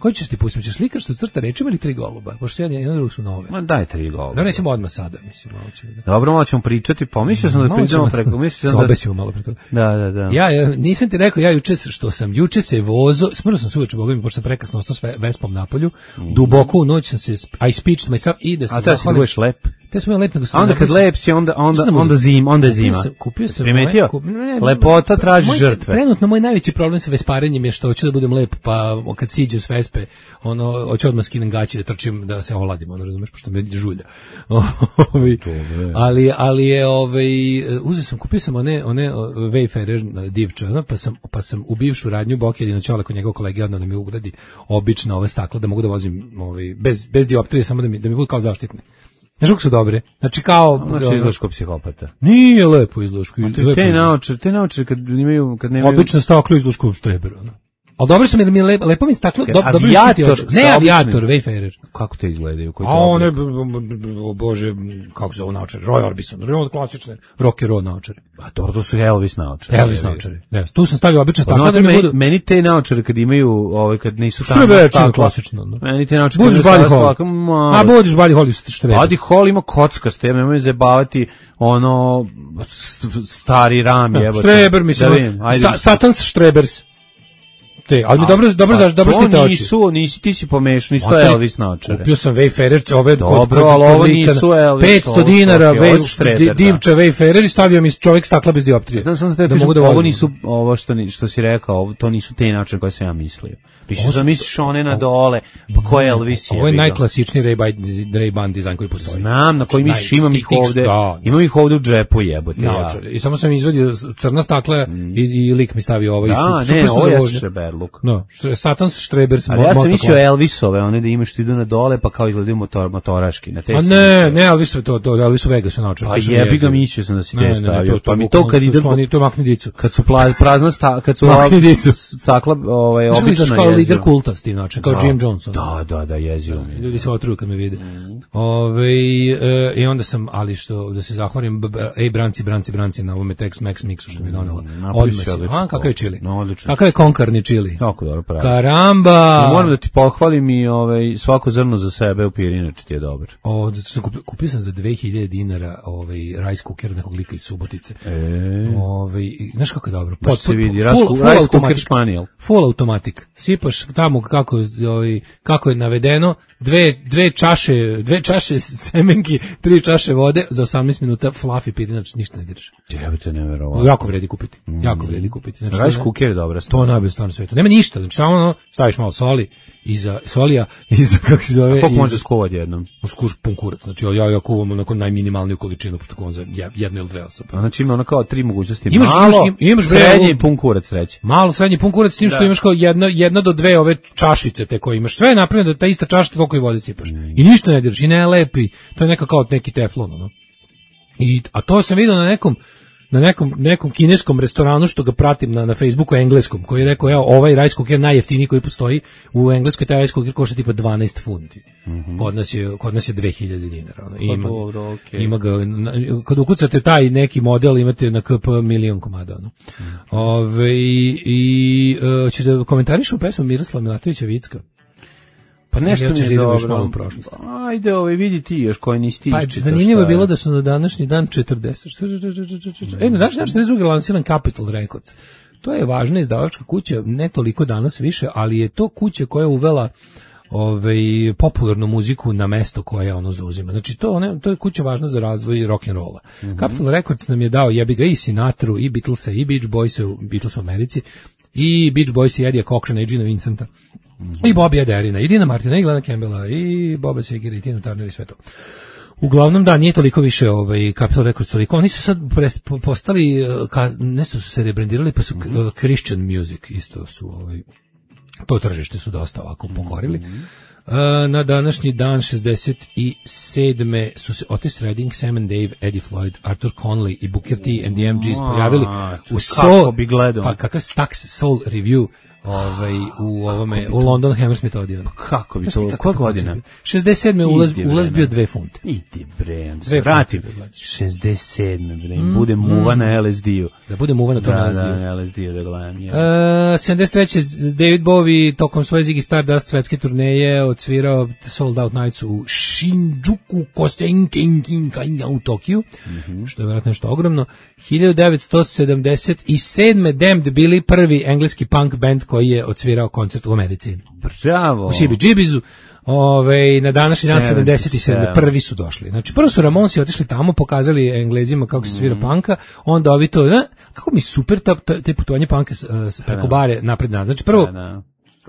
Koji ćeš ti pustiti? Ćeš slikar što crta rečima ili tri goluba? Pošto jedan jedan drug su nove. Ma daj tri goluba. Da nećemo odmah sada, mislim, malo ćemo da. Dobro, malo ćemo pričati. Pomislio sam da pričamo preko, mislio sam da obesimo malo pre toga. Da, da, da. Ja, ja nisam ti rekao, ja juče što sam juče se vozo, smrno sam se uveče, boga mi, pošto sam prekasno ostao s Vespom na polju, mm. duboko u noć sam se, I speeched myself i da se zahvalim. A te si budeš lep? Te smo lep, nego sam... A onda kad lep si, onda, onda, onda zim, onda je zima. Kupio sam... Primetio? Lepota traži žrtve. Trenutno moj najveći problem sa vesparenjem je što hoću da budem lep, pa kad siđem s Vespe, ono, hoću odmah skinem gaći da trčim, da se oladim, ono, razumeš, pošto me žulja. ali, ali je, ovaj, uzeo sam, kupio sam one, one Wayfarer divče, ono, pa sam, pa sam u bivšu radnju Bok jedino čole kod njegov kolege, odno da mi ugradi obična ova stakla, da mogu da vozim, ovaj, bez, bez dioptrije, samo da mi, da mi budu kao zaštitne. Znaš kako su dobre? Znači kao... Znači izgledaš kao psihopata. Nije lepo izgledaš. Te, te naočare, te naočare kad imaju... Kad nemaju... Obično staklo izgledaš kao štreber, ono. Ali dobro su mi, mi lepo, lepo mi staklo, do, dobro avijator, ne avijator, Wayfarer. Kako te izgledaju? A one, bože, kako se zove naočare? Roy Orbison, Roy klasične, rock and roll naočare. A dobro, to su Elvis naočare. Elvis naočare, ne, tu sam stavio obične stakle. No, da mi budu... Meni te naočare kad imaju, ovaj, kad nisu tamo stakla. Klasično, no. Meni te naočare kad nisu stakla. A budiš Buddy Holly štreber. Buddy Holly ima kockaste, ja nemoj zabavati ono stari ram jebote. Štreber, mislim, Satan's Štrebers. Te, ali mi dobro, dobro, zašto, dobro štite oči. Nisu, nisi, ti si pomešan, nisu to Elvis naočare. Kupio sam Wayfarer, ove dobro, ali ovo nisu Elvis. petsto dinara, divča Wayfarer i stavio mi čovjek stakla bez dioptrije. Znam sam da te kažem, ovo nisu, ovo što, što si rekao, to nisu te naočare koje sam ja mislio. Mislio sam misliš one na dole, pa ko je Elvis je. Ovo je najklasičniji Ray-Ban dizajn koji postoji. Znam, na koji misliš, imam ih ovde, imam ih ovde u džepu jebote. I samo sam izvadio crna stakla i lik mi stavio ovo. Da, ne, ovo je Štreberluk. No, Satan's Štrebers. Ali ja sam mislio Elvisove, one da imaš što idu na dole, pa kao izgledaju motor, motoraški. Na te a ne, ne, Elvis to, to, Elvis u Vegasu naočar. Pa jebi ga, mislio sam da si te stavio. Pa mi to kad ide... To makni dicu. Kad su prazna stakla, kad su stakla obična kao lider kulta s tim način, kao Jim Johnson. Da, da, da, jezio. Ljudi se otruju kad me vide. Ove, i onda sam, ali što, da se zahvalim, ej, branci, branci, branci, na ovome Tex Mex mixu što mi je donela. Odmah si, a, kakav je čili? Kakav je konkarni čili? Tako dobro pravi. Karamba! Moram da ti pohvalim i ovaj, svako zrno za sebe u Pirinač ti je dobar. O, kupio, kupio sam za dve hiljade dinara ovaj, rice cooker nekog lika iz Subotice. E. Ovaj, znaš kako je dobro? Pot, se vidi, full, full rice cooker španijel. Full automatik. Sipaš tamo kako, ovaj, kako je navedeno, dve, dve čaše, dve čaše semenki, tri čaše vode, za osamnaest minuta fluffy Pirinač, ništa ne diraš. Jebate, neverovatno. Jako vredi kupiti. Jako vredi kupiti. Znači, rice cooker je dobra stvar. To je najbolje stvar na svetu. Nema ništa, znači samo ono, staviš malo soli, iza solija, iza, kako se zove... A koliko može skuvati jednom? Može skuš pun kurac, znači ja, ja kuvam onako najminimalniju količinu, pošto kuvam za jednu ili dve osobe. A znači ima ono kao tri mogućnosti, imaš, malo, imaš, imaš srednji i pun kurac treći. Malo, srednji pun kurac, s tim što da. Imaš kao jedna, jedna do dve ove čašice te koje imaš, sve je napravljeno da ta ista čašica toliko i vode sipaš. Mm. I ništa ne diraš, i ne lepi, to je neka kao neki teflon, no? I, a to sam vidio na nekom, na nekom, nekom kineskom restoranu što ga pratim na, na Facebooku engleskom, koji je rekao, evo, ovaj rice cooker najjeftiniji koji postoji, u Engleskoj taj rice cooker košta tipa dvanaest funti. Mm-hmm. Kod nas je, kod nas je dve hiljade dinara. Ono. Ima, dobro, okay. Ima ga, na, kad ukucate taj neki model, imate na K P milion komada. Ono. Mm-hmm. Ove, i, i uh, ćeš da komentariš u pesmu Miroslava Milatovića Vicka? Pa nešto mi je dobro. Ajde, ovaj, vidi ti još koji nisi ti. Pa, zanimljivo je bilo da su na današnji dan četrdeset. E, na današnji dan četrdeset drugi lansiran Capitol Records. To je važna izdavačka kuća, ne toliko danas više, ali je to kuća koja je uvela ovaj, popularnu muziku na mesto koje ono zauzima. Znači, to, ne, to je kuća važna za razvoj rock'n'rolla. Mm-hmm. Capitol Records nam je dao jebi ga i Sinatru, i Beatlesa, i Beach Boysa, Beatles u Americi, i Beach Boysa, i Eddie Cochrane, i Gina Vincenta. Mm-hmm. I Bobby Ederina, i Dina Martina, i Glena Campbella, i Boba Segera, i Tina Turner i sve to. Uglavnom, da, nije toliko više ovaj, Capitol Records toliko. Oni su sad postali, ka, nešto su se rebrandirali, pa su mm-hmm. uh, Christian Music, isto su, ovaj, to tržište su dosta ovako pokorili. Mm-hmm. Uh, na današnji dan šezdeset sedme su se Otis Redding, Sam and Dave, Eddie Floyd, Arthur Conley i Booker T and the M Gs pojavili u Soul, pa kakav Stax Soul Review ovaj, u ovome, u London Hammersmith odijel. Kako bi to, koja godina? šezdeset sedme ulaz, ulaz bio dve funte. Idi bre, da se vratim. šezdeset sedme bre, bude muva na L S D-u. Da bude muva na tom da, L S D-u. Da, na L S D-u da gledam. Uh, sedamdeset treće David Bowie tokom svoje Ziggy Stardust svetske turneje odsvirao Sold Out Nights u Shinjuku Kosenkinkinkai u Tokiju, mm-hmm. što je vjerojatno nešto ogromno. hiljadu devetsto sedamdeset sedme Damned bili prvi engleski punk band koji je odsvirao koncert u Americi. Bravo! U C B G B-zu. Ove, na današnji dan sedamdeset sedme prvi su došli. Znači, prvo su Ramonsi otišli tamo, pokazali Englezima kako se svira mm. panka, onda ovi to, ne, kako mi super ta, ta, te putovanje panka s, s preko bare napred nazad. Znači, prvo,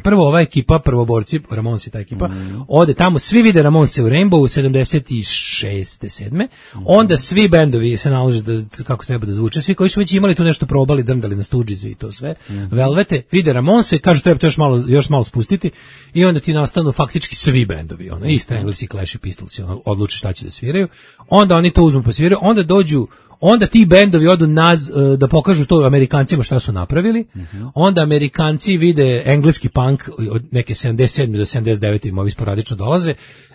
prvo ova ekipa, prvoborci, Ramonsi ta ekipa, mm. ode tamo, svi vide Ramonse u Rainbow sedamdeset šeste sedme Mm. onda svi bendovi se nalože da, kako treba da zvuče, svi koji su već imali tu nešto probali, drndali na Stooges i to sve, mm. Velvete, vide Ramonse, kažu treba to još malo, još malo spustiti i onda ti nastanu faktički svi bendovi, ono, i Stranglers i Clash i Pistols, ono, odluče šta će da sviraju, onda oni to uzmu pa sviraju, onda dođu onda ti bendovi odu naz, da pokažu to Amerikancima šta su napravili, uh-huh. onda Amerikanci vide engleski punk od neke sedamdeset sedme do sedamdeset devete im ovi sporadično dolaze,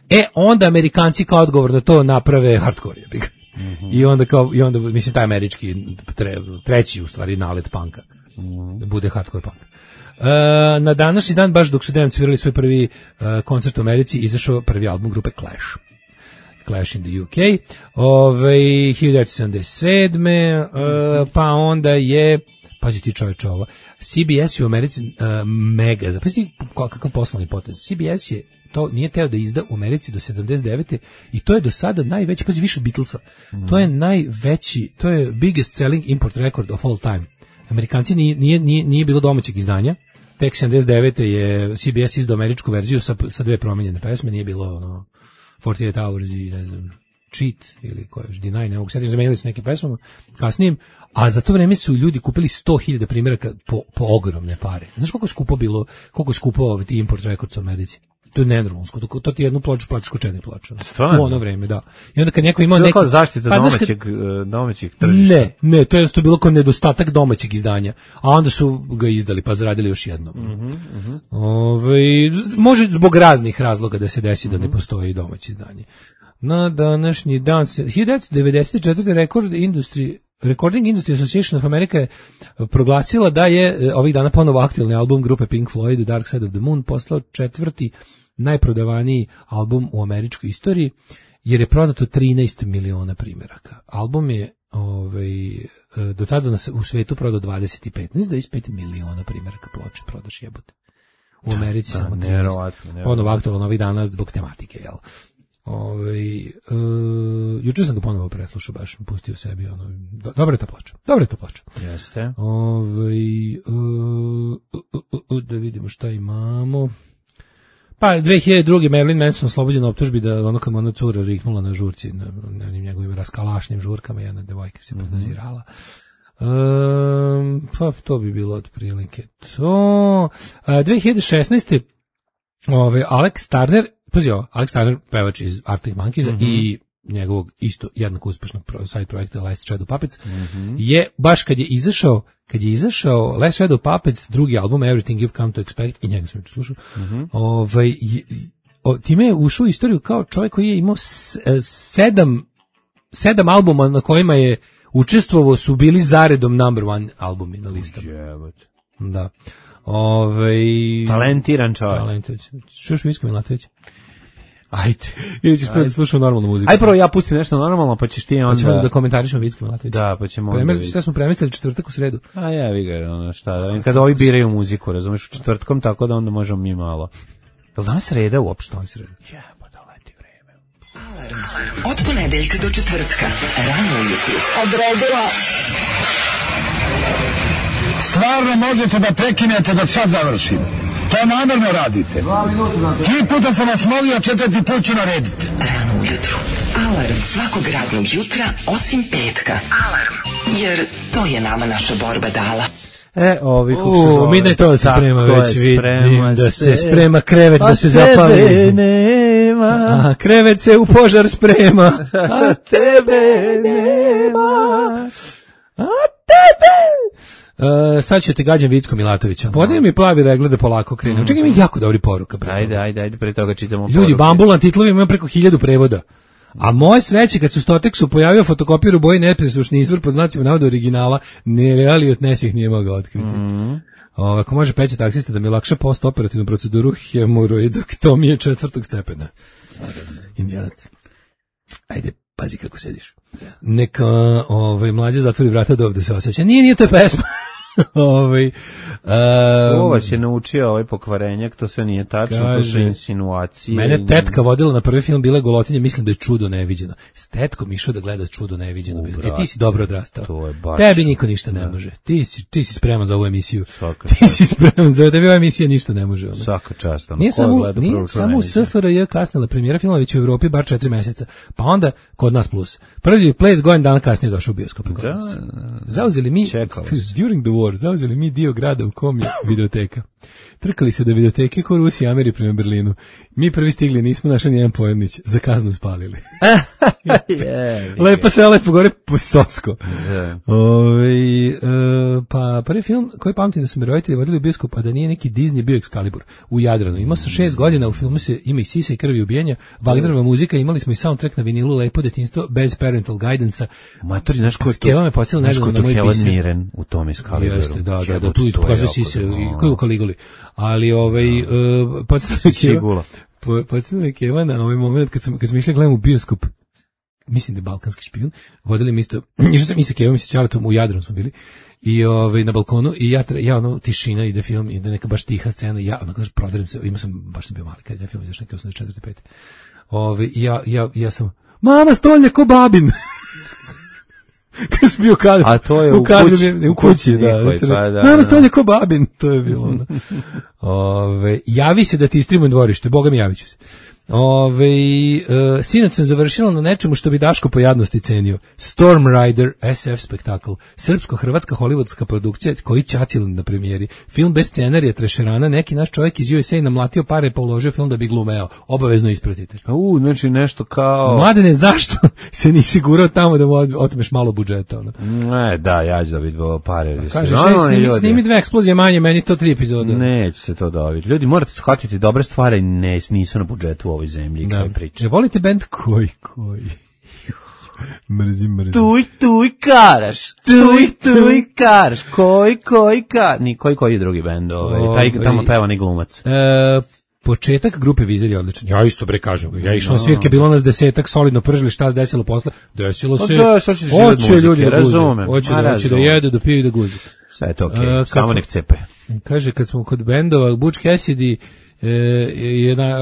e onda Amerikanci kao odgovor na to naprave hardcore. Uh-huh. I onda kao, i onda mislim taj američki tre, treći u stvari nalet punka uh-huh. bude hardcore punk. Uh, na današnji dan, baš dok su Damned svirali svoj prvi uh, koncert u Americi, izašao prvi album grupe Clash. Clash in the U K, ove, hiljadu devetsto sedamdeset sedme Uh, pa onda je, pazi ti čovječe ovo, C B S je u Americi uh, mega, zapazi kakav poslovni potez, C B S je to nije teo da izda u Americi do sedamdeset devete i to je do sada najveći, pazi više od Beatlesa, mm. to je najveći, to je biggest selling import record of all time. Amerikanci nije, nije, nije, nije bilo domaćeg izdanja, tek sedamdeset devete je C B S izdao američku verziju sa, sa dve promijenjene pesme, nije bilo ono forty-eight hours i ne znam, Cheat ili koje još, Deny, ne mogu setim, zamenili su neke pesmama kasnijim, a za to vreme su ljudi kupili sto hiljada primjeraka po, po ogromne pare. Znaš koliko je skupo bilo, koliko je skupo ovaj import records u Americi? To je nenormalno, to, to ti jednu ploču platiš ko četiri ploče. U ono vreme, da. I onda kad neko imao neki... To je kao zaštita pa, domaćeg, kad, domaćeg tržišta. Ne, ne, to je jednostavno bilo kao nedostatak domaćeg izdanja, a onda su ga izdali, pa zaradili još jednom. Mm-hmm, mm-hmm. Ove, može zbog raznih razloga da se desi mm-hmm. da ne postoji domaće izdanje. Na današnji dan, hiljadu devetsto devedeset četvrte Record Industry Recording Industry Association of America je proglasila da je ovih dana ponovo aktualni album grupe Pink Floyd Dark Side of the Moon postao četvrti najprodavaniji album u američkoj istoriji, jer je prodato trinaest miliona primjeraka. Album je ovaj, do tada u svetu prodao dvadeset pet, ne znam, dvadeset pet miliona primjeraka ploče prodaš jebote. U Americi da, samo trinaest. Nerovatno, nerovatno. Ponovo aktualno ovih dana zbog tematike, jel? Ove, uh, juče sam ga ponovo preslušao, baš pustio sebi ono, do, dobra je ta ploča, dobra je ta ploča. Jeste. Ove, uh, uh, uh, da vidimo šta imamo. Pa dve hiljade druge Marilyn Manson oslobođen optužbi da ono kad mu ona cura riknula na žurci, na, na onim njegovim raskalašnim žurkama, jedna devojka se mm-hmm. podnazirala. Um, pa to bi bilo otprilike to. Uh, dve hiljade šesnaeste Ove, Alex Turner, pazi ovo, Alex Turner, pevač iz Arctic Monkeys mm-hmm. i njegovog isto jednako uspešnog side projekta Last Shadow Puppets, mm-hmm. je baš kad je izašao, kad je izašao Last Shadow Puppets, drugi album Everything You've Come to Expect, i njega sam slušao, mm-hmm. ovaj, o, time je ušao u istoriju kao čovjek koji je imao s, sedam, sedam albuma na kojima je učestvovao, su bili zaredom number one albumi na listama. Da. Ove, talentiran čovjek. Talentiran. Čuš Vicka Milatovića? Ajde. Ili ćeš prvo da slušao normalnu muziku? Aj prvo ja pustim nešto normalno, pa ćeš ti onda... Pa ćemo da komentarišemo Vicka Milatovića. Da, pa ćemo onda vidjeti. Sve smo premestili četvrtak u sredu. A ja, vi ga, ono šta, da, kada ovi biraju muziku, razumeš, u četvrtkom, tako da onda možemo mi malo. Je li danas sreda uopšte? Danas sreda. Ja, pa da leti vreme. Alarm. Od ponedeljka do četvrtka. Rano ujutru. Odredila. Stvarno možete da prekinete dok sad završim. To namjerno radite. Tri puta sam vas molio, četvrti put ću narediti. Rano ujutru. Alarm svakog radnog jutra, osim petka. Alarm. Jer to je nama naša borba dala. E, ovi kako se zove. Mi da je to da se sprema već, vidim da se sprema krevet da se zapali. Nema. A krevet se u požar sprema. A tebe nema. A tebe Uh, sad ću te gađam Vicko Milatovića. Podaj mi plavi regler da polako krenem. Mm. Čekaj mi jako dobri poruka. Ajde, ajde, ajde, pre toga čitamo ljudi, poruke. Bambulan titlovi imaju preko hiljadu prevoda. A moje sreće kad su Stoteksu pojavio fotokopir u boji nepresušni izvor pod znacima navoda originala, nereali od nes ih nije mogao otkriti. Mm. O, ako može Peća taksista da mi lakše post-operativnu proceduru hemoroidektomije četvrtog stepena. Indijanac. Ajde, pazi kako sediš. Neka ovaj, mlađe zatvori vrata do ovde se osjeća. Nije, nije to je pesma. ovaj, um, Ovo vas je naučio ovaj pokvarenjak, to sve nije tačno, kaže, to su insinuacije. Mene tetka vodila na prvi film Bile Golotinje, mislim da je Čudo neviđeno. S tetkom išao da gleda Čudo neviđeno. U, e, ti si dobro odrastao. To je baš, tebi niko ništa ne da. može. Ti si, ti si spreman za ovu emisiju. Svaka ti čast. Si spreman za tebi ova emisija ništa ne može. Ono. Svaka čast. Ono. Nije samo, nije samo u S F R J kasnila premijera filma, već u Evropi bar četiri meseca. Pa onda kod nas plus. Prvi Place godin dana kasnije došao u bioskop. Da, zauzeli mi during the war, zauzeli mi dio grada u kom je videoteka. Trkali se do videoteke ko Rusi i Ameri prema Berlinu. Mi prvi stigli, nismo našli nijedan pojemnić. Za kaznu spalili. yeah, lepo sve, lepo gore po Socko. Yeah. Ove, e, pa prvi film koji pamtim da su me roditelji vodili u bioskop, a da nije neki Disney, bio Excalibur u Jadranu. Imao sam šest godina, u filmu se ima i sisa i krvi i ubijanja, Wagnerova muzika, imali smo i soundtrack na vinilu, lepo detinjstvo, bez parental guidance-a. Matori, znaš ko je to? Skeva me pocijela nedavno na moj pisan. Miren u tom Excaliburu. Jeste, da, da, da, tu pokazuje sise, koji u Kaliguli. Ali ovaj, uh, pocijela me Keva na ovaj moment kad sam, kad sam išli gledam u bioskop, mislim da je Balkanski špijun, vodili mi isto, išao sam i sa Kevom i sa Čaletom, u Jadranu smo bili, i ovaj, na balkonu, i ja, ja ono, tišina, ide film, ide neka baš tiha scena, ja, ono, kažeš, prodarim se, imao sam, baš sam bio mali, kad je film izašao neke osamdeset četvrte pete Ove, i ja, ja, ja sam, mama, stolje ko babin! Kad sam bio kadru, a to je u, u kući, u kući, da, njihoj, pa, da, nama stolje ko babin, to je bilo onda. Ove, javi se da ti istrimujem dvorište, boga mi javit ću se. Ove, uh, sinoć sam završila na nečemu što bi Daško po jadnosti cenio. Storm Rider S F spektakl, srpsko-hrvatska hollywoodska produkcija koji ćacil na premijeri. Film bez scenarija, trešerana, neki naš čovjek iz U S A namlatio pare pa uložio film da bi glumeo. Obavezno ispratite. U, znači nešto kao... Mladene, zašto se nisi gurao tamo da mu otmeš malo budžeta? Ono? Ne, da, ja ću da bih bilo pare. Kaže, no, no, snimi, snimi dve eksplozije manje, meni to tri epizode. Neće se to dobiti. Ljudi, morate shvatiti, dobre stvari ne, nisu na budžetu ovoj zemlji, kao priča. Ne volite bend koji, koji? Mrzim, mrzim. Tuj, tuj, karaš, tuj, tuj, karaš, koji, koji, karaš. Ni, koji, koji je drugi bend, ovaj, taj tamo peva ni glumac. E, početak grupe Vizelj je odličan. Ja isto bre kažem. Ja išao na svirke, bilo nas desetak, solidno pržili, šta se desilo posle? Desilo se. Da, što ćeš živjeti muzike, ljudi da razumem. Hoće da, hoće da jedu, da piju i da guze. Sve je to okej, okay. Samo nek cepe. Kaže, kad smo kod bendova, Butch Cassidy, E, je na,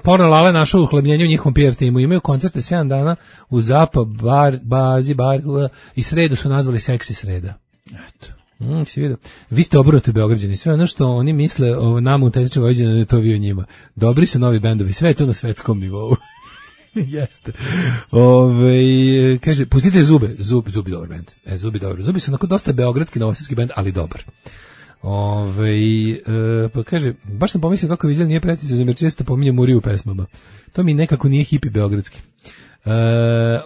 Porno Lale našao uhlebljenje u njihovom P R timu. Imaju koncerte sedam dana u Zapa, bar, bazi, bar, i sredu su nazvali Seksi sreda. Eto. Mm, si vidio. Vi ste obrnuti Beograđani. Sve ono što oni misle o nama u Tezničnom Vojvođani, da je to vi o njima. Dobri su novi bendovi. Sve je to na svetskom nivou. Jeste. Ove, kaže, pustite Zube. Zub, Zubi dobar bend. E, Zubi dobar. Zubi su onako dosta beogradski novosadski bend, ali dobar. Ove, e, pa kaže, baš sam pomislio kako Vizelj nije precizan, jer često pominje Muriju u pesmama. To mi nekako nije hipi beogradski. E,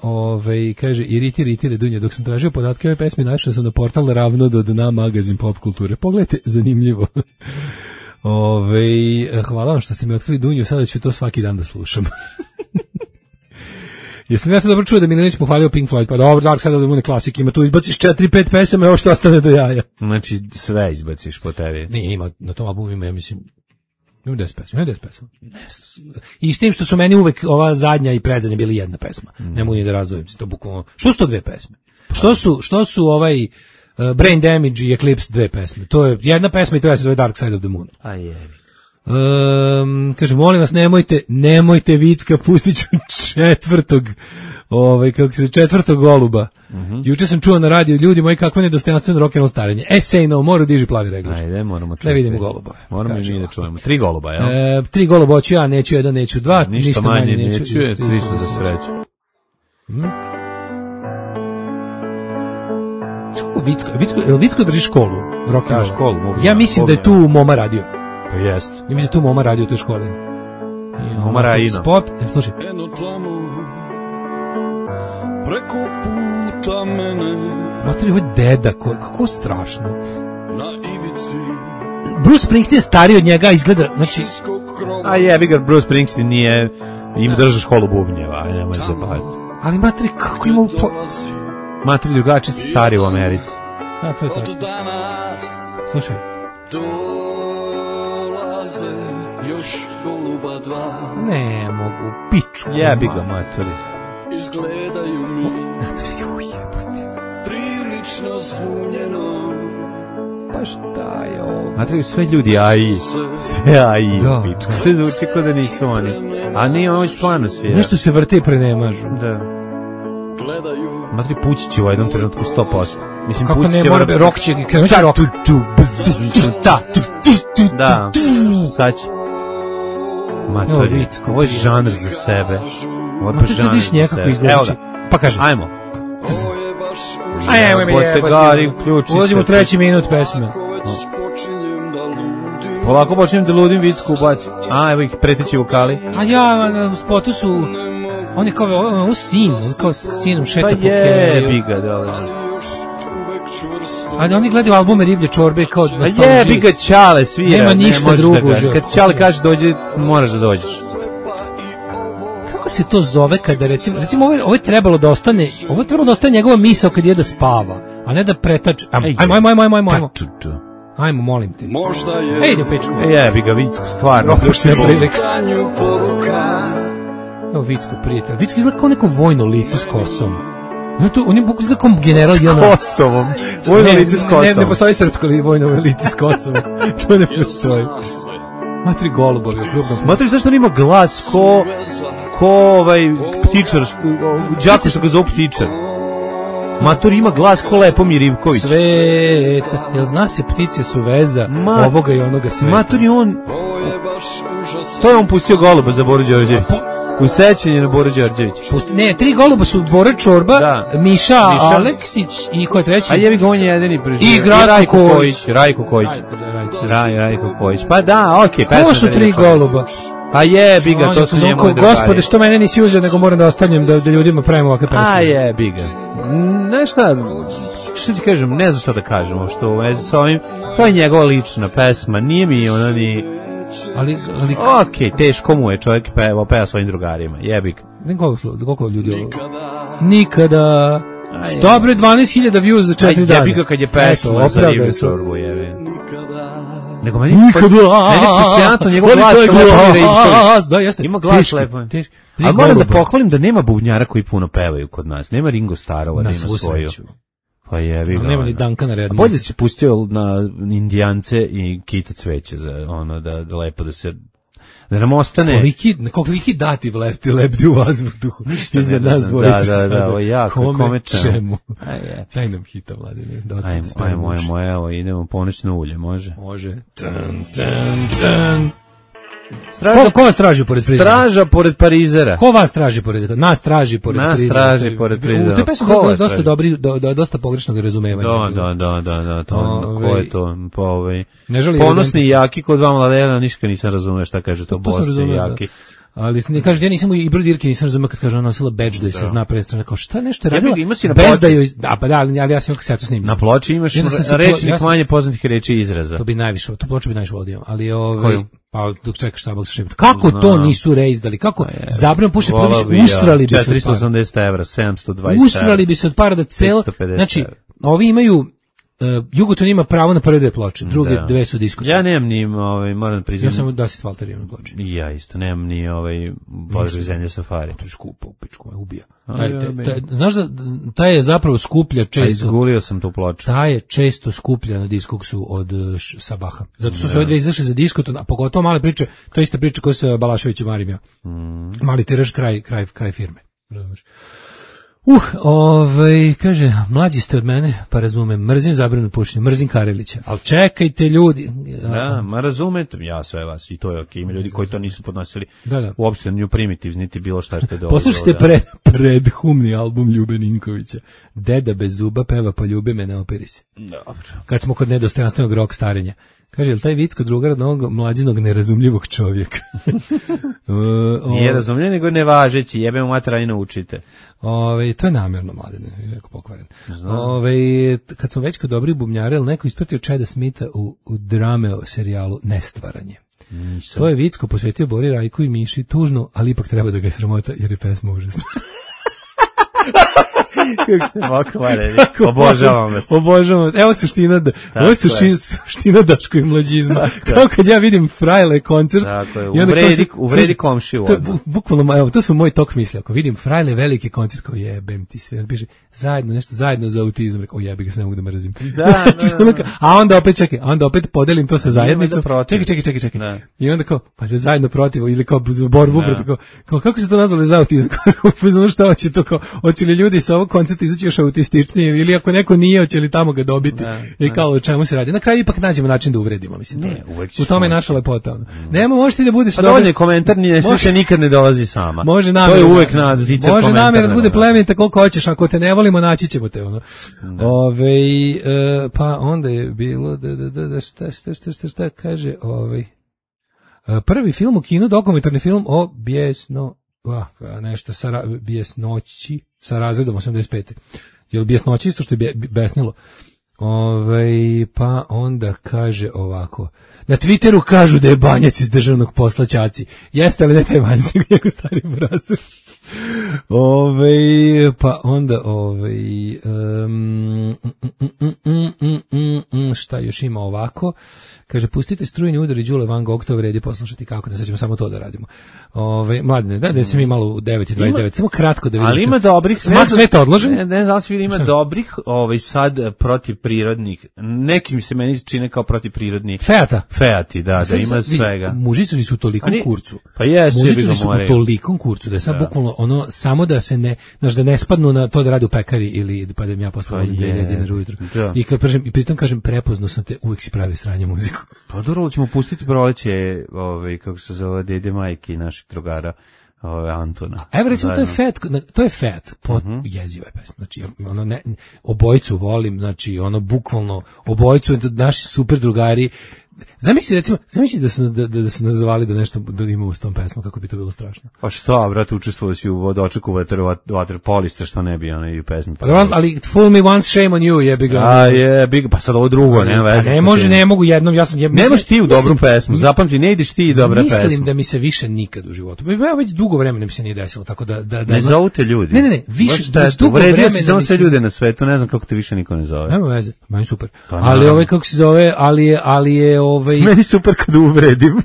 ove, kaže, iritire, iritire Dunja. Dok sam tražio podatke ove pesme, našao sam na portal Ravno do dna magazin pop kulture. Pogledajte, zanimljivo. Ove, hvala vam što ste mi otkrili Dunju, sada ću to svaki dan da slušam. Jesam ja to dobro čuo da Milinić pohvalio Pink Floyd, pa dobro, Dark Side of the Moon je klasik, ima tu izbaciš četiri pet pesama, ovo što ostane do jaja. Znači sve izbaciš po tebi. Nije, ima, na tom albumu ima, ja mislim, ima deset pesma, ima deset pesma. I s tim što su meni uvek ova zadnja i predzadnja bili jedna pesma, mm. ne mogu ni da razdvojim se, to bukvalno, što su to dve pesme? Što su, što su ovaj uh, Brain Damage i Eclipse dve pesme? To je jedna pesma i to je se zove Dark Side of the Moon. A jebi. Um, kaže, molim vas, nemojte, nemojte Vicka, pustit ću četvrtog, ovaj, kako se četvrtog goluba. Mm-hmm. Juče sam čuo na radiju, ljudi moji, kakvo nedostojanstveno rock'n'roll starenje. E, say no, moru diži plavi reglač. Ajde, moramo čuti. Da vidimo golubove. Moramo i mi da čujemo. Tri goluba, jel? E, tri goluba hoću ja, neću jedan, neću dva, ništa, ništa manje, manje neću. Neću, je slično za sreću. Hmm? Vicko, Vicko, Vicko drži školu, rock'n'roll. Ja, školu, mogu. Ja mislim da je tu Moma radio. To jest. Ja mislim da tu Moma radio u toj školi. Moma Rajina. Spot, slušaj. Eno tamo, preko puta mene. Materi, ovo je deda, ko, kako strašno. Bruce Springsteen je stariji od njega, izgleda, znači... A jebi ga, Bruce Springsteen nije, im drža školu bubnjeva, aj nemoj se baviti. Ali matri, kako ima... Upo... Matri drugačiji su stari u Americi. A, to je to. Slušaj. Ne mogu, piču. Jebi ga, matri. Izgledaju mi prilično zbunjeno. Pa šta je ovo? Matri, sve ljudi A I. Sve A I, pička. Sve zvuči kao da nisu oni. A nije, ovo je stvarno svijera. Nešto se vrte i prenemažu. Da. Matri, pući će u jednom trenutku sto posto. Mislim, kako ne, mora bi, rok će, krenući rok. Da, sad će. Matri, ovo je žanr za sebe. Ovo je žanr za sebe. Evo ga. Pa kaže. Ajmo. Ajmo, Potegari, uključi se. Ulazimo u treći minut pesme. Polako počnem da ludim, Vicku ubaci. A, evo ih, preteći vokali. A ja, u spotu su... On je kao, ovo je sin, on kao sinom šeta po Keniju. Pa jebi ga, da. Ali oni gledaju albume Riblje čorbe kao nostalžiju. A jebi ga, Ćale svira. Nema ništa ne drugo. Da kad Ćale kaže dođe, moraš da dođeš. Kako se to zove kada, recimo, recimo ovo, je, ovo je trebalo da ostane, ovo je trebalo da ostane njegova misao kad je da spava, a ne da pretač. Ajmo, ajmo, ajmo, ajmo, ajmo, ajmo. Ajmo, molim te. Možda je... Ej, ide u pičku. E, jebi ga, Vicku, stvarno. Propuštena prilika. Evo Vicko, prijatelj. Vicko izgleda kao neko vojno lice s kosom. No, to, on je bukvalno izgleda kao general. S Kosovom. Vojno ne, lice s Kosovom. Ne, ne postoji srpsko vojno lice s Kosovom. To ne postoji. Matri golubovi u krupnom. Matri, zašto on ima glas ko... ko ovaj ptičar, đaku što ga zove ptičar. Mator ima glas ko Lepomir Ivković. Svet, jel zna se ptice su veza Ma, ovoga i onoga sveta. Mator je on... To je on pustio goluba za Boru Đorđević. U sećanje na Boru Đorđević. Pusti, ne, tri goluba su Bora Čorba, da. Miša, Miša Aleksić i ko je treći? A jevi ga, on je jedini preživio. I Rajko Kojić. Rajko Kojić. Raj, Rajko Kojić. Pa da, okej. Okay, ko su tri goluba? Pa jebi ga, to su njemu drugari. Gospode, što mene nisi uzeo, nego moram da ostavljam da, da ljudima pravimo ovakve pesme. A jebi ga. Znaš šta, što ti kažem, ne znam šta da kažemo, što u vezi s ovim, to je njegova lična pesma, nije mi ona ni... Ali, ali... Okej, okay, teško mu je čovjek peva, peva svojim drugarima, jebi ga. Ne, koliko, koliko ljudi ovo? Nikada... Dobro, dvanaest hiljada views za četiri dana. Jebi ga kad je pesma za Riblju čorbu, jebi. Nego meni nikada. Meni je fascinantno njegov glas sa Lepom Ivković. Da, jeste. Ima glas lepo. Ali moram da pohvalim da nema bubnjara koji puno pevaju kod nas. Nema Ringo Starova da ima svoju. Pa jevi ga. Nema ni Dankana Redmana. Bolje se pustio na Indijance i Kita Cveće za ono da, da lepo da se da nam ostane. Koliki, koliki dativ lepti, lepti u vazduhu. Iznad nas dvojice. Da, da, da, ovo jako, kome čemu. Daj nam hita, Vladimir. Ajmo, ajmo, ajmo, evo, idemo ponoćno ulje, može? Može. Tan, tan, tan. Straža, ko, ko vas traži pored Prizera? Straža pored Parizera. Ko vas traži pored Nas traži pored Nas Prizera. Nas traži pored Prizera. U te pesme je dosta dobri, do, do, dosta pogrešnog razumevanja. Da, da, da, da, da, to, ove, ko je to? Po, ovaj, ne ponosni i jaki kod dva mladena, ništa nisam razumeo šta kaže to, ponosni i jaki. Ali ne kaže, ja nisam i Ibro Dirke nisam razumeo kad kaže ona nosila bedž da se zna prestrana, kao šta nešto je radila, bez da joj, da, pa da, ali ja sam kasetu snimio. Na ploči imaš rečnik manje poznatih reči i izraza. To bi najviše, to ploču bi najviše vodio, ali ovaj, pa dok čekaš sabog sa šibom. Kako to nisu reizdali, kako zabran puše, usrali bi se četiristo osamdeset evra, sedamsto dvadeset usrali bi se od para da celo, znači, ovi imaju Uh, Jugoton ima pravo na prve dve ploče, druge da. Dve su diskote. Ja nemam ni, ovaj, moram priznati. Ja sam Dasit Valter imam ploče. Ja isto, nemam ni ovaj Područje zemlje Safari. To je skupo, pičko me ubija. Taj, taj, taj, znaš da taj je zapravo skuplja često. A izgulio sam tu ploču. Taj je često skuplja na Diskoksu od š, Sabaha. Zato su se ove dve izašle za Diskoton, a pogotovo male priče, to je ista priča koja se Balaševićem Marimja. Mm. Mali tiraž kraj, kraj, kraj firme. Razumeš? Uh, ovaj, kaže, mlađi ste od mene, pa razumem, mrzim zabranu pušenja, mrzim Karelića, ali čekajte ljudi. Da, ma razumete, ja sve vas, i to je okej, ima ljudi koji to nisu podnosili, da, da. Uopšte New Primitives, niti bilo šta što je dobro. Poslušajte da. pred, predhumni album Ljube Ninkovića, Deda bez zuba peva pa ljubi me, ne operi se. Dobro. Kad smo kod nedostojanstvenog rok starenja. Kaže, je li taj vic kod drugara od ovog mlađinog nerazumljivog čovjeka? uh, Nije razumljiv, nego nevažeći, jebe mu mater, naučite. Ove, to je namjerno, mladine, jako pokvaren. Ove, kad smo već kod dobrih bubnjara, ili neko ispratio Chada Smitha u, u Drameo serijalu Nestvaranje. Nisam. To je vic ko posvetio Bori, Rajku i Miši, tužno, ali ipak treba da ga je sramota, jer je pesma užasna. Kako ste pokvareni. Obožavam vas. Obožavam vas. Evo suština, da, ovo je suština, suština Daško i mlađizma. Kao kad ja vidim Frajle koncert. Tako je, uvredi, uvredi komšiju. To, bu, bukvalno, evo, to su moj tok misli. Ako vidim Frajle veliki koncert, kao jebem ti sve. Piše, zajedno, nešto zajedno za autizam. Rekao, jebi ga, se ne mogu da mrzim. Da, da, da. A onda opet, čekaj, a onda opet podelim to sa zajednicom. Čekaj, čekaj, čekaj, čekaj. Da. I onda kao, pa da zajedno protiv, ili kao borbu, kao, kao, kako se to nazvali za autizam? Kao, šta hoće to, kao, hoće li ljudi sa ovog koncerta izaći još autističnije, ili ako neko nije, hoće li tamo ga dobiti, ne, i kao o čemu se radi. Na kraju ipak nađemo način da uvredimo, mislim. Ne, u tome je naša lepota. Mm. Nema, možeš ti da budeš... Pa dovoljno je komentar, nije, može, nikad ne dolazi sama. Može namjer, to je uvek na zicer može namjer da bude plemenita koliko hoćeš, ako te ne volimo, naći ćemo te. Ono. Ove, e, pa onda je bilo, da, da, da, da, šta, šta, šta, šta, šta kaže, ovaj, prvi film u kinu, dokumentarni film o Bijesno... Uh, nešto sa Bijesnoći sa razredom osamdeset pete. Je li Bijesnoći isto što je besnilo? Ove, pa onda kaže ovako. Na Twitteru kažu da je Banjac iz državnog posla ćaci. Jeste li ne taj Banjac, nego njegov stari brazir? Ove, pa onda ove, um, mm, mm, mm, mm, mm, šta još ima ovako? Kaže, pustite strujni udar i Đule Van Gogh, to vredi poslušati kako, da sad ćemo samo to da radimo. Ove, mladine, da, da se mi malo u devet i dvadeset devet, samo kratko da vidimo. Ali ima dobrih, smak sveta odložen. Ne, ne znam, svi ima dobrih, ovaj, sad protiv prirodnih. Nekim se meni čine kao protiv prirodnih. Feata. Feati, da, da ima svega. Mužičari su u tolikom kurcu. Pa jesu, mužičari su u tolikom kurcu, da je sad bukvalno ono, samo da se ne, znaš, da ne spadnu na to da radi u pekari ili pa da im ja posle volim dve hiljade dinara ujutru. I kad kažem, i pritom kažem, prepoznao sam te, uvek si pravi sranje muziku. Pa dobro, ćemo pustiti proleće, ovaj, kako se zove, dede majke i naših drugara, ovaj, Antona. Evo recimo, to je Fat, to je Fat, pot, uh-huh. jeziva je pesma, znači, ono, ne, obojicu volim, znači, ono, bukvalno, obojicu, naši super drugari. Zamisli, recimo, zamisli da su, da, da su nas zvali da nešto da ima u tom pesmu, kako bi to bilo strašno. Pa šta, brate, učestvovao si u vodočeku vaterpolista, što ne bi ono i u pesmi. Pa ali fool me once, shame on you, jebi ga. A je, big, pa sad ovo drugo, nema veze. Ne može, ne mogu jednom, ja sam... Ja, mislim, nemaš ti u dobru mislim, pesmu, zapamti, ne ideš ti i dobra mislim pesma. Mislim da mi se više nikad u životu, ja već dugo vremena mi se nije desilo, tako da... da, da ne zovu te ljudi. Ne, ne, ne, više, da dugo vremena... Si samo sve ljude na svetu, ne znam kako te više niko ne zove. Nema veze, meni super. Ali ovaj, kako se zove, ali je, ali je, ovaj... Meni super kad uvredim.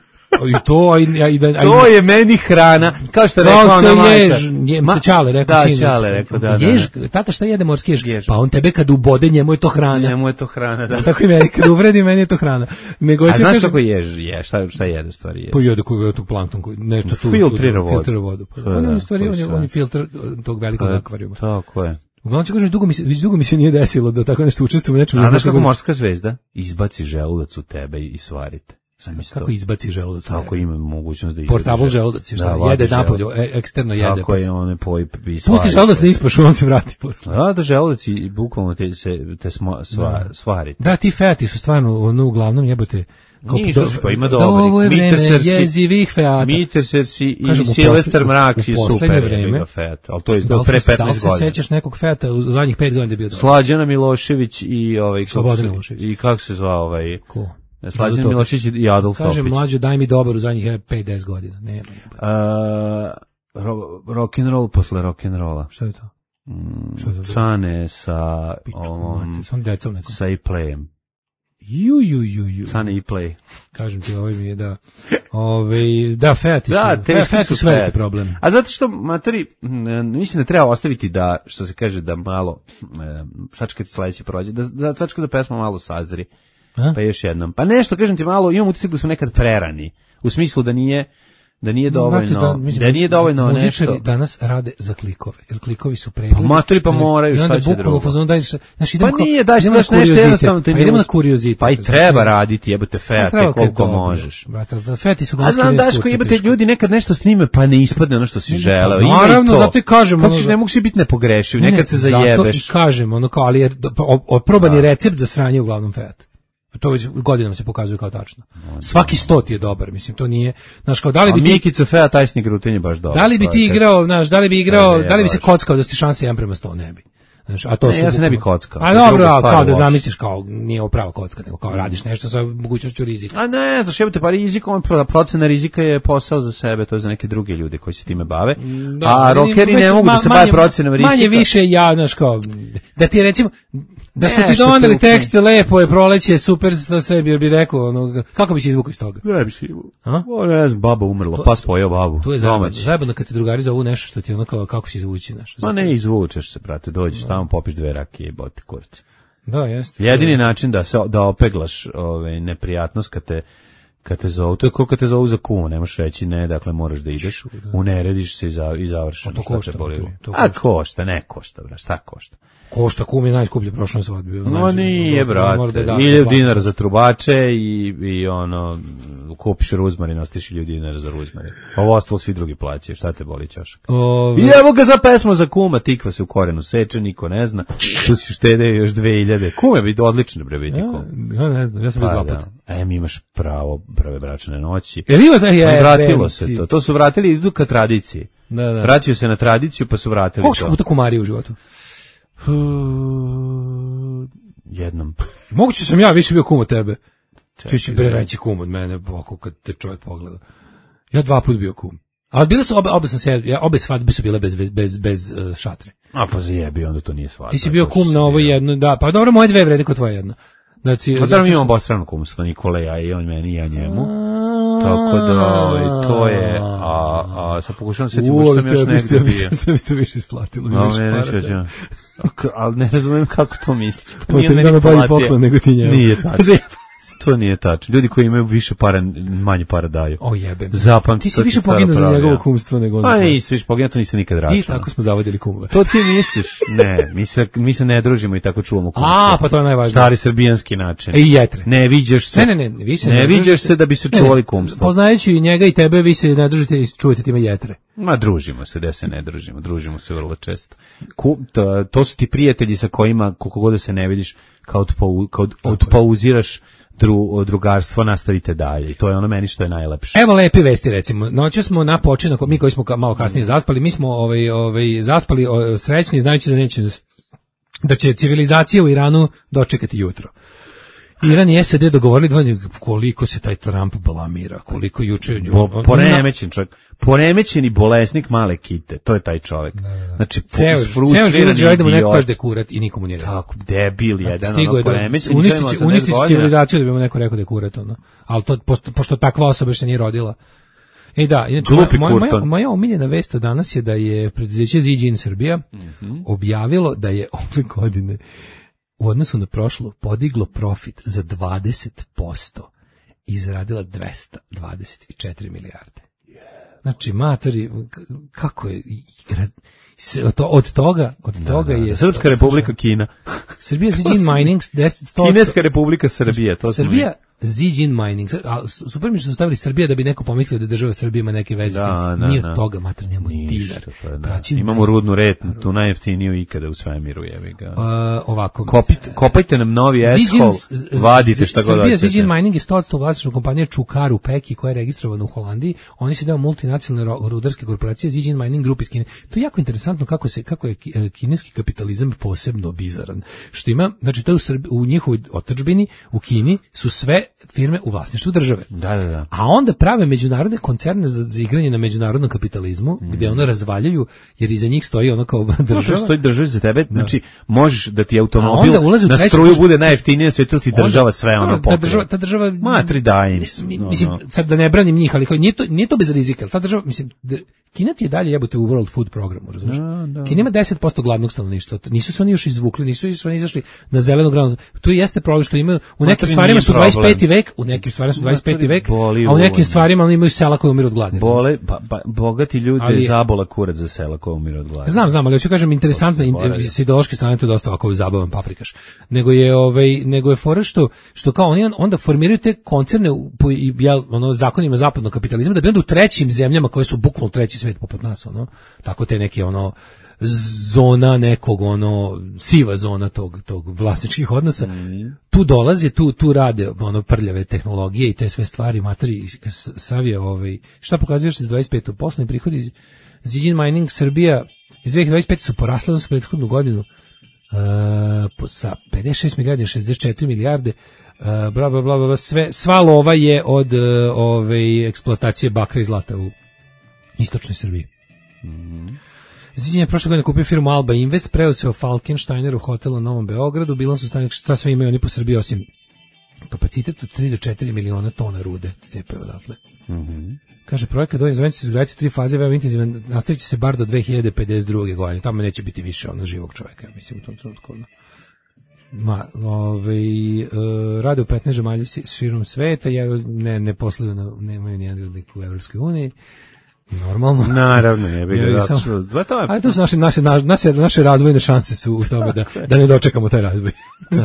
I to, a i, a i da, to je meni hrana, kao što rekao ona majka. Jež, je, Ma, Čale rekao da, sinu. Čale rekao, da, da. Jež, tata šta jede morski jež? jež? Pa on tebe kad ubode, njemu je to hrana. Njemu je to hrana, da. Tako i meni, kad uvredi, meni je to hrana. Nego, a znaš kažem, kako jež je, šta, šta jede stvari je? Pa jede koji je tu plankton, koji nešto tu filtrira vodu. Filtrira vodu. Pa, on je u stvari, on je, on je filtr tog velikog akvarijuma. Tako je. Uglavnom ću kažem, dugo mi se, dugo mi se nije desilo da tako nešto učestvujem u nečemu. A znaš kako morska zvezda izbaci želudac u tebe i svarite. Kako to. Izbaci želudac? Tako ima mogućnost da izbaci. Portable želudac, šta da, jede napolje, eksterno jede. Tako je, one poj i svari. Pusti želudac, ne ispaš, on se vrati posle. Da, da želudac i bukvalno te, se, te sma, sva, da. Svarite. Da, ti feati su stvarno, ono, uglavnom jebote. Nisu, pa ima dobri. Ovo je vreme jezivih feata. Mitersersi i Silvestar Mrak si super vreme. Feat, ali to je do pre petnaest godina. Da li se sećaš nekog feata u zadnjih pet godina da je bio dobro? Slađana Milošević i ovaj... Slobodan Milošević. I kako se zvao ovaj... Ko? Slađan Milošić i Adolf Topić. Kažem, mlađo, daj mi dobar u zadnjih pet do deset godina. Ne, ne. Uh, ro, rock and roll posle rock and rolla. Šta je to? Mm, Šta je to? Cane sa... Um, Sam decom nekom. Sa i playem. Ju, ju, ju, ju. Cane i play. Kažem ti, ovaj mi je da... Ove, da, feati da, su. Da, feati su veliki problem. A zato što, matori, mislim da treba ostaviti da, što se kaže, da malo, sačekati sledeće prođe, da, da sačekati da pesma malo sazri. A? Pa još jednom. Pa nešto, kažem ti malo, imam utisak da smo nekad prerani. U smislu da nije, da nije dovoljno, da, mislim, da nije dovoljno nešto. Danas rade za klikove, jer klikovi su pregledi. Pa matori pa moraju, šta će drugo. Fazon, daj, znači, pa kao, nije, daš nešto jednostavno. Pa idemo na kuriozitet. Pa i treba raditi, jebote, feate, koliko možeš. Brate, feti su a znam, Daško, jebote, ljudi nekad nešto snime, pa ne ispadne ono što si želeo. Naravno, zato i kažemo. Kako ne mogu svi biti nepogrešivi, nekad se zajebeš. Zato i kažemo, ono kao, ali je oprobani recept za sranje uglavnom feat. To već godinama se pokazuje kao tačno. Svaki stoti je dobar, mislim, to nije, znaš, kao da li bi ti Mikica Fea tajsnik rutin je baš dobar. Da li bi ti igrao, znaš, da li bi igrao, da li bi se kockao da ste šanse jedan prema sto, ne bi. Znaš, a to ne, su ja se ne bi kockao. A dobro, a, kao da zamisliš kao nije prava kocka, nego kao radiš nešto sa mogućnošću rizika. A ne, znaš, jebote, pa rizikom, procena rizika je posao za sebe, to je za neke druge ljude koji se time bave. Da, a rockeri ne mogu ma, da se bave procenom rizika. Manje više ja, znaš, kao da ti recimo da smo ti doneli tekste, lepo je, proleće, super, da sebi bi rekao, ono, kako bi se izvukao iz toga? Ne bi se izvukao. Ne znam, baba umrla, pas pojeo babu. To je zajebano kad ti drugari zovu nešto što ti ono kao, kako se izvući, znaš. Ma ne izvučeš se, brate, dođeš tamo, popiš dve rakije i bote kurac. Da, jeste. Jedini način da se da opeglaš ove neprijatnost kad te kad te zovu, to je kao kad te zovu za kumu, ne možeš reći ne, dakle moraš da ideš, unerediš se i, za, i završiš. To košta, to a košta, ne košta, bra, šta košta? Košta, kum je najskuplje prošlo svadbi. No nije, brate, hiljadu dinara za trubače i, i ono, kupiš ruzmarin, ostiš hiljadu dinara za ruzmarin. Ovo ostalo svi drugi plaćaju, šta te boli ćošak? Ove... I evo ga za pesmu za kuma, tikva se u korenu seče, niko ne zna, tu si štede još dve hiljade. Kume bi odlično, bre, biti kum. Ja ne znam, ja sam bio dva puta. Em, imaš pravo prve bračne noći. Jer ima da je... Vratilo se to, to su vratili, idu ka tradiciji. Da, da. Vraćaju se na tradiciju, pa su vratili Koliko to. Koliko puta kumari u životu? Jednom. Moguće sam ja više bio kum od tebe. Čekaj, ti si bre veći kum od mene, boko, kad te čovjek pogleda. Ja dva put bio kum. Ali bile su obe, obe sam se, ja, obe svadbe su bile bez, bez, bez uh, šatre. A pa zajebi, onda to nije svadba. Ti si bio kum na ovo jedno, da, pa dobro, moje dve vrede kod tvoje jedno. Znači, pa da mi imamo obostrano kumstvo, Nikole, ja i on meni i ja njemu. Tako da, ovaj, to je, a, a sad pokušavam se sjetiti, možda sam još negdje bio. To mi ste više isplatilo, mi više parata. Ali ne razumijem kako to misliš. Nije meni bolji poklon nego ti njemu. Nije tačno. To nije tačno. Ljudi koji imaju više para, manje para daju. O jebem. Zapamti. Ti si više poginuo za njegovo kumstvo nego ono. Pa nisi više poginuo, to nisam nikad računao. I tako smo zavodili kumove. To ti misliš? Ne, mi se, mi se ne družimo i tako čuvamo kumstvo. A, pa to je najvažnije. Stari srbijanski način. I jetre. Ne viđaš se. Ne, ne, ne. Vi se ne viđaš se da bi se čuvali kumstvo. Poznajući i njega i tebe, vi se ne družite i čuvate time jetre. Ma družimo se, da se ne družimo. Družimo se vrlo često. Ku, to, to su ti prijatelji sa kojima, koliko god se ne vidiš, kao odpauziraš Dru, drugarstvo, nastavite dalje. I to je ono meni što je najlepše. Evo lepe vesti, recimo. Noće smo na počinak, mi koji smo malo kasnije zaspali, mi smo ovaj, ovaj, zaspali o, srećni, znajući da neće, da će civilizacija u Iranu dočekati jutro. Iran i S A D dogovorili dva, koliko se taj Trump blamira, koliko juče... Bo, poremećen čovjek, poremećeni bolesnik male kite, to je taj čovjek. Da, da. Znači, ceo, ceo život želi da mu neko kaže da je kurat i nikomu nije rekao. Tako, debil jedan, ono, ono poremećen. Uništići, uništići civilizaciju da bi mu neko rekao da je kurat, ono. Ali to, pošto, pošto takva osoba što nije rodila. E da, inače, moja, moja, moja omiljena vest od danas je da je preduzeće Ziđin Srbija mm-hmm. objavilo da je ove godine u odnosu na prošlo podiglo profit za dvadeset posto i zaradila dvesta dvadeset četiri milijarde. Znači, matori, kako je, od toga, od toga je... Srpska republika Kina. Srbija Ziđin Mining, Kineska republika Srbija, to Srbija Ziđin Mining, a super mi što su stavili Srbija da bi neko pomislio da država Srbija ima neke veze. Da, da, nije da. od toga, mater, njemu dinar. Pa, da. Imamo rudnu retnu, tu najjeftiniju ikada u svemiru, jevi ga. Uh, ovako. Kopite, kopajte nam novi eshol, vadite šta god hoćete. Srbija Ziđin Mining je sto posto vlasništvo kompanije Čukaru Peki koja je registrovana u Holandiji. Oni su deo multinacionalne rudarske korporacije Ziđin Mining Group iz Kine. To je jako interesantno kako se kako je kineski kapitalizam posebno bizaran. Što ima, znači to je u, Srbi, u njihovoj otadžbini u Kini su sve firme u vlasništvu države. Da, da, da. A onda prave međunarodne koncerne za, za igranje na međunarodnom kapitalizmu, mm. gdje ono razvaljaju, jer iza njih stoji ono kao država. No, stoji država za tebe, znači možeš da ti automobil na struju bude najjeftinije na svijetu, ti država sve ono pokriva. Ta država, ta država matri daj im. Mislim, sad da ne branim njih, ali kao, nije, to, nije to bez rizika, ta država, mislim, Kina ti je dalje jebote u World Food programu, razumiješ? Da, da. Kina ima deset posto gladnog stanovništva. Nisu se oni još izvukli, nisu još oni izašli na zelenu granu. Tu jeste problem što imaju u nekim Matori stvarima nije su problem. dvadeset peti vek, u nekim stvarima su dvadeset peti Matori vek, boli a u nekim uvodno. stvarima oni imaju sela koji umiru od gladi. Bole, pa, pa, bogati ljudi Ali- zabola kurac za sela koja umire od gladi. Znam, znam, ali hoću kažem interesantno zaboravio. s ideološke strane to je dosta ovako zabavan paprikaš. Nego je ovaj nego je fora što što kao oni onda formiraju te koncerne u- po i jel, ono zakonima zapadnog kapitalizma da bi onda u trećim zemljama koje su bukvalno treći svet poput nas, ono tako te neke ono zona nekog ono siva zona tog tog vlasničkih odnosa. Mm. Tu dolaze, tu tu rade ono prljave tehnologije i te sve stvari, matori savije ovaj šta pokazuješ za dvadeset petu poslovni prihodi iz Zijin Mining Srbija iz dve hiljade dvadeset pete su porasle za prethodnu godinu uh, sa pedeset šest milijardi na šezdeset četiri milijarde. Uh, bla, bla, bla, bla, sve, sva lova je od uh, ove eksploatacije bakra i zlata u istočnoj Srbiji. Mm-hmm. Zijin je prošle godine kupio firmu Alba Invest, preuzeo Falkensteiner u hotelu u Novom Beogradu, bilans u stanju šta sve imaju oni po Srbiji osim kapacitet od tri do četiri miliona tona rude cepaju odatle. Mhm. Kaže, projekat Donji Zvenci se izgraditi u tri faze, veoma intenzivan, nastavit će se bar do dve hiljade pedeset druge godine. Tamo neće biti više ono živog čovjeka, mislim, u tom trenutku. Ma, ovaj, e, rade u petnaest zemalja širom sveta, ja ne, ne posluju, na, nemaju nijedan radnik u Evropskoj uniji. Normalno. Naravno, je bi ga samo- zato. To je Ali to su naše, naše, naše, naše razvojne šanse su u tome da, da ne dočekamo taj razvoj.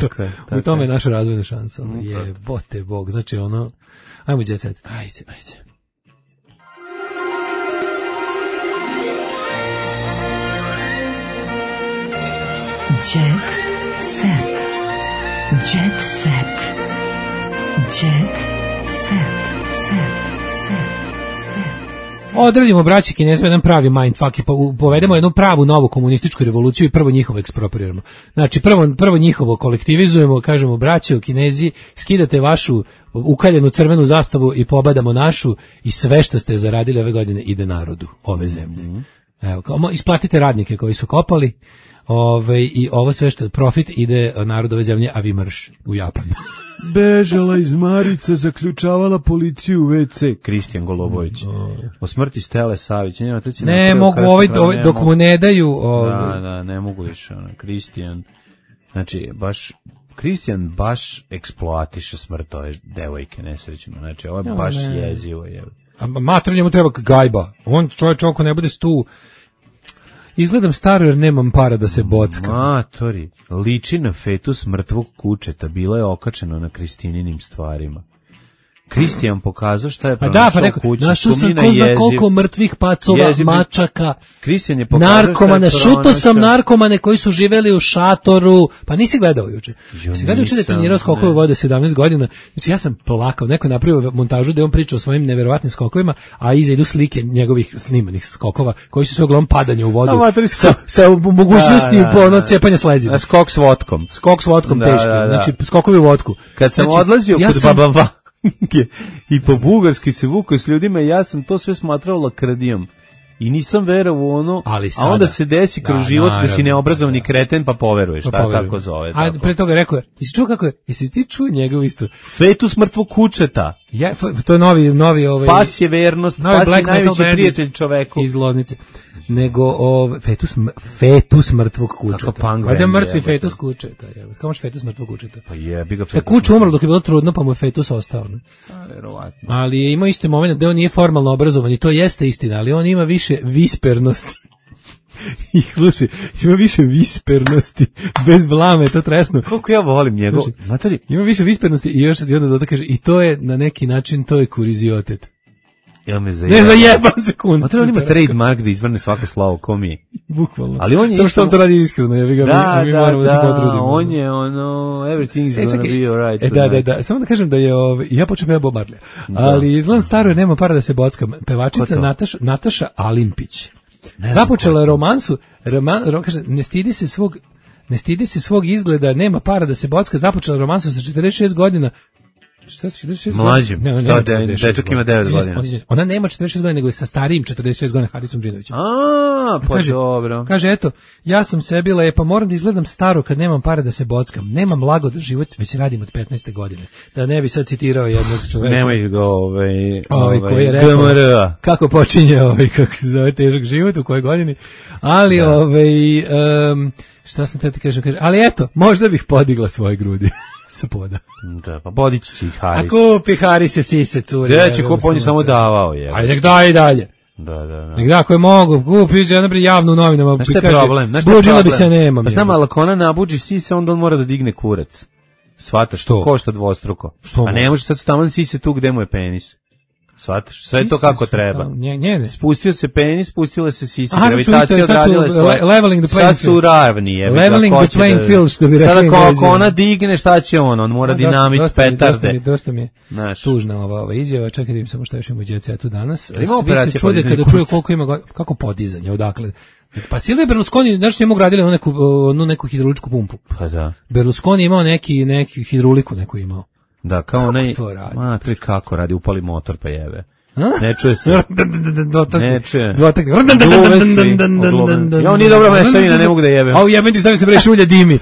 Tako je, U tako tome je je. naša razvojna šansa. Ono, je, bote bog. Znači, ono, ajmo jet set. Ajde, ajde. Jet set. Jet set. Jet set. Set. Set. Odradimo, braći Kinezima, jedan pravi mindfuck i po- povedemo jednu pravu novu komunističku revoluciju i prvo njihovo ekspropriramo. Znači, prvo, prvo njihovo kolektivizujemo, kažemo, braćo Kinezi, skidate vašu ukaljenu crvenu zastavu i pobadamo našu i sve što ste zaradili ove godine ide narodu ove zemlje. Evo, kao, mo- isplatite radnike koji su kopali, ove, i ovo sve što profit ide narodu ove zemlje, a vi marš u Japan. Bežala iz Marice, zaključavala policiju u ve ce. Kristijan Golubović. O smrti Stele Savić. Nema, to će Ne, napravio mogu krst, ovaj, pa ovaj ne dok mogu. mu ne daju... Ovaj, Da, da, ne mogu više. Ono, Kristijan, znači, baš, Kristijan baš eksploatiše smrt ove devojke nesrećno. Znači, ovo je Ja, baš ne. jezivo. Je. A mater njemu treba gajba. On čovječ oko ne bude stu. Izgledam staro jer nemam para da se bockam. Matori, liči na fetus mrtvog kučeta, bilo je okačeno na Kristininim stvarima. Kristijan pokazao šta je A pronašao da, pa rekao, kući. našao sam sumnjina ko zna jeziv. koliko mrtvih pacova, Jeziv- mačaka, Kristijan je pokazao narkomane, šta je šuto sam pronašao. narkomane koji su živeli u šatoru. Pa nisi gledao juče. Jo, Si gledao juče da je nisam, trenirao skokove ne. vode sedamnaest godina. Znači ja sam plakao. Neko je napravio montažu da je on priča o svojim neverovatnim skokovima, a iza idu slike njegovih snimanih skokova koji su sve uglavnom padanje u vodu. A, matori, sa, sa mogućnosti Da, da, po ono da. cepanja slezina. A skok s vodkom. Skok s vodkom Da, teški. da, da. Znači skokovi u vodku. Kad sam Znači, odlazio ja kod sam- Baba Vange i po Bugarskoj se vukao s ljudima, ja sam to sve smatrao lakrdijom. I nisam verovao u ono, Ali a sada- onda se desi kroz Da, život da si naravno, neobrazovni da. kreten pa poveruješ, Pa šta poverujem. tako zove. A Tako. pre toga rekao je, jesi čuo kako je, jesi ti čuo njegov isto? Fetus mrtvog kučeta. Ja, f- to je novi, novi ovaj... Pas je vernost, novi pas je black metal najveći band prijatelj čoveku. Iz Loznice. Nego ovaj fetus m- fetus mrtvog kučeta. Kako punk Valjda band, mrtvi jebote. fetus kučeta, je. Kako može fetus mrtvog kučeta? Pa jebi ga Ta fetus. kuća umrla dok je bilo trudno, pa mu je fetus ostao. Ne? A, verovatno. Ali je imao isti moment da on nije formalno obrazovan i to jeste istina, ali on ima više vispernosti. I slušaj, ima više vispernosti, bez blame, to tresno. Koliko ja volim njegov, Slušaj, znate li, Ima više vispernosti i još i onda doda kaže i to je na neki način to je kuriziotet. ja me zajebam. Ne zajebam sekund. Znate li on ima trademark da izvrne svako slovo ko mi? Bukvalno. Ali on je Samo isto- što on to radi iskreno, ja ga Da, mi, mi da, moramo da, se da, potrudimo. on je ono, everything's E, gonna čekaj, be alright. e, da, da, da, samo da kažem da je, ovaj, ja počnem ja Bob Marley, ali izgledam staro jer nema para da se bockam. Ko Pevačica to? Nataša, Nataša Alimpić. Započela je romansu, roman, ro, kaže, ne stidi se svog, ne stidi se svog izgleda, nema para da se bocka, započela romansu sa četrdeset šest godina Šta će četrdeset šest Mlađim. Ne, ne, Šta, ne, de- dečak ima devet godina. Ona nema četrdeset šest godina, nego je sa starijim četrdeset šest godina Harisom Džinovićem. A, pa kaže, dobro. Kaže, eto, ja sam sebi lepa, moram da izgledam staro kad nemam para da se bockam. Nemam lagodan život, već radim od petnaeste godine. Da ne bi sad citirao jednog čoveka. Nemoj ga, ovaj, ovaj, ovaj, koji je rekao, G M R. kako počinje, ovaj, kako se zove, težak život, u kojoj godini. Ali, da. ovaj, um, šta sam te ti kažem, kaže, ali eto, možda bih podigla svoje grudi. Sa poda. Da, pa podići će ih Haris. A kupi Haris je sise curi. Gde će kup, on je samo davao, je. Ajde, nek daj i dalje. Da, da, da. Nek da, ako je mogu, kupi, ja naprijed javno u novinama. Znaš šta je problem? Znaš šta je Buđila problem? bi se, nemam. Pa znam, ali ako ona nabuđi sise, onda on mora da digne kurac. Svataš, što košta dvostruko. Što a ne može sad taman sise tu gde mu je penis. Svataš, sve je to kako treba. Nje, nje, ne. Spustio se penis, spustila se sisa, Aha, gravitacija odradila svoje. Leveling the playing sad su ravni. Je, leveling the playing da, field, što bi rekli. Sada ako, ako ona digne, šta će on? On mora a, dinamit, dosta, petarde. Dosta mi, dosta mi je Naš. tužna ova, ova izjava. Čekaj da im samo šta još ima u djecetu danas. Svi se čude kada čuju koliko ima, kako podizanje, odakle. Pa Silvio Berlusconi, znaš što je mogu radili onu neku, onu neku hidrauličku pumpu. Pa da. Berlusconi imao neki, neki hidrauliku neku imao. Da, kao onaj, ma, to je kako radi, upali motor pa jebe. Ne čuje se. Ne čuje. Gluve svi. Ja, on nije dobra mešavina, ne mogu da jebem. A u jebem ti stavio se bre šulja dimi.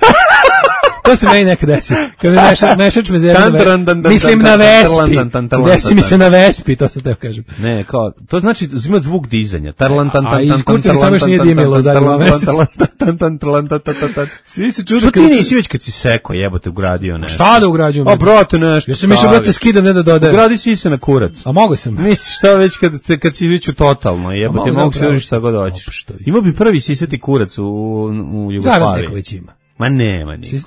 To se meni nekad desi. Kad mi meša, mešač me zezne. Mislim na Vespi. Desi mi se na Vespi, to sam teo kažem. Ne, kao, to znači ima zvuk dizanja. Tarlan, tan, tan, a iz kurca mi samo još nije dimilo za dva meseca. Svi se čude. Što ti nisi već kad si seko jebote ugradio nešto? Šta da ugrađujem? A brate nešto. Ja sam mišao brate skidam, ne da dodajem. Ugradi si se na kurac. A mogu sam. Misliš šta već kad, kad si već u totalno jebote, mogu se užiš šta god hoćeš. Ima bi prvi sisati kurac u, u Jugoslaviji. Neko već ima. Ma nema ni.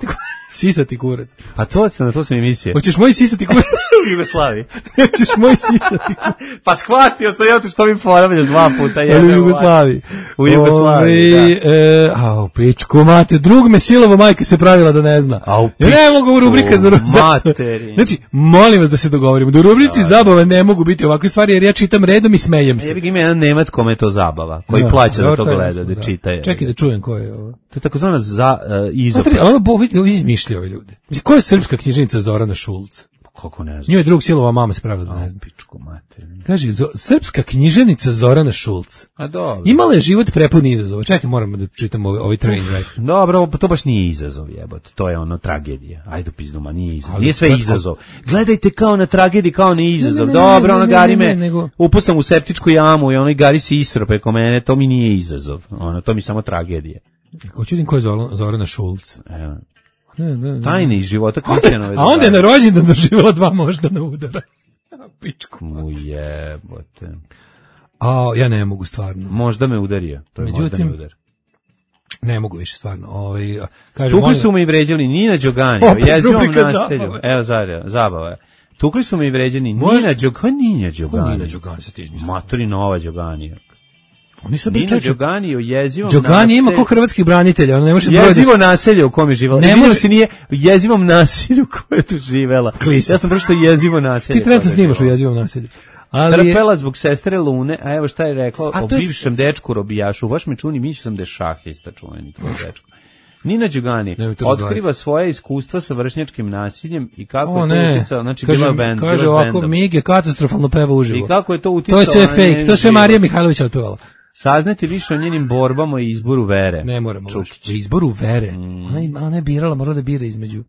Sisati kurac. Pa to, na to sam i mislio. Hoćeš moj sisati kurac? U Jugoslaviji. Hoćeš moj sisati kurac? Pa shvatio sam ja to što mi ponavljaš dva puta. Je, u Jugoslaviji. U Jugoslaviji, Ove, da. E, a u pičku mate, drug me silovo majka se pravila da ne zna. A u pičku ja ne mogu u rubrika za materi. Znači, molim vas da se dogovorimo. Da u rubrici da, zabava ne mogu biti ovakve stvari, jer ja čitam redom i smejem se. Ja bih ima jedan Nemac kome je to zabava, koji da, plaća da to gleda, da, da čita. Je. Čekaj da čujem ko je ovo. To je takozvana za uh, izopra. Ovo bo izmišljao ove ljude. Mislim, ko je srpska književnica Zorana Šulc? Kako ne znam. Njoj je drug silova mama se pravila da ne znam. Pičku materinu. Kaže, zo, srpska književnica Zorana Šulc. A dobro. Imala je život prepun izazova. Čekaj, moramo da čitamo ovaj, ovaj train wreck. Dobro, to baš nije izazov, jebote. To je ono tragedija. Ajde pizdu, ma nije izazov. Ali nije sve izazov. Gledajte kao na tragediji, kao na izazov. Ne, ne, ne, dobro, ono gari me, nego... upusam u septičku jamu i onoj gari se isro preko mene, to mi nije izazov. Ono, to mi samo tragedija. Hoću vidim ko je Zorana Šulc. Evo. Ne, ne, ne. Tajne iz života Kristijanove. A onda je na rođendan doživjela dva moždana udara. Pičku. Mu jebote. A ja ne mogu stvarno. Možda me udario. To je Međutim, moždani udar. Ne mogu više stvarno. Ovaj kaže Tukli su me i vređali Nina Đogani, jezivom naselju. Evo zarja, zabava je. Tukli su me i vređani Nina Đogani, Nina Đogani. Nina Đogani se ti izmislio. Matori Nova Đogani. Oni su Nina Đogani u jezivom Đogani naselju. Ima ko hrvatskih branitelja, ona ne može jezivo naselje u kome je živela. Ne može se nije u jezivom naselju koje je tu živela. Klisa. Ja sam pročitao jezivo naselje. Ti trenutno snimaš u jezivom naselju. Ali trpela zbog sestre Lune, a evo šta je rekla o bivšem dečku robijašu. Baš me čuni, mislio sam da je šahista čuveni tvoj dečko. Nina Đogani otkriva svoje iskustva sa vršnjačkim nasiljem i kako o, je to uticalo, znači kaže, bila band, kaže bila ovako, Mige katastrofalno peva uživo. I kako je to uticalo. To je sve fake, to je sve Marija Mihajlović otpevala. Saznati više o njenim borbama i izboru vere. Ne moramo o izboru vere. Mm. Ona, ona je birala, morala da bira između.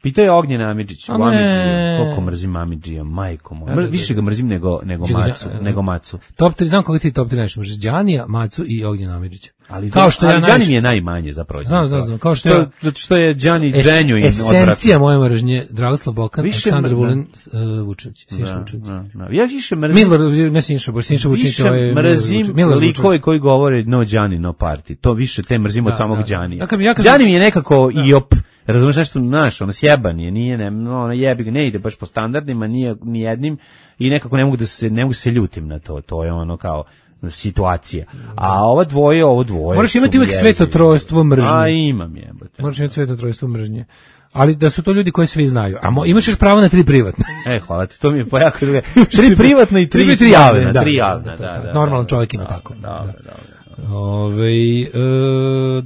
Pitao je Ognjen Amidžić, u Amidžiju, koliko mrzim Amidžija, majko moj. Mr, više ga mrzim nego, nego, macu, nego Macu. Top tri, znam koga ti top tri najviše mrziš, Đanija, Macu i Ognjen Amidžića. Ali, kao što ali ja Đani mi je najmanje zapravo. Znam, znam, znam. Kao što je, zato što je Đani genuine esencija moje mržnje, Dragoslav Bokan, Aleksandar Vulin, uh, Vučević, Sinša Vučević. Ja više mrzim... Milor, ne Sinša, bo Sinša Vučević. Više mrzim likove koji govore no Đani, no party. To više te mrzim od samog Đanija. Đani mi je nekako iop. Razumeš nešto, znaš, ono sjeban je, nije, ne, ono jebi ga, ne ide baš po standardima, nije ni jednim i nekako ne mogu da se, ne mogu se ljutim na to, to je ono kao situacija. A ova dvoje, ovo dvoje... Moraš imati uvijek svetotrojstvo mržnje. A imam jebote. Moraš imati svetotrojstvo mržnje. Ali da su to ljudi koji svi znaju. A mo, imaš još pravo na tri privatne. E, hvala ti, to mi je pojako druge. Tri privatne i tri, tri javne. Da, tri javne, da, da, da. Normalan čovjek ima tako. Dobro, dobro. Ove, uh,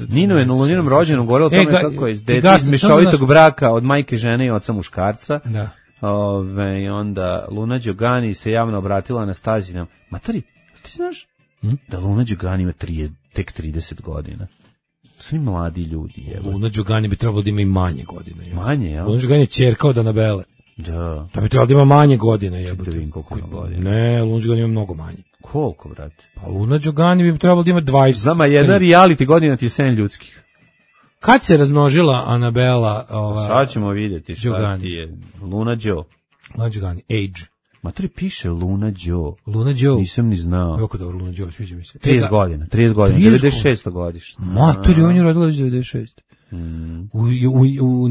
Nino je na Luninom rođenom govorila o tome e, ga, kako je dete iz mešovitog braka od majke žene i oca muškarca. Da. Ove, onda Luna Đogani se javno obratila Anastazijom. Matori, ti znaš hm? da Luna Đogani ima trije, tek trideset godina? To su ni mladi ljudi. Evo. Luna Đogani bi trebalo da ima i manje godina. Jel? Manje, jel? Luna Đogani je ćerka od Anabele. Da. To bi trebalo da ima manje godina. Jel? Da vidim koliko ima godina. Ne, Luna Đogani ima mnogo manje. Koliko, brate? Pa Luna Đogani bi trebalo da ima dvadeset. Zama jedna reality godina ti je sedam ljudskih. Kad se razmnožila Anabela? Ova, sad ćemo vidjeti šta Đogani. ti je. Luna Đo. Luna Đogani, age. Matori piše Luna Đo. Luna Đo. Nisam ni znao. Jako dobro, Luna Đo, sviđa mi se. trideset godina, trideset godina, devedeset šeste godište. Matori, on je rodila već devedeset šeste. Mm. U, u, u, u,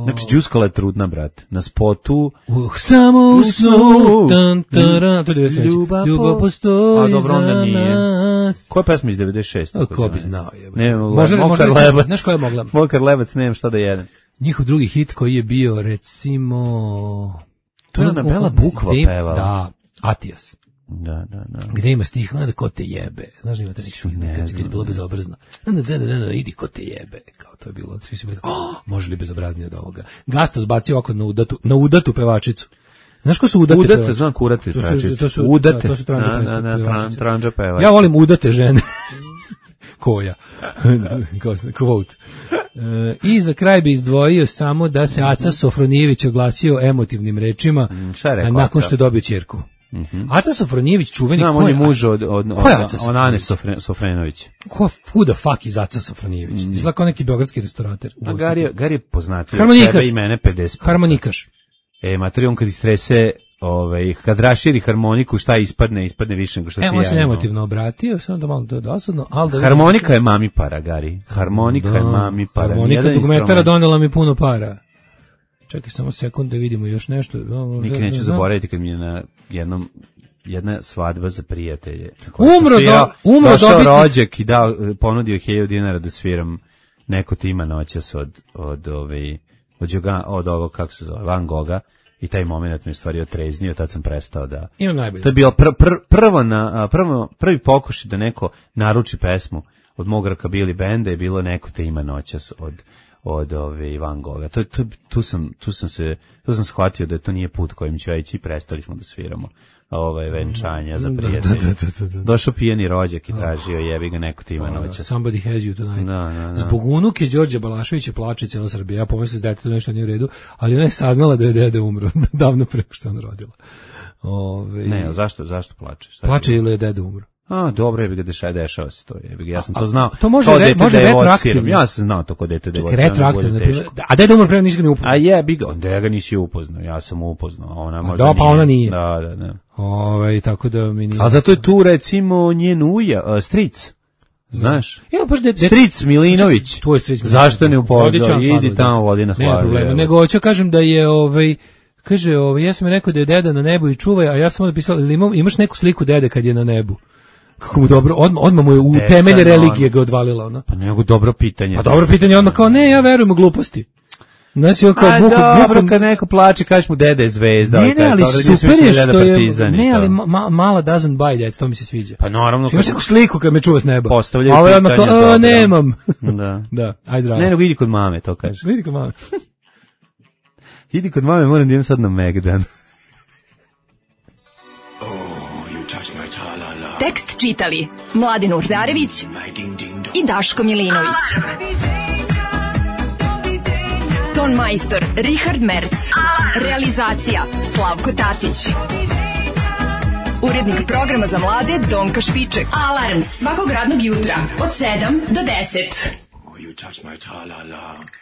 znači, Đuskala je trudna, brat. Na spotu. Uh, samo u snu. Tan, taran, to je devedeset treće. Ljubav, Ljubav postoji dobro, za nas. Koja pesma iz devedeset šeste? O, ko bi znao je. Ne, može, Mokar može, Lebac. Znaš koja je mogla? Mokar Lebac, nemam šta da jedem. Njihov drugi hit koji je bio, recimo... To je Anabela Bukva pevala. Da, Atijas. Da, da, da. Gde ima stih, da ko te jebe. Znaš da imate neki film, kad je bilo bezobrazno. Da, da, da, da, idi ko te jebe. Kao to je bilo, svi su bili, oh, može li bezobraznije od ovoga. Gasto zbacio oko na udatu, na udatu pevačicu. Znaš ko su udate udate, pevačice? znam kurate to pevačice. Su, to su, udate. Da, to su tranđa na, na, na, tran, tranđa pevačice. Ja volim udate žene. Koja? Quote. E, I za kraj bi izdvojio samo da se Aca Sofronijević oglasio emotivnim rečima mm, šta je rekao, nakon Aca? što je dobio ćerku. Mm-hmm. Aca Sofronijević čuveni... Znam, on je muž od, od, od, od Ane Sofre, Sofrenović. Ko, who the fuck is Aca Sofronijević? Mm. Izgleda kao neki beogradski restorater. A Gari, Gari je poznatio tebe i mene pedeset. Harmonikaš. E, materi, on kad istrese, ovaj, kad raširi harmoniku, šta ispadne, ispadne više nego što ti ja. E, on se emotivno obratio, samo da malo to je dosadno. Ali da harmonika vidim... je mami para, Gari. Harmonika da, je mami para. Harmonika dugmetara donela mi puno para. Čekaj samo sekund da vidimo još nešto. Nikad neću da, zaboraviti kad mi je na jednom jedna svadba za prijatelje. Umro do, ja, umro došao dobitnik. rođak i dao, ponudio hiljadu dinara da sviram neko tima noćas od, od, ove, od, od, od ovog, kako se zove, Van Gogha. I taj moment mi je stvari otreznio, tad sam prestao da... Imam najbolje. To je bilo pr, pr, prvo na, prvo, prvi pokušaj da neko naruči pesmu od mog rockabilly benda je bilo neko te ima noćas od od ove Van Gogha. To, to, tu, sam, tu, sam se, tu sam shvatio da to nije put kojim ću ja ići i prestali smo da sviramo ove venčanja za prijatelje. Da, da, da, da, da. Došao pijeni rođak i tražio jebi ga neko te ima noćas. Somebody has you tonight. Da, da, da. Zbog unuke Đorđe Balaševića plače cijela Srbija. Ja pomislila da je to nešto nije u redu, ali ona je saznala da je deda umro davno pre što se ona rodila. Ove... Ne, zašto, zašto plače? Šta plače ili je deda umro? A, dobro je bi ga dešava, dešava se to. Je, ja sam to znao. To može, re, može retroaktivno. Ja sam znao to kod dete da je retroaktivno. A deda umro pre nisi ga ni upoznao. A je, bi ga, da ga nisi upoznao. Ja sam upoznao, ona možda da, pa ona nije. Da, da, da. Ovaj tako da mi nije. A zato je tu recimo njen uja, uh, stric. Znaš? Ja baš de, de, stric Milinović. Tvoj stric. Zašto ne upoznao? Idi tamo vodi na slavu. Ne problema. Nego hoću kažem da je ovaj kaže, ovaj ja sam rekao da je deda na nebu i čuvaj, a ja sam napisao imaš neku sliku dede kad je na nebu. Kako mu dobro, odmah, odmah mu je u temelje religije ga odvalila ona. Pa nego dobro pitanje. Pa dobro pitanje, odmah kao ne, ja verujem u gluposti. Znači, on kao bukom, dobro, bukom... kad neko plače, kažeš mu dede je zvezda. Ne, ne, ali super je što je, ne, ali ma, mala doesn't buy that, to mi se sviđa. Pa naravno. Imaš neku sliku kad me čuva s neba. Postavljaju pitanje, odmah kao, nemam. Da. Da, aj zdravo. Ne, nego idi kod mame, to kaže. Vidi kod mame. Idi kod mame, moram da idem sad na Megdan. Tekst čitali Mladin Urdarević i Daško Milinović. Ton majstor Richard Merc. Realizacija Slavko Tatić. Urednik programa za mlade Donka Špiček. Alarms svakog radnog jutra od sedam do deset. Oh, you touch my tra-la-la.